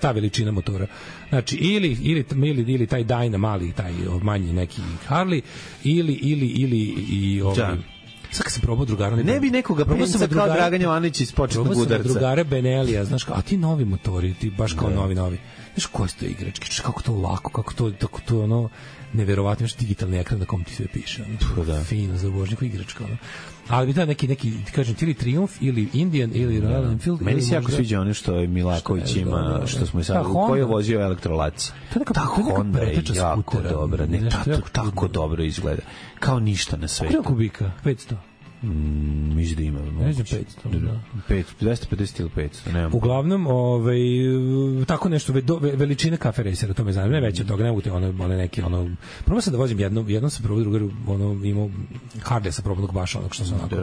ta veličina motora. Znači, ili taj Dyna mali, taj manji neki Harley, ili ovaj... Sad kad sam probao drugara... Ne bi nekoga penca kao Dragan Jovanović iz početnog udarca. Probao sam drugara Benelija, znaš, a ti novi motori, ti baš kao novi. Znaš, koje su to igračke, kako to lako, kako to ono, neverovatno, imaš digitalni ekran na kom ti sve piše. Fino, za vožnju, igračka. Ali bi da neki, kažem, ili Triumph, ili Indian, ili Royal Enfield. Meni se jako sviđa ono što je Milaković ima, što smo sad, koji je vozio elektrolaci. Ta Honda je jako dobra, tako dobro izgleda. Kao ništa na svetu. Koliko kubika? 500? Mislim da ima. Ne znam, 500. 250 ili 500, nemam. Uglavnom, tako nešto, veličina Cafe Racera, to me zanima, ne veće od toga, ne mogu te one neki, probao sam da vozim jednom sam probao drugaru, imao Harley sa probnog baša, onog što sam onako.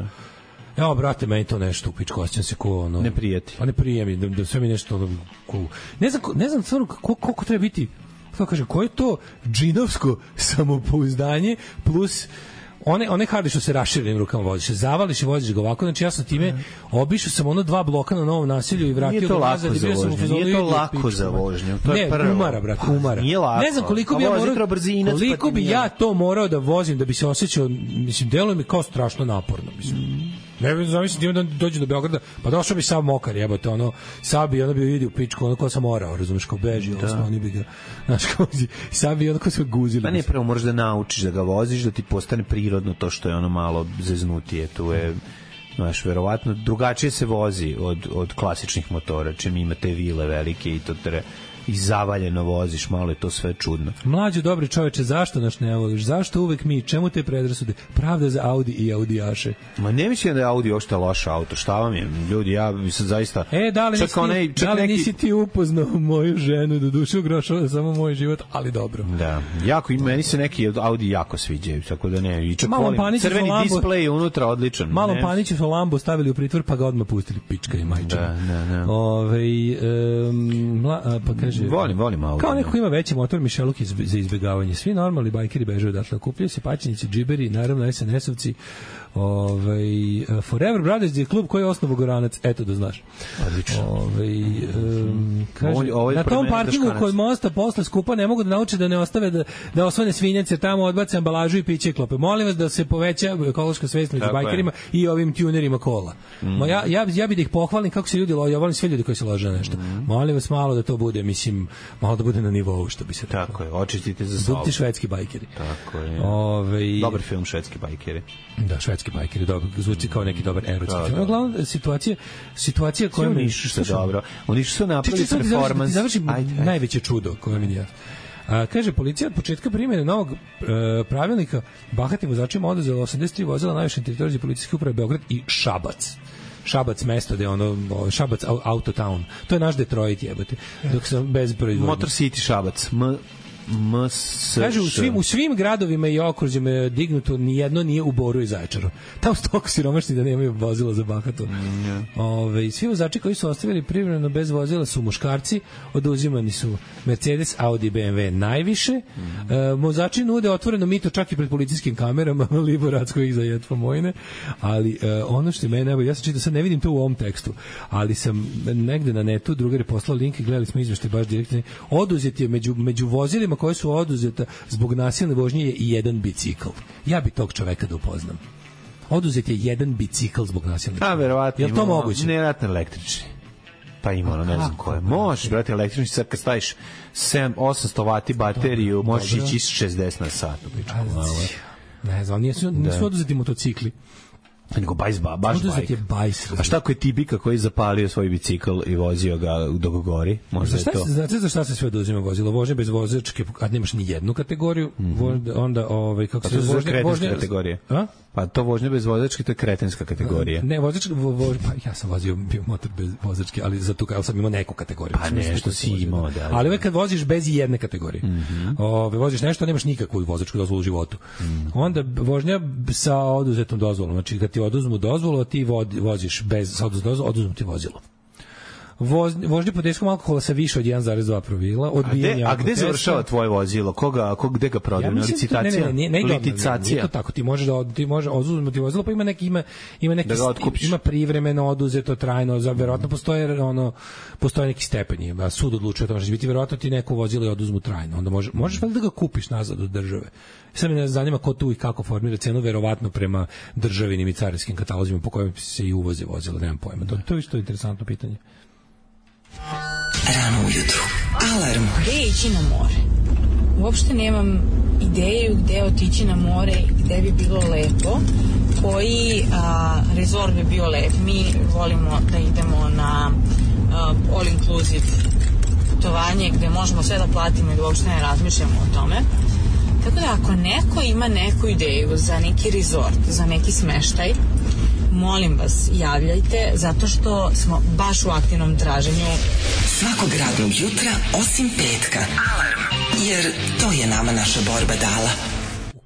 Evo, brate, meni to nešto u pičku, osjećam se ko ne prijeti. Pa ne prije mi, da sve mi nešto ne znam stvarno koliko treba biti, kako kažem, koje je to džinovsko samopouzdanje plus one Harley što se raširenim rukama voziš, zavališ i voziš ga ovako, znači ja sam time obišao sam 2 bloka na Novom naselju i vratio ga nazad i bio sam u fazonu. Nije to lako za vožnju, to je prvo. Ne, umara, brate, umara. Ne znam koliko bi ja to morao da vozim da bi se osjećao, mislim, deluje mi kao strašno naporno, mislim. Ne znam, da dođe do Beograda, pa došao bi sam mokar, jebote, sad bi bi vidi u pičku, ko sam orao, razumiješ, kao beži, oni bi ga, znaš, sad bi ko sve guzili. Pa ne, prvo moraš da naučiš da ga voziš, da ti postane prirodno to što je malo zeznutije, tu je, znaš, verovatno drugačije se vozi od klasičnih motora, čim ima te vile velike i to i zavaljeno voziš, malo je to sve čudno. Mlađo, dobri čoveče, zašto nas ne voliš? Zašto uvek mi? Čemu te predrasude? Pravda za Audi i Audijaše. Ma ne mislim da je Audi ošte loš auto. Šta vam je? Ljudi, ja bi se zaista... Da li nisi ti upoznao moju ženu, do duše ugrošava samo moj život, ali dobro. Da. Meni se neki Audi jako sviđaju, tako da ne. I čak volim. Crveni displej unutra odličan. Malo Paniću su Lambo stavili u pritvor, pa ga odmah pustili, pička i majčina. Da. Pa kaže... Volim Audi. Kao neko ko ima veći motor, Mišeluk za izbjegavanje. Svi normalni bajkeri bežaju odatle. Kupljaju se paćenici, džiberi, naravno SNS-ovci. Forever Brothers je klub koji je osnovu Goranac, eto da znaš. Odlično. Kaže, na tom parkingu kod mosta posle skupa ne mogu da nauče da ne ostave da osvane svinjace, tamo odbace ambalažu i piće klope. Molim vas da se poveća ekološka svest među bajkerima i ovim tunerima kola. Ja bih da ih pohvalim kako se ljudi lože, ja volim sve ljudi koji se lože na nešto. Molim vas malo da to bude, mislim, malo da bude na nivou, što bi se rekao. Tako je, očistite za salvo. Budite švedski bajkeri. Tako je. Dobar film Švedski bajkeri. Da, švedski bajkeri, dobro, zvuči kao neki dobar erotski film. Uglavnom, situacija koja mi... Oni su napravili performans. Završim najveće čudo koje mi je. Kaže, policija od početka primjene novog pravilnika bahatim vozačima oduzela 83 vozila najviše na teritoriji policijske uprave Beograd i Šabac mesto gde ono Šabac Autotown. To je naš Detroit, jebote. Dok sam bez proizvodnje. Motor City Šabac. Kaže, u svim gradovima i okružjima je dignuto, nijedno nije u Boru i Zaječaru. Tamo su toliko siromašni da nemaju vozila za bahatu. Svi vozači koji su ostavili privremeno bez vozila su muškarci, oduzimani su Mercedes, Audi, BMW najviše. Vozači nude otvoreno mito čak i pred policijskim kamerama, Liboratsko ih zajetva mojne, ali ono što je mene najbolje, ja sam čitao, sad ne vidim to u ovom tekstu, ali sam negde na netu, drugar je poslao link i gledali smo izveštaj baš direktno, oduzet je među vozilima koje su oduzeta zbog nasilne vožnje je i jedan bicikl. Ja bi tog čoveka da upoznam. Oduzet je jedan bicikl zbog nasilne vožnje. Verovatno. Je li to moguće? Nevjerojatno električni. Pa ima, ne znam koje. Možeš, brate, električni, sad kad staviš 800 vati bateriju, možeš ići 60 na sat. Ne znam, nisu oduzeti motocikli. Nego baš bajs. A šta ako je Tibika koji je zapalio svoj bicikl i vozio ga dok gori? Možda je to. Znate za šta se sve oduzima vozilo? Vožnje bez vozačke, kad nemaš ni jednu kategoriju, onda kako se vožnje kretenska kategorija. Pa to vožnje bez vozačke, to je kretenska kategorija. Ne, vozačka, pa ja sam vozio motor bez vozačke, ali zato kao sam imao neku kategoriju. Pa nešto si imao, da. Ali uvek kad voziš bez jedne kategorije, voziš nešto, nemaš nikakvu vozačku dozvolu u životu. Onda vožnja sa oduzetom dozvolom, znači kad ti oduzmu dozvolu, a ti voziš bez sa oduzetom dozvolom, oduzmu ti vozilo. Vožnje pod dejstvom alkohola sa više od 1,2 promila, odbijanje a gde završava tvoje vozilo? Gde ga prodaju? Na licitacija? Nije to tako. Ti može oduzeti vozilo, pa ima neki ima privremeno oduzeto, trajno, verovatno postoje neki stepeni, a sud odlučuje o tome, biti verovatno ti neko vozilo i oduzmu trajno. Onda možeš da ga kupiš nazad od države. Sad me zanima ko tu i kako formira cenu, verovatno prema državinim i carinskim katalozima po kojima se i uvoze vozila, nemam pojma. To je isto interesantno pitanje. Rano ujutru. Alarm. Gde ići na more? Uopšte nemam ideju gde otići na more i gde bi bilo lepo. Koji rezort bi bio lep? Mi volimo da idemo na all inclusive putovanje gde možemo sve da platimo i da uopšte ne razmišljamo o tome. Tako da ako neko ima neku ideju za neki rezort, za neki smeštaj, molim vas, javljajte, zato što smo baš u aktivnom traženju. Svakog radnog jutra, osim petka. Alarm. Jer to je nama naša borba dala.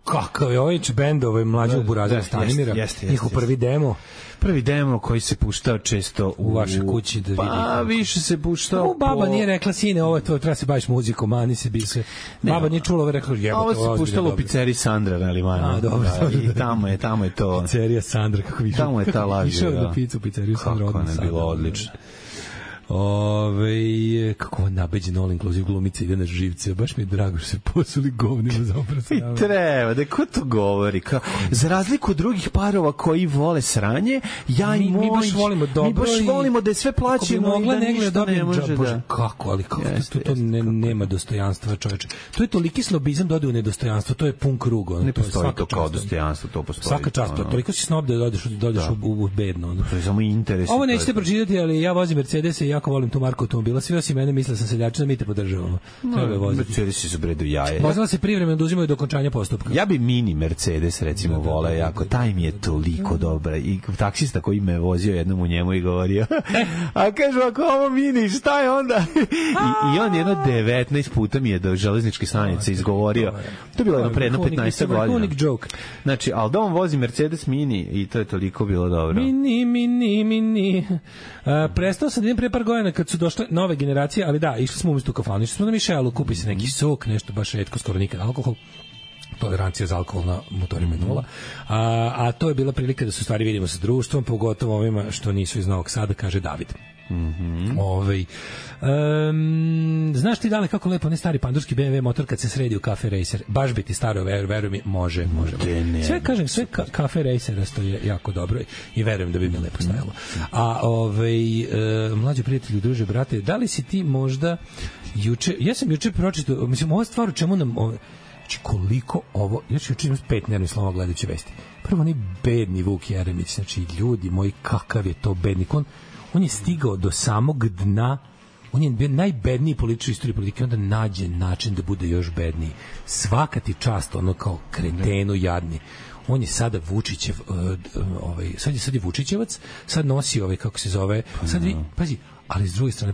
Kakav je ovaj bend, mlađog Burazira Stanimira, njihov prvi demo. Prvi demo koji se puštao često u vašoj kući da vidi. Pa više se puštao. Baba nije rekla, sine, ovo je to, treba se baviš muzikom, mani se bi se. Baba nije čula, ovo je rekla, jebote, ovo se puštalo u pizzeriji Sandra na Limanu. Dobro. I tamo je to. Pizzerija Sandra, kako više. Tamo je ta lažija. Išao da picu pizzeriju Sandra. Kako ne bilo odlično. Kako nabeđen all inclusive glumica ide na živce, baš mi je drago što se posuli govnima za oprasavanje. I treba, da ko to govori? Za razliku od drugih parova koji vole sranje, mi baš volimo dobro. Mi baš volimo da je sve plaćeno i da ništa ne može da... Kako, ali kako to nema dostojanstva, čoveče. To je toliki snobizam dode u nedostojanstvo, to je pun krug. Ne postoji to kao dostojanstvo, to postoji. Svaka čast, toliko si snob da dođeš u bedno. To je samo interes. Ovo nećete pročitati, ali ja vozim Mercedes i jako volim tu marku automobila. Svi osim mene misle sam seljačina, mi te podržavamo. Treba je voziti. Mercedesi su bredu jaje. Vozila se privremeno oduzimaju do okončanja postupka. Ja bi mini Mercedes recimo voleo jako. Taj mi je toliko dobra. I taksista koji me vozio jednom u njemu i govorio a kažu, ako ovo mini, šta je onda? I on jedno 19 puta mi je do železničke stanice izgovorio. To je bilo jedno pre jedno 15 godina. Znači, ali da on vozi Mercedes mini i to je toliko bilo dobro. Mini. Prestao sam da idem pre par godina kad su došle nove generacije, ali da, išli smo umjesto u kafanu, išli smo na Mišelu, kupi se neki sok, nešto baš retko, skoro nikad alkohol, tolerancija za alkohol na motorima je nula. A to je bila prilika da se u stvari vidimo sa društvom, pogotovo ovima što nisu iz Novog Sada, kaže David. Znaš ti dale kako lepo ne stari pandurski BMW motor kad se sredi u Cafe Racer, baš bi ti staro, veruj mi, može. Sve kažem, sve Cafe Racera stoje jako dobro i verujem da bi mi lepo stajalo. A mlađi prijatelji, druže, brate, da li si ti možda juče, ja sam juče pročitao, mislim, ova stvar u čemu nam znači koliko ovo, ja ću juče imati 5 nervnih slova gledajući vesti. Prvo, onaj bedni Vuk Jeremić, znači ljudi moji, kakav je to bednik, on je stigao do samog dna, on je bio najbedniji političar u istoriji politike, onda nađe način da bude još bedniji. Svaka ti čast, ono kao kretenu jadni. On je sada Vučićev, sad je Vučićevac, sad nosi kako se zove, sad pazi, ali s druge strane,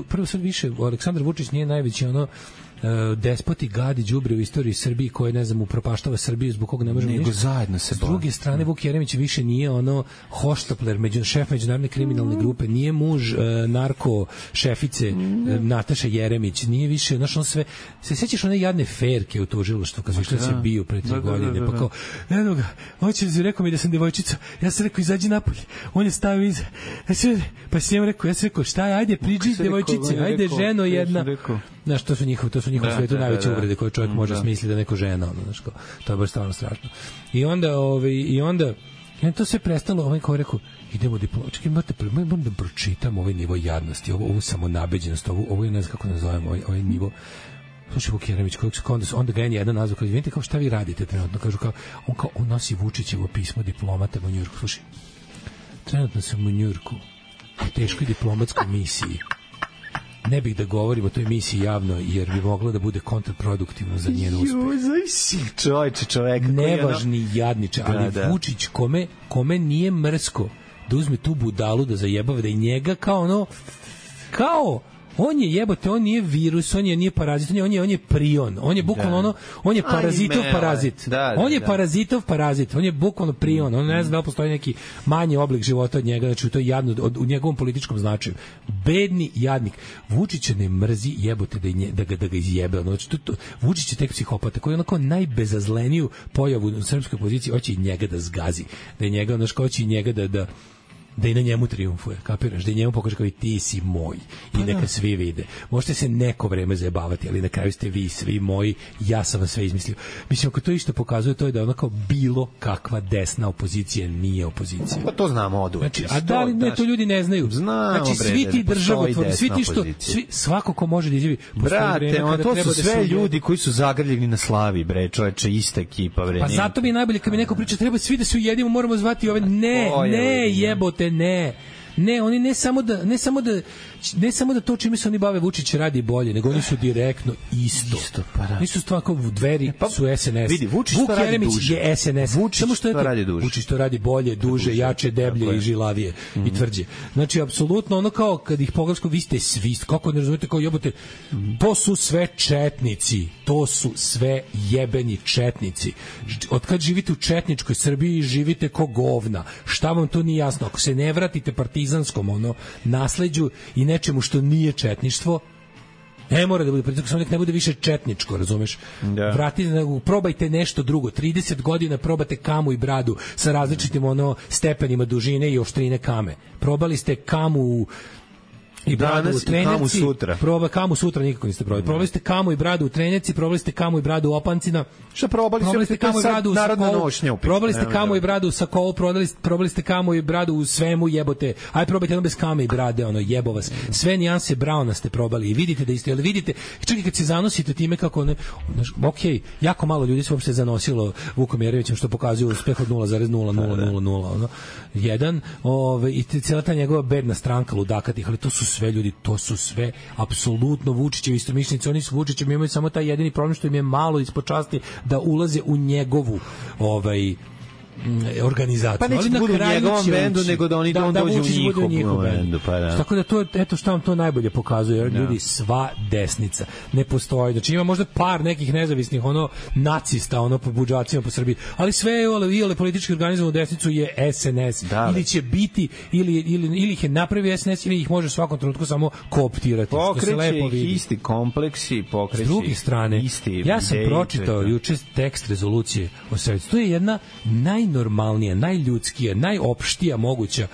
prvo sad više Aleksandar Vučić nije najveći despoti, gadi, đubre u istoriji Srbiji koji, ne znam, upropaštava Srbiju zbog koga ne možemo ništa. Zajedno se s druge strane, Vuk Jeremić više nije hoštapler, šef međunarodne kriminalne grupe, nije muž narko šefice Nataše Jeremić, nije više, znaš, on sve, se sećaš one jadne ferke u tužilaštvu kad su išli da se biju pre 3 godine, pa kao, eno ga, rekao mi da sam devojčica, ja sam rekao, izađi napolje, on je stavio iza, pa sam njemu rekao, šta je, ajde, priđi devojčice, ajde, ženo jedna. Znaš, to su njihov svetu najveće uvrede koje čovjek može smisliti da neko žena, to je baš stvarno strašno. I onda to sve prestalo, ko je rekao, idemo diplomački, moram da pročitam ovaj nivo jadnosti, ovu samonabeđenost, ovo je, ne znam kako nazovem, ovaj nivo. Slušaj, Vuk Jeremić, onda ga je jedan nazva, kao, vidite kao šta vi radite trenutno, kažu kao, on nosi Vučićevo pismo diplomatama u Njujorku. Slušaj, trenutno sam u Njujorku, u teškoj diplomatskoj misiji. Ne bih da govorim o toj misiji javno, jer bi moglo da bude kontraproduktivno za njen uspeh. Čovjek. Nevažni jadniče, ali Vučić, kome nije mrsko da uzme tu budalu da zajebava, da i njega kao on je jebote, on nije virus, on nije parazit, on je prion, on je bukvalno on je parazitov parazit. On je parazitov parazit, on je bukvalno prion, on ne zna da li postoji neki manji oblik života od njega, znači to je jadno u njegovom političkom značaju. Bedni jadnik. Vučića ne mrzi jebote da ga izjebe. Znači, Vučić je tek psihopata koji je onako najbezazleniju pojavu u srpskoj poziciji, hoće i njega da zgazi, da je njega, hoće i njega da i na njemu triumfuje, kapiraš, da i njemu pokaže kao i ti si moj i neka svi vide. Možete se neko vreme zajebavati, ali na kraju ste vi svi moji, ja sam vas sve izmislio. Mislim, ako to isto pokazuje, to je da ono kao bilo kakva desna opozicija nije opozicija. Pa to znamo od uvek. Znači, a da li ne, to ljudi ne znaju. Znači, svi ti državotvorni, svi ti što, svako ko može da izjavi, brate, to su sve ljudi koji su zagrljeni na slavi, bre, čoveče, ista ekipa, bre. Pa zato mi je najbolje kad mi neko priča, treba svi da se ujedimo, moramo zvati ove, ne, jebote, ne, oni ne samo da to čime se oni bave Vučić radi bolje, nego oni su direktno isto. Nisu stvar kao Dveri su SNS. Vidi, Vučić to radi duže. Je SNS. Vučić to radi bolje, duže, jače, deblje i žilavije i tvrđe. Znači, apsolutno ono kao kad ih pogledamo, vi ste svi, kako ne razumete, kao jebote, to su sve četnici. To su sve jebeni četnici. Od kad živite u četničkoj Srbiji, živite ko govna. Šta vam to nije jasno? Ako se ne vratite partizanskom nasleđu i nečemu što nije četništvo, ne mora da bude pritisak, samo nek ne bude više četničko, razumeš? Probajte nešto drugo. 30 godina probate kamu i bradu sa različitim stepenima dužine i oštrine kame. Probali ste kamu i bradu u Trenjaci, kamu sutra nikako niste probali. Probali ste kamu i bradu u Trenjaci, probali ste kamu i bradu u Opancima. Šta probali ste kamu i bradu u Sakovu? Probali ste kamu i bradu u Sakovu, probali ste kamu i bradu u svemu, jebote. Aj probajte jedno bez kame i brade, jebo vas. Sve nijanse Brauna ste probali i vidite da isto, ali vidite, čak i kad se zanosite time kako jako malo ljudi se uopšte zanosilo Vukom Jeremićem, što pokazuje uspeh od 0,0001 i cijela ta njegova bedna stranka ludakatih, ali to su sve ljudi, to su sve apsolutno Vučićevi istomišljenici, oni su Vučićem, imaju samo taj jedini problem što im je malo ispod časti da ulaze u njegovu organizaciju. Pa neće budu u njegovom bendu, nego da oni dođu u njihov bendu. Pa da. Tako da to, eto šta vam to najbolje pokazuje, jer ljudi, sva desnica ne postoji. Znači ima možda par nekih nezavisnih nacista, po budžacima po Srbiji, ali sve je politički organizovanu desnicu je SNS. Da, ili će biti, ili ih je napravio SNS, ili ih može u svakom trenutku samo kooptirati. Pokreće ih isti kompleksi, pokreće. S druge strane, ja sam pročitao juče tekst rezolucije o Srebrenici. To je jedna najnormalnija, najljudskija, najopštija moguća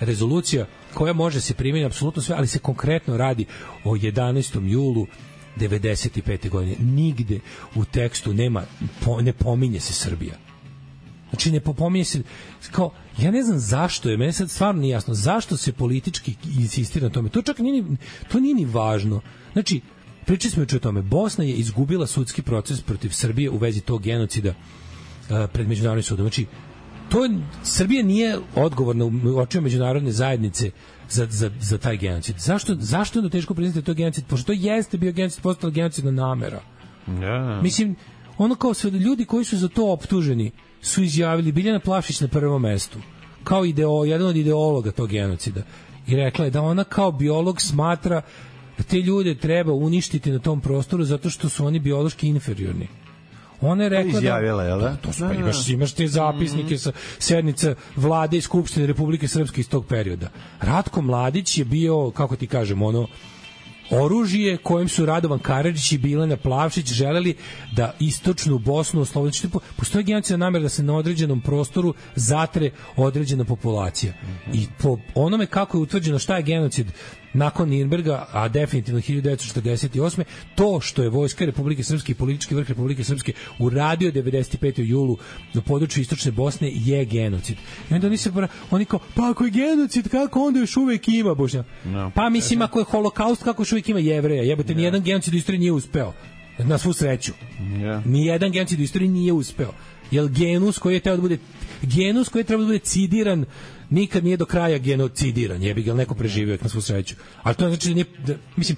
rezolucija koja može se primeniti apsolutno sve, ali se konkretno radi o 11. julu 95. godine. Nigde u tekstu ne pominje se Srbija. Znači ne pominje se, kao, ja ne znam zašto je, meni sad stvarno nije jasno, zašto se politički insistira na tome. To čak nije ni važno. Znači, pričali smo juče o tome, Bosna je izgubila sudski proces protiv Srbije u vezi tog genocida pred međunarodnim sudom. Znači, Srbija nije odgovorna u očima međunarodne zajednice za taj genocid. Zašto je onda teško priznati da je to genocid? Pošto to jeste bio genocid, postala genocidna namera. Yeah. Mislim, kao sve ljudi koji su za to optuženi su izjavili, Biljana Plavšić na prvom mestu, kao jedan od ideologa tog genocida. I rekla je da ona kao biolog smatra da te ljude treba uništiti na tom prostoru zato što su oni biološki inferiorni. Ona je rekla da imaš te zapisnike sa sednica vlade i Skupštine Republike Srpske iz tog perioda. Ratko Mladić je bio, kako ti kažem, oružje kojim su Radovan Karadžić i Bilana Plavšić želeli da istočnu Bosnu oslobode. Postoji genocidna namera da se na određenom prostoru zatre određena populacija. I po onome kako je utvrđeno šta je genocid nakon Nirnberga, a definitivno 1948. to što je vojska Republike Srpske i politički vrh Republike Srpske uradio 95. julu na području istočne Bosne je genocid. I onda oni kao, pa ako je genocid, kako onda još uvek ima Bošnjaka? No. Pa mislim, ako je holokaust, kako još uvek ima Jevreja? Jebote, nijedan genocid u istoriji nije uspeo. Na svu sreću. Nijedan genocid u istoriji nije uspeo. Jer genus koji je trebao da bude cidiran nikad nije do kraja genocidiran, jebi ga, neko preživio na svu sreću. Ali to znači mislim,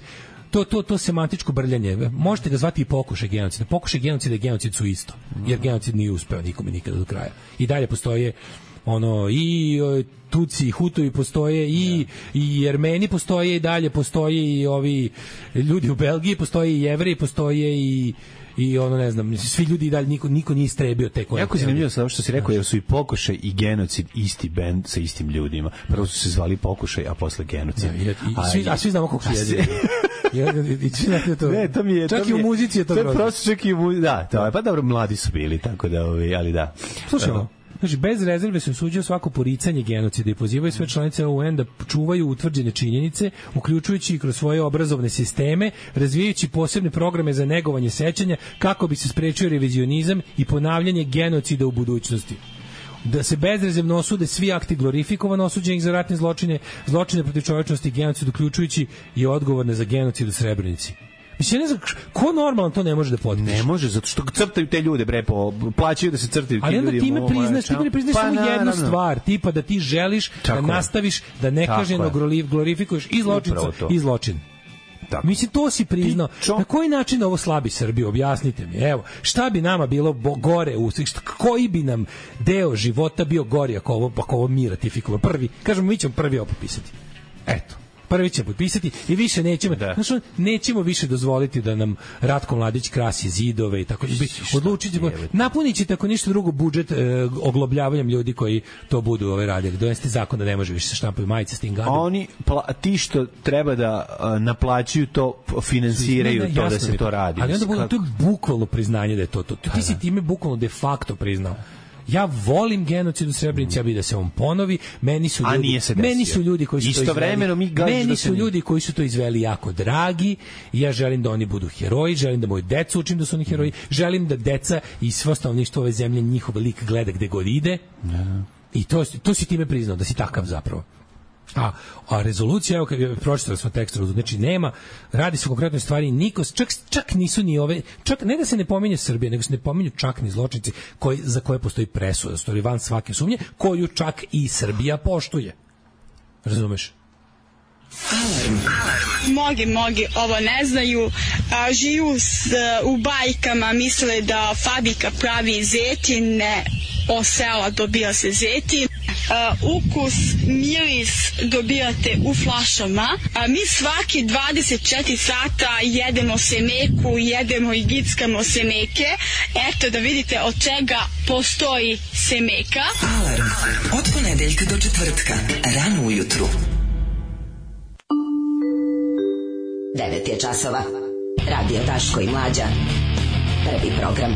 to semantičko brljanje, možete ga zvati i pokušaj genocida. Pokušaj genocida i genocid su isto, jer genocid nije uspeo nikome nikada do kraja. I dalje postoje i Tuci i Hutovi postoje i Jermeni postoje i dalje postoje i ovi ljudi u Belgiji, postoje i Jevreji, postoje i ne znam, svi ljudi i dalje, niko nije istrebio te koje. Jako zanimljivo sa ovo što si rekao, jer su i pokušaj i genocid isti bend sa istim ljudima. Prvo su se zvali pokušaj, a posle genocid. A svi znamo koliko je. Ne, to mi je... Čak i u muzici je to grozno. To je prosto čak i u muzici, da. Pa dobro, mladi su bili, tako da, ali da. Slušajmo. Znači, bez rezerve se osuđuje svako poricanje genocida i pozivaju sve članice UN da čuvaju utvrđene činjenice, uključujući i kroz svoje obrazovne sisteme, razvijajući posebne programe za negovanje sećanja kako bi se sprečio revizionizam i ponavljanje genocida u budućnosti. Da se bezrezervno osude svi akti glorifikovano osuđenih za ratne zločine protiv čovečnosti i genocid, uključujući i odgovorne za genocid u Srebrenici. Mislim, ne znam, ko normalno to ne može da potpiše? Ne može, zato što crtaju te ljude, plaćaju da se crtaju ti ljudi. Ali onda ti ne priznaš samo jednu stvar, tipa da ti želiš da nastaviš, da nekažnjeno glorifikuješ i zločin. Tako. Mislim, to si priznao. Na koji način ovo slabi Srbiju? Objasnite mi. Evo, šta bi nama bilo gore u koji bi nam deo života bio gori ako ovo mi ratifikujemo? Kažemo, mi ćemo prvi ovo potpisati. Eto. Prvi će potpisati i više nećemo. Nećemo više dozvoliti da nam Ratko Mladić krasi zidove i tako. Odlučićemo, napuniće tako ništa drugo budžet oglobljavanjem ljudi koji to budu radili. Donesti zakon da ne može više se štampaju majice s tim gadom. Oni ti što treba da naplaćuju to finansiraju to da se to radi. Ali onda to je bukvalno priznanje da je to. Ti si time bukvalno de facto priznao. Ja volim genocid u Srebrenici, ja bih da se on ponovi. Meni su ljudi koji su ljudi koji su to izveli jako dragi. Ja želim da oni budu heroji, želim da moju decu učim da su oni heroji, želim da deca i svo stanovništvo ove zemlje njihov lik gleda gde god ide. I to si time priznao, da si takav zapravo. A rezolucija, evo, pročitali smo tekst, znači nema, radi se o konkretnoj stvari, čak nisu ni ove, čak ne da se ne pominje Srbija, nego se ne pominju čak ni zločinci za koje postoji presuda, stoji van svake sumnje, koju čak i Srbija poštuje. Razumeš? Mnogi ovo ne znaju, živu u bajkama, misle da fabrika pravi zetin, ne, od sela dobija se zetin. Ukus, miris dobijate u flašama. Mi svaki 24 sata jedemo semeku, jedemo i gickamo semeke. Eto da vidite od čega postoji semeka. Alarm od ponedeljka do četvrtka, rano ujutru. 9 je časova. Radio Daško i Mlađa. Prvi program.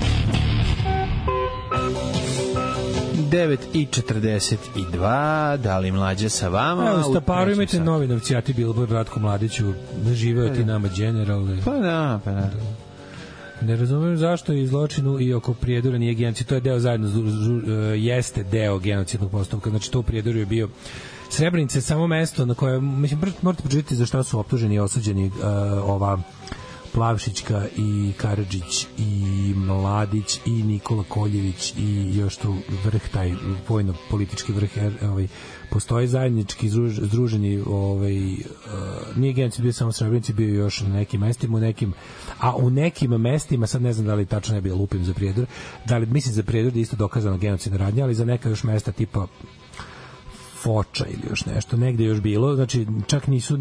9:42, da li Mlađa sa vama? Evo, Staparu imate novinovci, ja ti Billboard, Ratko Mladiću, živeo ti nama general. Pa da. Ne razumem zašto je zločinu i oko Prijedora nije genocid. To je deo zajedno, jeste deo genocidnog postupka. Znači, to u Prijedoru je bio Srebrenica je samo mesto na koje, mislim, morate pročitati za šta su optuženi i osuđeni ova Plavšićka i Karadžić i Mladić i Nikola Koljević i još tu vrh, taj vojno-politički vrh, postoje zajednički združeni, nije genocid bio samo Srebrenici, bio još na nekim mestima, a u nekim mestima, sad ne znam da li tačno ne bi lupim za Prijedor, da li mislim za Prijedor da je isto dokazano genocidna radnja, ali za neka još mesta tipa Foča ili još nešto, negde još bilo, znači čak nisu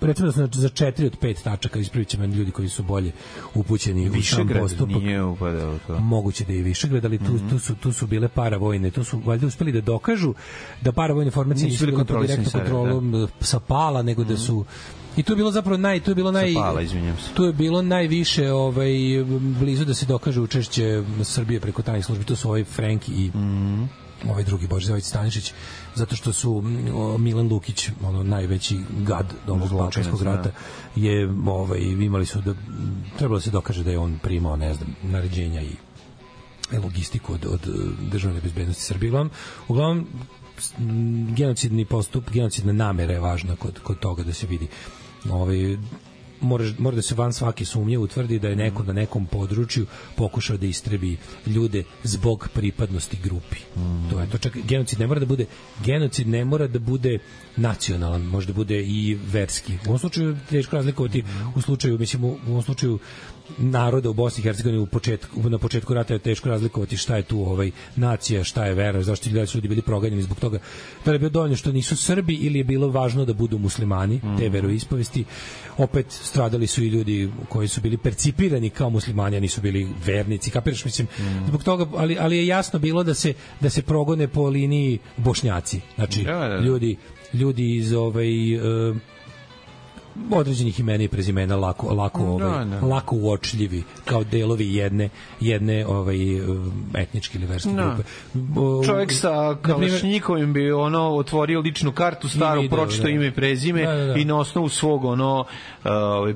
recimo da su za 4 od 5 tačaka, ispravit će meni ljudi koji su bolje upućeni u sam postupak. Nije upadao to. Moguće da je i Višegrad, ali tu su bile paravojne, tu su valjda uspeli da dokažu da paravojne formacije nisu bile pod direktnom kontrolom sa Pala, nego da su. I to je bilo zapravo to je bilo najviše blizu da se dokaže učešće Srbije preko tajnih službi. To su ovaj Frenki i ovaj drugi Božidar Stanišić, zato što su Milan Lukić, najveći gad ovog Balkanskog rata, je imali su da trebalo se dokaže da je on primao, ne znam, naređenja i logistiku od državne bezbednosti Srbije. Uglavnom genocidni postup, genocidna namera je važna kod toga da se vidi. Mora da se van svake sumnje utvrdi da je neko na nekom području pokušao da istrebi ljude zbog pripadnosti grupi. To je to. Čak genocid ne mora da bude nacionalan, može da bude i verski. U ovom slučaju teško razlikovati, u ovom slučaju naroda u Bosni i Hercegovini na početku rata je teško razlikovati šta je tu nacija, šta je vera, zašto su ljudi bili proganjeni zbog toga. Da li je bilo dovoljno što nisu Srbi ili je bilo važno da budu muslimani, te veroispovesti. Opet stradali su i ljudi koji su bili percipirani kao muslimani, a nisu bili vernici, kapiraš, mislim, zbog toga, ali je jasno bilo da se progone po liniji Bošnjaci. Znači, ljudi iz određenih imena i prezimena lako uočljivi kao delovi jedne etničke ili verske grupe. Čovjek sa Kalašnjikovim bi otvorio ličnu kartu staru, pročito ime i prezime i na osnovu svog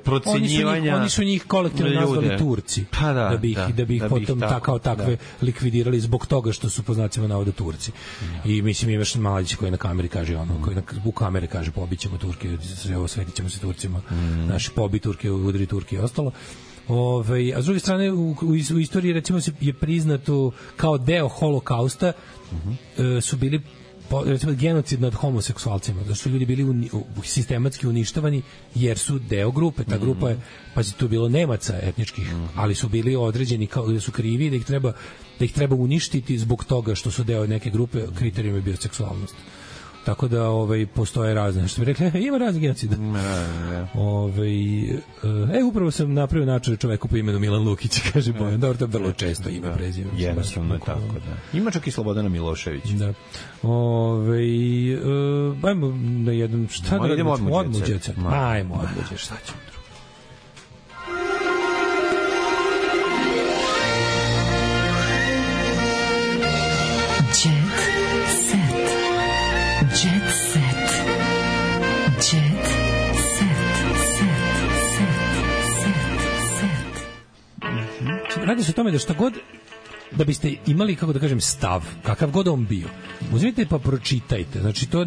procenjivanja oni su njih kolektivno nazvali Turci, da bi ih potom kao takve likvidirali zbog toga što su po znacima navoda Turci. I mislim imaš Mladić koji na kameri kaže koji u kameri kaže pobićemo Turke, osvetićemo se Turcima, naši pobi Turke, udri Turke i ostalo. A s druge strane u istoriji recimo je priznato kao deo holokausta su bili recimo genocid nad homoseksualcima, da su ljudi bili sistematski uništavani jer su deo grupe. Ta grupa je, pazi, tu bilo Nemaca etničkih, ali su bili određeni kao da su krivi, da ih treba uništiti zbog toga što su deo neke grupe. Kriterijum je bio seksualnost. Tako da postoje razne, što bi rekli, ima razne genocida. Upravo sam napravio način čoveku po imenu Milan Lukić, kaže Bojan. Dobro, to je vrlo često ime prezime. Jednostavno je tako, da. Ima čak i Slobodana Milošević. Da. Ajmo na jedan, šta da radimo? Odmuđeca. Ajmo odmuđeca, šta ćemo? Radi se o tome da šta god da biste imali, kako da kažem, stav, kakav god on bio, uzmite pa pročitajte. Znači, to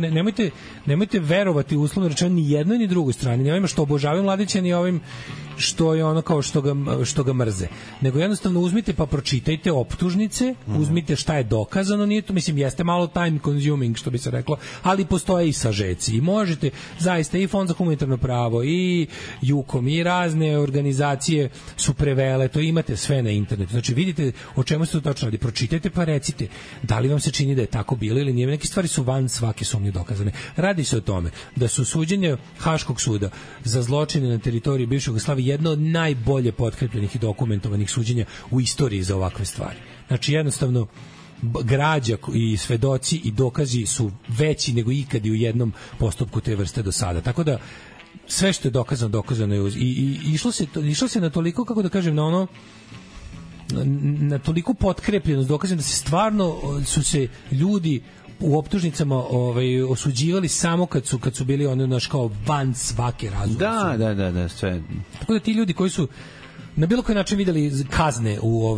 nemojte verovati uslovno rečeno ni jednoj ni drugoj strani, ni ovima što obožavaju Mladića, ni ovim što je ono kao što ga mrze. Nego jednostavno uzmite pa pročitajte optužnice, uzmite šta je dokazano, nije to, mislim, jeste malo time consuming, što bi se reklo, ali postoje i sažeci. I možete, zaista, i Fond za humanitarno pravo, i Jukom, i razne organizacije su prevele, to imate sve na internetu. Znači, vidite o čemu se to točno radi. Pročitajte pa recite da li vam se čini da je tako bilo ili nije. Neke stvari su van svake sumnje dokazane. Radi se o tome da su suđenja Haškog suda za zločine na teritoriji bivše Jugoslavije jedno od najbolje potkrepljenih i dokumentovanih suđenja u istoriji za ovakve stvari. Znači, jednostavno, građa i svedoci i dokazi su veći nego ikad i u jednom postupku te vrste do sada. Tako da, sve što je dokazano je i išlo se na toliko, kako da kažem, na ono, na toliko potkrepljenost dokazano da se stvarno su se ljudi u optužnicama osuđivali samo kad su bili ono naš kao van svake razumne. Da, sve. Tako da ti ljudi koji su na bilo koji način videli kazne u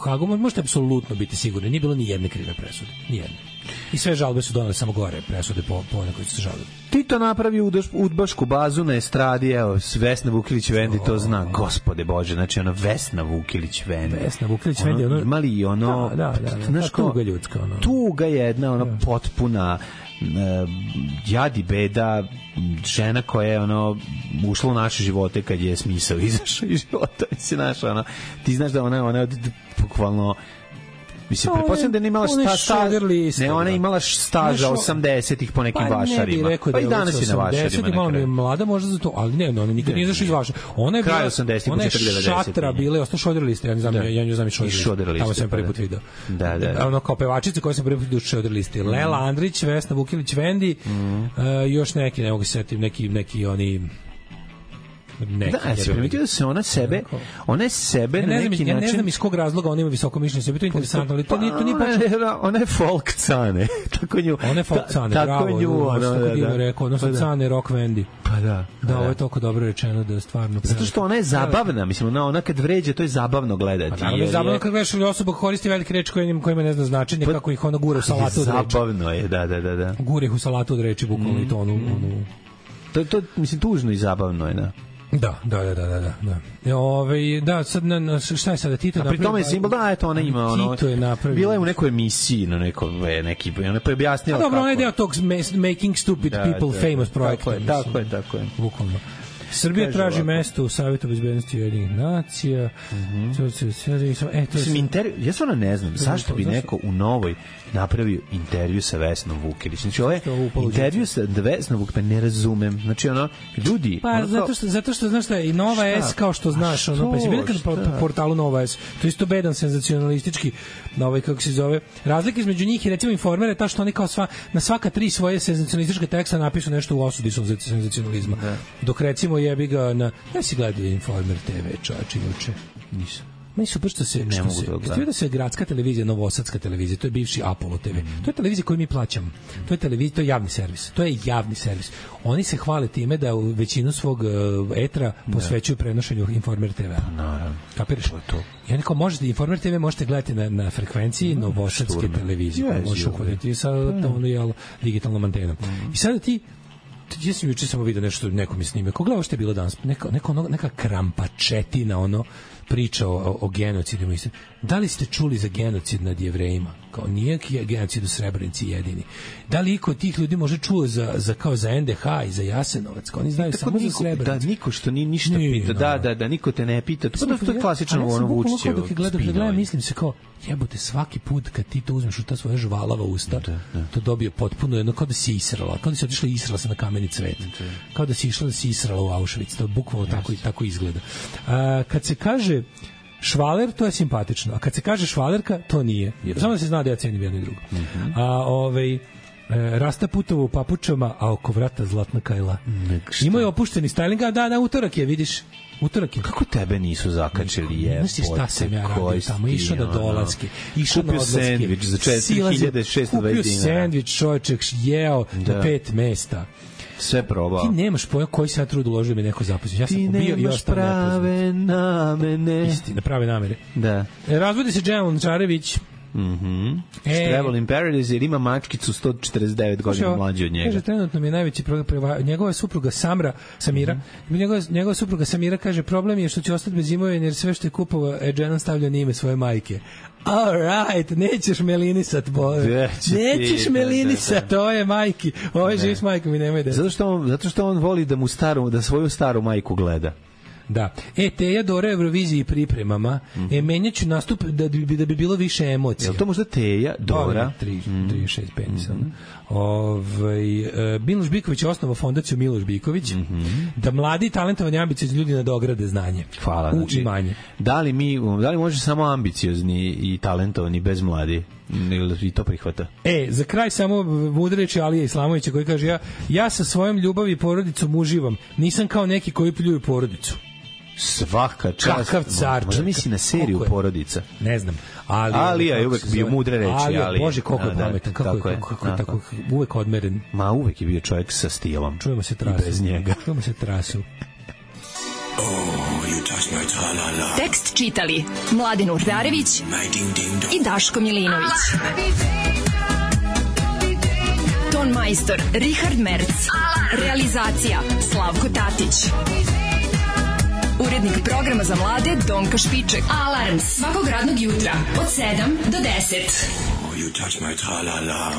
Hagu, možete apsolutno biti sigurni, nije bilo ni jedne krive presude, ni jedne. I sve žalbe su donale samo gore presude po one koji su se žalili. Tito napravi udbašku bazu na estradi, evo, Vesna Vukilić-Vendi to zna, gospode Bože, znači ono Vesna Vukilić-Vendi. Vesna Vukilić-Vendi, ono... Imali ono... Da, tuga ljudska, ono. Tuga jedna, ono, potpuna jad i beda, žena koja je ono ušla u naše živote kad je smisao izašao iz života, si naša, ono, ti znaš da ona bukvalno, mislim, pretpostavljam da je imala ona je imala staža 80-ih po nekim vašarima. Pa i danas je na vašarima. Malo je mlada možda za to, ali ne, ona nikad nije izašla iz vašara. Ona je bila, ona je šatra bila, ostao šoderliste, ja nju znam i šoderliste. Tamo sam prvi put video. Da. Ono kao pevačica koja sam prvi put vidio šoderliste. Lela Andrić, Vesna Vukilić-Vendi, još neki, ne mogu se setiti, neki oni... Da, se primetio da se ona je sebe na neki način... Ja ne znam iz kog razloga ona ima visoko mišljenje sebi, to je interesantno, ali to nije ona je folk cane. Ona je folk cane, bravo. Ona su cane rock Vendi. Pa da. Da, ovo je toliko dobro rečeno da je stvarno... Zato što ona je zabavna, mislim, ona kad vređe, to je zabavno gledati. Pa naravno je zabavno kad gledaš ili osoba koristi velike reči kojima ne zna značenje, kako ih ona gura u salatu od reči. Zabavno je, da. Gura ih u salatu od reči, bukvalno i to onu... To, mislim, tužno i zabavno je, da. Da. Da, sad šta je sada Tito napravio? A pri tome je simbol, da, eto, ona ima ono... Tito je napravio... Bila je u nekoj emisiji, na neki, ona je objasnila kako... Dobro, ona je deo tog Making Stupid People Famous projekta. Tako je. Bukvalno. Srbija traži mesto u Savjetu bezbednosti Ujedinjenih nacija. Mislim, ja stvarno ne znam zašto bi neko u Novoj napravio intervju sa Vesnom Vukilić. Znači, ovo je intervju sa Vesnom Vukilić, pa ne razumem. Znači, ono, ljudi... Pa, zato što, znaš šta, i Nova S, kao što znaš, ono, pa si vidio kad po portalu Nova S, to isto bedan senzacionalistički, kako se zove, razlika između njih i recimo Informer je ta što oni kao na svaka 3 svoje senzacionalističke teksta napisu nešto u osudi senzacionalizma. Dok recimo jebi ga na... Ja si gledao Informer TV, čovječe, juče. Nisam. Meni super što se da se gradska televizija, novosadska televizija, to je bivši Apollo TV. To je televizija koju mi plaćamo. To je televizija, to je javni servis. To je javni servis. Oni se hvale time da u većinu svog etra posvećuju prenošenju Informer TV. Naravno. Kapiraš? To. I onako možete Informer TV možete gledati na frekvenciji novosadske televizije. Možeš uhoditi sa digitalnom antenom. I sada ti ja sam juče samo vidio nešto, neko mi snime. Ko gledao što je bilo danas? Neka krampačetina, ono, priča o genocidima. Da li ste čuli za genocid nad Jevrejima? Kao nije genocid u Srebrenici jedini. Da li iko od tih ljudi može čuo za NDH i za Jasenovac? Kao oni znaju samo za Srebrenicu. Da, niko što ni ništa pita. Da, niko te ne pita. To je klasično ono Vučićevo. Dok gledam, mislim se kao, jebote, svaki put kad ti to uzmeš u ta svoja žvalava usta, to dobije potpuno jedno, kao da si israla, kao da si otišla i israla se na kameni cvet. Kao da si išla da si israla u Auschwitz. To bukvalno tako izgleda. Kad se kaže švaler, to je simpatično. A kad se kaže švalerka, to nije. Samo da se zna da ja cenim jedno i drugo. Rasta putovo u papučama, a oko vrata zlatna kajla. Imaju opušteni styling, da, na utorak je, vidiš. Utorak je. Kako tebe nisu zakačili, je? Znaš šta sam ja radio tamo? Išao na dolaske, išao na odlaske. Kupio sendvič za 4620 dinara. Kupio sendvič, čovječek, jeo na 5 mesta. Sve probao. Ti nemaš pojma koji se ja trud uložio mi neko zaposlen. Ja sam ti ubio i ostao prave namene. Istina, prave namere. Da. Razvodi se Džemal Čarević. Travel in Paradise, jer ima mačkicu 149 godina mlađe od njega. Kaže, trenutno mi je najveći problem, njegova supruga Samira, njegova supruga Samira kaže, problem je što će ostati bez imovine, jer sve što je kupovao Edgenon stavlja na ime svoje majke. All right, nećeš melinisat, nećeš melinisat, to je majki, ovo je živ s majkom i nemoj da. Zato što on voli da svoju staru majku gleda. Da. Teja Dora Euroviziji pripremama. Menjaću nastup da bi bilo više emocija. Jel to možda Teja Dora? 36 penisa. Miloš Biković je osnovao fondaciju Miloš Biković da mladi talentovani ambiciozni ljudi nadograde znanje. Hvala. U imanje. Da li može samo ambiciozni i talentovani bez mladi? Ili i to prihvata? Za kraj samo mudreći Alija Islamovića koji kaže ja sa svojom ljubavi i porodicom uživam. Nisam kao neki koji pljuju porodicu. Svaka čast. Kakav car. Možda misli na seriju Porodica. Ne znam. Alija je uvek bio mudre reči. Alija, Bože, koliko je pametan. Kako je tako uvek odmeren. Ma uvek je bio čovjek sa stilom. Čujemo se trasu. I bez njega. Čujemo se trasu. Tekst čitali Mladin Urdarević i Daško Milinović. Ton majstor Richard Merc. Realizacija Slavko Tatić. Urednik programa za mlade Donka Špiček. Alarms svakog radnog jutra od 7 do 10. You touch my tra-la-la.